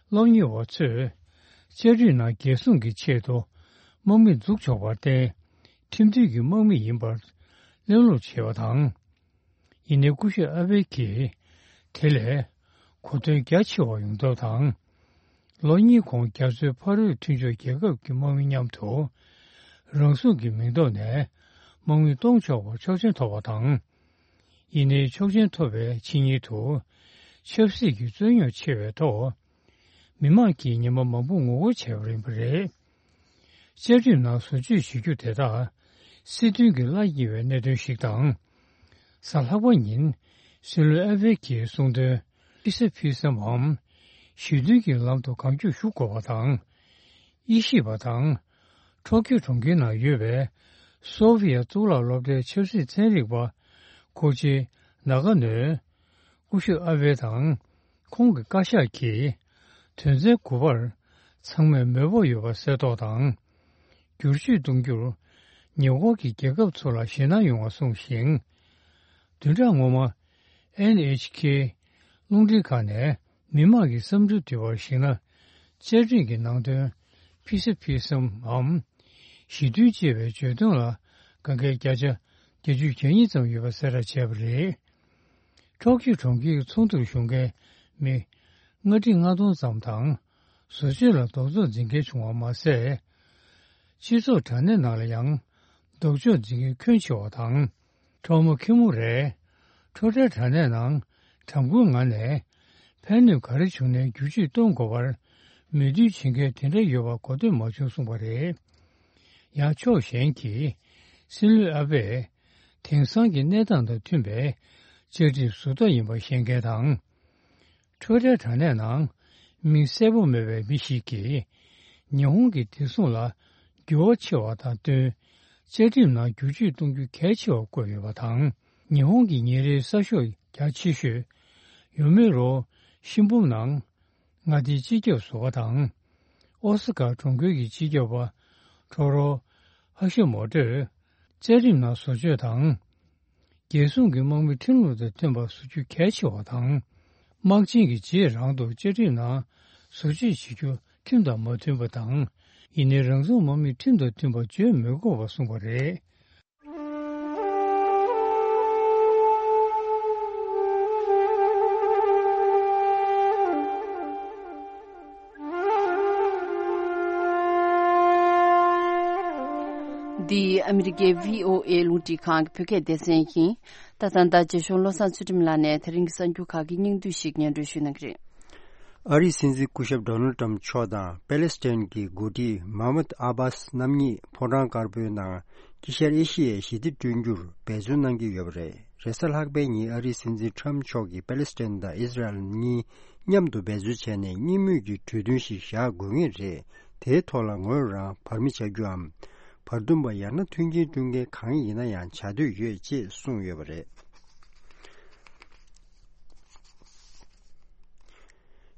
སློབ་གཉེར་བ་ཚོས་བཅའ་ཁྲིམས་ནང་རྒྱལ་སྲུང་གི་ཆེད་དུ་དམག་མི་འཛུགས་ཆོག་པར་བརྟེན། ཁྲིམས་མཐུན་གྱི་དམག་མི་ཡིན་པར་གླེང་སློང་བྱས་པ་དང་། ཡིན་ནའི་སྐུ་ཞབས་ཨ་བྷེ་གིས་དེ་ལས་གོ་དོན་རྒྱ་ཆེ་བ་ཡོང་ཐབས་དང་། ལོ་གཉིས་གོང་རྒྱ་མཚོའི་ཕ་རོལ་མཐུན་ཕྱོགས་རྒྱལ་ཁབ་ཀྱི་དམག་མི་མཉམ་དུ་རང་སྲུང་གི་མིང་ཐོག་ནས་དམག་མི་གཏོང་ཆོག་པར་ཆོག་མཆན་ཐོབ་པ་དང་། ཡིན་ནའི་ཆོག་མཆན་ཐོབ་པའི་ཕྱི་ཉིན་དུ་ཆབ་སྲིད་ཀྱི་རྩོད་རྙོག་ཆེ་བའི་ཐོག་མི་མང་གིས་ཉི་མ་མང་པོ་ངོ་རྒོལ་བྱས་པ་ཡིན་པ་རེད། བཅའ་ཁྲིམས་ནང་བཟོ་བཅོས་བྱེད་རྒྱུ་དེ་དག་སྲིད་དོན་གྱི་བླ་ཉེ་བའི་གནད་དོན་ཞིག་དང་། གཟའ་ལྷག་པ་ཉིན་སྲིད་བློན་ཨ་བྷེ་གིས་གསུངས་དོན། ཕི་སི་ཕི་སམ་འམ་ཞི་མཐུན་གྱི་ལམ་དུ་གང་མགྱོགས་ཞུགས་དགོས་པ་དང་། དབྱེ་ཞིབ་པ་དང་། ཊོ་ཀིའོ་གྲོང་ཁྱེར་ནང་ཡོད་པའི་སོ་བྷི་ཡ་གཙུག་ལག་སློབ་གྲྭའི་ཆབ་སྲིད་ཚན་རིག་པ་ཁོ་ཆི་ནཱ་ག་ནོས། སྐུ་ཞབས་ཨ་བྷེ་དང་། ཁོང་གི་བཀའ་ཤག་གིས་དོན་ཚན་དགུ་པར་ཚང་མས་མོས་པ་ཡོད་པ་གསལ་རྟོགས་དང་། བསྒྱུར་བཅོས་གཏོང་རྒྱུར་ཉེ་འཁོར་གྱི་རྒྱལ་ཁབ་ཚོ་ལ་ཞེད་སྣང་ཡོང་བ་གསུངས་ཤིང་། བདུན་ཕྲག་སྔོན་མ། ཨེན་ཨེཆ་ཁེ་རླུང་འཕྲིན་ཁང་ནས་མི་དམངས་ཀྱི་བསམ་ཚུལ་དྲི་བར་གཞིགས་ན། བཅའ་ཁྲིམས་ཀྱི་ནང་དོན་ཕི་སི་ཕི་སམ་འམ་ཞི་མཐུན་ཅེས་པའི་བརྗོད་དོན་ལ་དགའ་མཁན་བརྒྱ་ཆ་བརྒྱད་ཅུ་གྱ་གཉིས་ཙམ་ཡོད་པ་གསལ་བསྒྲགས་བྱས་པ་རེད། ཊོ་ཀིའོ་གྲོང་ཁྱེར་གྱི་ཚོགས་འདུར་ཞུགས་མཁན་མི་ལྔ་ཁྲི་ལྔ་སྟོང་ཙམ་དང་། བཟོ་བཅོས་ལ་རྡོག་རྫོགས་འཛིན་མཁན་བྱུང་བ་མ་ཟད། སྤྱི་ཚོགས་དྲ་གནས་ནང་ལ་ཡང་རྡོག་རྫོགས་འཛིན་མཁན་ཁྱོན་ཆེ་བ་དང་། ཁྲོ་མོ་ཁེ་མུ་རས་ཁྲོ་ཁྲའི་དྲ་གནས་ནང་ དྲ་འབུའི་ངང་ནས་ཕན་ནུས་ག་རེ་བྱུང་ནའི་བསྒྱུར་བཅོས་གཏོང་དགོས་པར་མོས་མཐུན་བྱེད་མཁན་དེ་འདྲ་ཡོད་པ་གོ་ཐོས་མ་བྱུང་གསུངས་པ་རེད། ཡང་ཕྱོགས་གཞན་གྱིས་སྲིད་བློན་ཨ་བྷེས་དེང་སང་གི་གནས་སྟངས་དང་མཐུན་པའི་བཅའ་ཁྲིམས་ཟུར་ལྟ་ཡིན་པ་བཤད་མཁན་དང་། འཕྲོད་བསྟེན་དྲ་གནས་ནང་མིང་གསལ་པོ་མེད་པའི་མི་ཞིག་གིས་ཉི་ཧོང་གི་བདེ་སྲུང་ལ་འགྱུར་བ་ཕྱིན་པ་དང་བསྟུན། བཅའ་ཁྲིམས་ནང་བསྒྱུར་བཅོས་གཏོང་རྒྱུ་གལ་ཆེ་བར་བཀོད་ཡོད་པ་དང་། ཉི་ཧོང་གི་ཉིན་རེའི་གསར་ཤོག་རྒྱ་ཆེ་ཤོས་ཡོ་མི་རོ་ཤིན་བུམ་ནང་མངའ་སྡེའི་སྤྱི་ཁྱབ་ཟུར་པ་དང་། ཨོ་སི་ཀ་གྲོང་ཁྱེར་གྱི་སྤྱི་ཁྱབ་པ་ཁྲོ་རོ་ཧ་ཤི་མོ་ཏོས་བཅའ་ཁྲིམས་ནང་བཟོ་བཅོས་དང་། རྒྱལ་སྲུང་གི་དམག་མི་ཁྲིམས་ལུགས་དང་མཐུན་པར་བཟོ་རྒྱུ་གལ་ཆེ་བ་དང་། དམག་ཆེན་གྱི་རྗེས་རང་དུ་བཅའ་ཁྲིམས་ནང་བཟོ་བཅོས་བྱེད་རྒྱུ་ཁྲིམས་དང་མ་མཐུན་པ་དང་། ཡིན་ནའི་རང་སྲུང་དམག་མིས་ཁྲིམས་དང་མཐུན་པར་བརྗོད་མི་དགོས་པ་གསུངས་པ་རེད། འདི་ཨ་མི་རི་ཀའི་བྷི་ཨོ་ཨེ་རླུང་འཕྲིན་ཁང་གི་བོད་སྐད་སྡེ་ཚན་ཡིན། ད་ཐེངས་ད་རྗེ་གཞུང་བློ་བཟང་ཚུལ་ཁྲིམས་ལགས་ནས་དེ་རིང་གི་གསར་འགྱུར་ཁག་གི་སྙིང་བསྡུས་ཤིག་སྙན་སྒྲོན་ཞུ་གནང་གི་རེད། ཨ་རིའི་སྲིད་འཛིན་སྐུ་ཞབས་ཌོ་ནལ་ཏྲམ་མཆོག་དང་པེ་ལེ་སི་ཐན་གྱི་འགོ་ཁྲིད་མཱ་མུད་ཨ་བྷཱས་རྣམ་གཉིས་ཕོ་བྲང་དཀར་པོའི་ནང་དཀྱིལ་ཤར་ཨེ་ཤི་ཡའི་ཞི་བདེ་བསྐྲུན་རྒྱུར་འབད་བརྩོན་གནང་གི་ཡོད་པ་རེད། རེས་གཟའ་ལྷག་པའི་ཉིན་ཨ་རིའི་སྲིད་འཛིན་ཏྲམ་མཆོག་གིས་པེ་ལེ་སི་ཐན་དང་ཨི་ཟི་རལ་གཉིས་མཉམ་དུ་འབད་རྩོལ་བྱས་ནས་གཉིས་མོས་ཀྱི་གྲོས་མཐུན་ཞིག་བཞག་དགོས་ངེས་རེད། དེའི་ཐོག་ལ་ངོས་རང་བར་མི་བྱ་རྒྱུའམ། བར་འདུམ་པ་ཡང་ན་མཐུན་རྐྱེན་སྐྲུན་མཁན་གང་ཡིན་ན་ཡང་བྱ་འདོད་ཡོད་ཅེས་གསུངས་ཡོད་པ་རེད།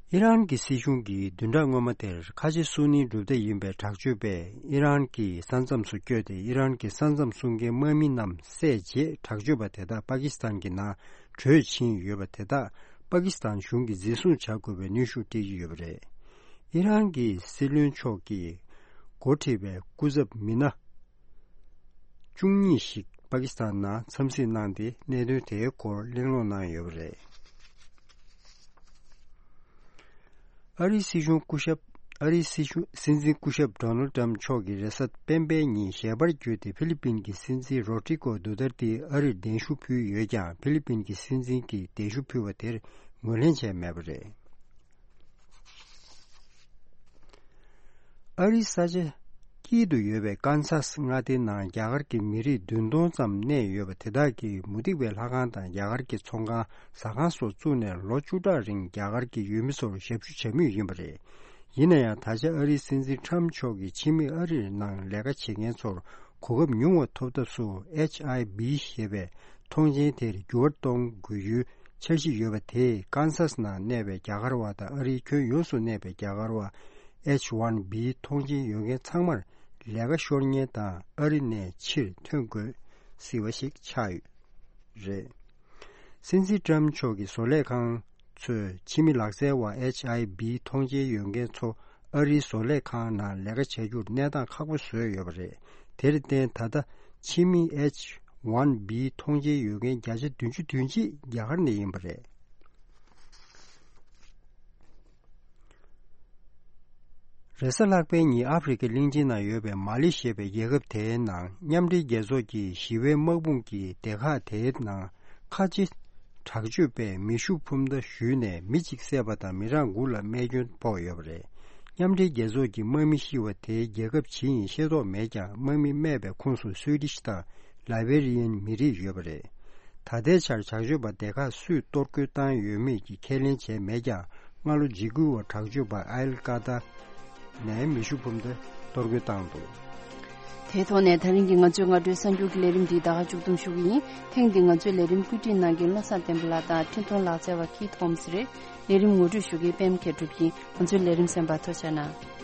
ཨི་རན་གྱི་སྲིད་གཞུང་གིས་བདུན་ཕྲག་སྔོན་མ་དེར་ཁ་ཆེ་སུ་ནིའི་གྲུབ་མཐའ་ཡིན་པའི་དྲག་སྤྱོད་པས་ཨི་རན་གྱི་ས་མཚམས་སུ་བསྐྱོད་དེ། ཨི་རན་གྱི་ས་མཚམས་སྲུང་མཁན་དམག་མི་རྣམས་བསད་རྗེས་དྲག་སྤྱོད་པ་དེ་དག་པ་ཀི་སི་ཐན་གྱི་ནང་བྲོས་ཕྱིན་ཡོད་པ་དེ་དག་པ་ཀི་སི་ཐན་གཞུང་གིས་འཛིན་བཟུང་བྱ་དགོས་པའི་གནོན་ཤུགས་སྤྲད་ཀྱི་ཡོད་པ་རེད། ཨི་རན་གྱི་སྲིད་བློན་མཆོག་གིས་འགོ་ཁྲིད་པའི་སྐུ་ཚབ་མི་སྣ་བཅུ་གཉིས་ཤིག་པ་ཀི་སི་ཐན་ནང་འཚམས་གཟིགས་གནང་སྟེ། གནད་དོན་དེའི་སྐོར་གླེང་སློང་གནང་ཡོད་པ་རེད། ཨ་རིའི་སྲིད་གཞུང་སྐུ་ཞབས། ཨ་རིའི་སྲིད་གཞུང་སྲིད་འཛིན་སྐུ་ཞབས་ཌོ་ནལ་ཏྲམ་མཆོག་གིས་རེས་གཟའ་སྤེན་པའི་ཉིན་ཞལ་པར་བརྒྱུད་དེ་ཕི་ལི་པིན་གྱི་སྲིད་འཛིན་རོ་ཏྲི་ཀོ་དུ་ཏར་ཏེ་ཨ་རིར་གདན་ཞུ་ཕུལ་ཡོད་ཀྱང་། ཕི་ལི་པིན་གྱི་སྲིད་འཛིན་གྱིས་གདན་ཞུ་ཕུལ་བ་དེར་ངོས་ལེན་བྱས་མེད་པ་རེད། ཨ་རིའི་ས་ཆ་དཀྱིལ་དུ་ཡོད་པའི་ཀན་སཱས་མངའ་སྡེའི་ནང་རྒྱ་གར་གྱི་མི་རིགས་བདུན་སྟོང་ཙམ་གནས་ཡོད་པ་དེ་དག་གིས་མུ་སྟེགས་པའི་ལྷ་ཁང་དང་རྒྱ་གར་གྱི་ཚོང་ཁང་། ཟ་ཁང་སོགས་བཙུགས་ནས་ལོ་བཅུ་ཕྲག་རིང་རྒྱ་གར་གྱི་ཡུལ་མི་ཚོར་ཞབས་ཞུ་བྱ་མུས་ཡིན་པ་རེད། ཡིན་ན་ཡང་། ད་ཆ་ཨ་རིའི་སྲིད་འཛིན་ཁྲམ་མཆོག་གིས་ཕྱི་མི་ཨ་རིར་ནང་ལས་ཀ་བྱེད་མཁན་ཚོར་གོ་སྐབས་ཉུང་བ་ཐོབ་ཐབས་སུ་ཨེཆ་ཨའི་བི་ཞེས་པའི་མཐོང་མཆན་དེར་འགྱུར་བ་གཏོང་དགོས་རྒྱུའི་འཆར་གཞི་ཡོད་པ་དེས། ཀན་སཱས་ནང་གནས་པའི་རྒྱ་གར་བ་དང་ཨ་རིའི་ཁྱོན་ཡོངས་སུ་གནས་པའི་རྒྱ་གར་བ་ཨེཆ་ཝན་བི་མཐོང་མཆན་ཡོད་མཁན་ཚང་མར་ལས་ཀ་ཤོར་ཉེན་དང་། ཨ་རི་ནས་ཕྱིར་ཐོན་དགོས་སྲིད་པ་ཞིག་ཆགས་ཡོད་རེད། སྲིད་འཛིན་ཀྲམ་མཆོག་གི་བཟོ་ལས་ཁང་ཚོས་ཕྱི་མི་ལག་རྩལ་བ་ཨེཆ་ཨའི་བི་མཐོང་མཆན་ཡོད་མཁན་ཚོ་ཨ་རིའི་བཟོ་ལས་ཁང་ནང་ལས་ཀ་བྱ་རྒྱུར་གནས་སྟངས་ཁག་པོ་བཟོས་ཡོད་པ་རེད། དེར་བརྟེན། ད་ལྟ་ཕྱི་མི་ཨེཆ་ཝན་བི་མཐོང་མཆན་ཡོད་མཁན་བརྒྱ་ཆ་བདུན་ཅུ་དོན་གཅིག་རྒྱ་གར་ནས་ཡིན་པ་རེད། རེས་གཟའ་ལྷག་པའི་ཉིན་ཨ་ཧྥེ་རི་ཁའི་གླིང་ཆེན་ནང་ཡོད་པའི་མ་ལི་ཞེས་པའི་རྒྱལ་ཁབ་དེའི་ནང་མཉམ་འབྲེལ་རྒྱལ་ཚོགས་ཀྱི་ཞི་བའི་དམག་དཔུང་གི་སྡེ་ཁག་དེའི་ནང་ཁ་ཆེ་དྲག་སྤྱོད་པས་མེ་ཤུགས་འཕུར་མདའ་གཞུས་ནས་མི་གཅིག་བསད་པ་དང་། མི་གྲངས་དགུ་ལ་རྨས་སྐྱོན་ཕོག་ཡོད་པ་རེད། མཉམ་འབྲེལ་རྒྱལ་ཚོགས་ཀྱི་དམག་མི་ཤི་བ་དེའི་རྒྱལ་ཁབ་ཇི་ཡིན་ཤེས་རྟོགས་མེད་ཀྱང་། དམག་མི་རྨས་པའི་ཁོངས་སུ་སུའི་ཌིཤ་དང་ལའི་བེ་རི་ཡན་མི་རིགས་ཡོད་པ་རེད། ད་ལྟའི་ཆར་དྲག་སྤྱོད་པ་སྡེ་ཁག་སུས་གཏོར་རྒོལ་བཏང་ཡོད་མེད་ཀྱི་ཁས་ལེན་བྱས་མེད་ཀྱང་། སྔ་ལོ་འཇིགས་སྐུལ་བ་དྲག་སྤྱོད་པ་ཨལ་ཀ་ད་ནས་མེ་ཤུགས་འཕུར་མདའ་གཏོར་རྒོལ་བཏང་འདུག་དེའི་ཐོག་ནས་ད་རིང་གི་ང་ཚོའི་སྔ་དྲོའི་གསར་འགྱུར་གྱི་ལས་རིམ་འདི་ད་ག་མཇུག་བསྡོམས་ཞུ་གི་ཡིན། ཐེངས་འདིའི་ང་ཚོའི་ལས་རིམ་བཀོད་སྒྲིག་གནང་མཁན་བློ་བཟང་བསྟན་པ་ལགས་དང་འཕྲིན་གཏོང་ལག་རྩལ་བ་ཁི་ཐོམ་སི་རེད། ལས་རིམ་ངོ་སྤྲོད་ཞུ་མཁན་པད་མ་མཁས་གྲུབ་ཡིན། ང་ཚོའི་ལས་རིམ་གསན་པར་ཐུགས་རྗེ་གནང་།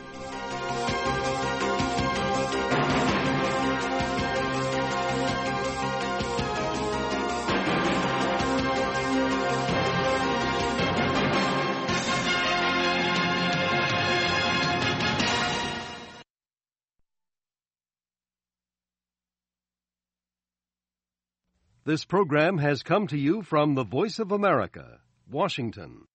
This program has come to you from the Voice of America, Washington.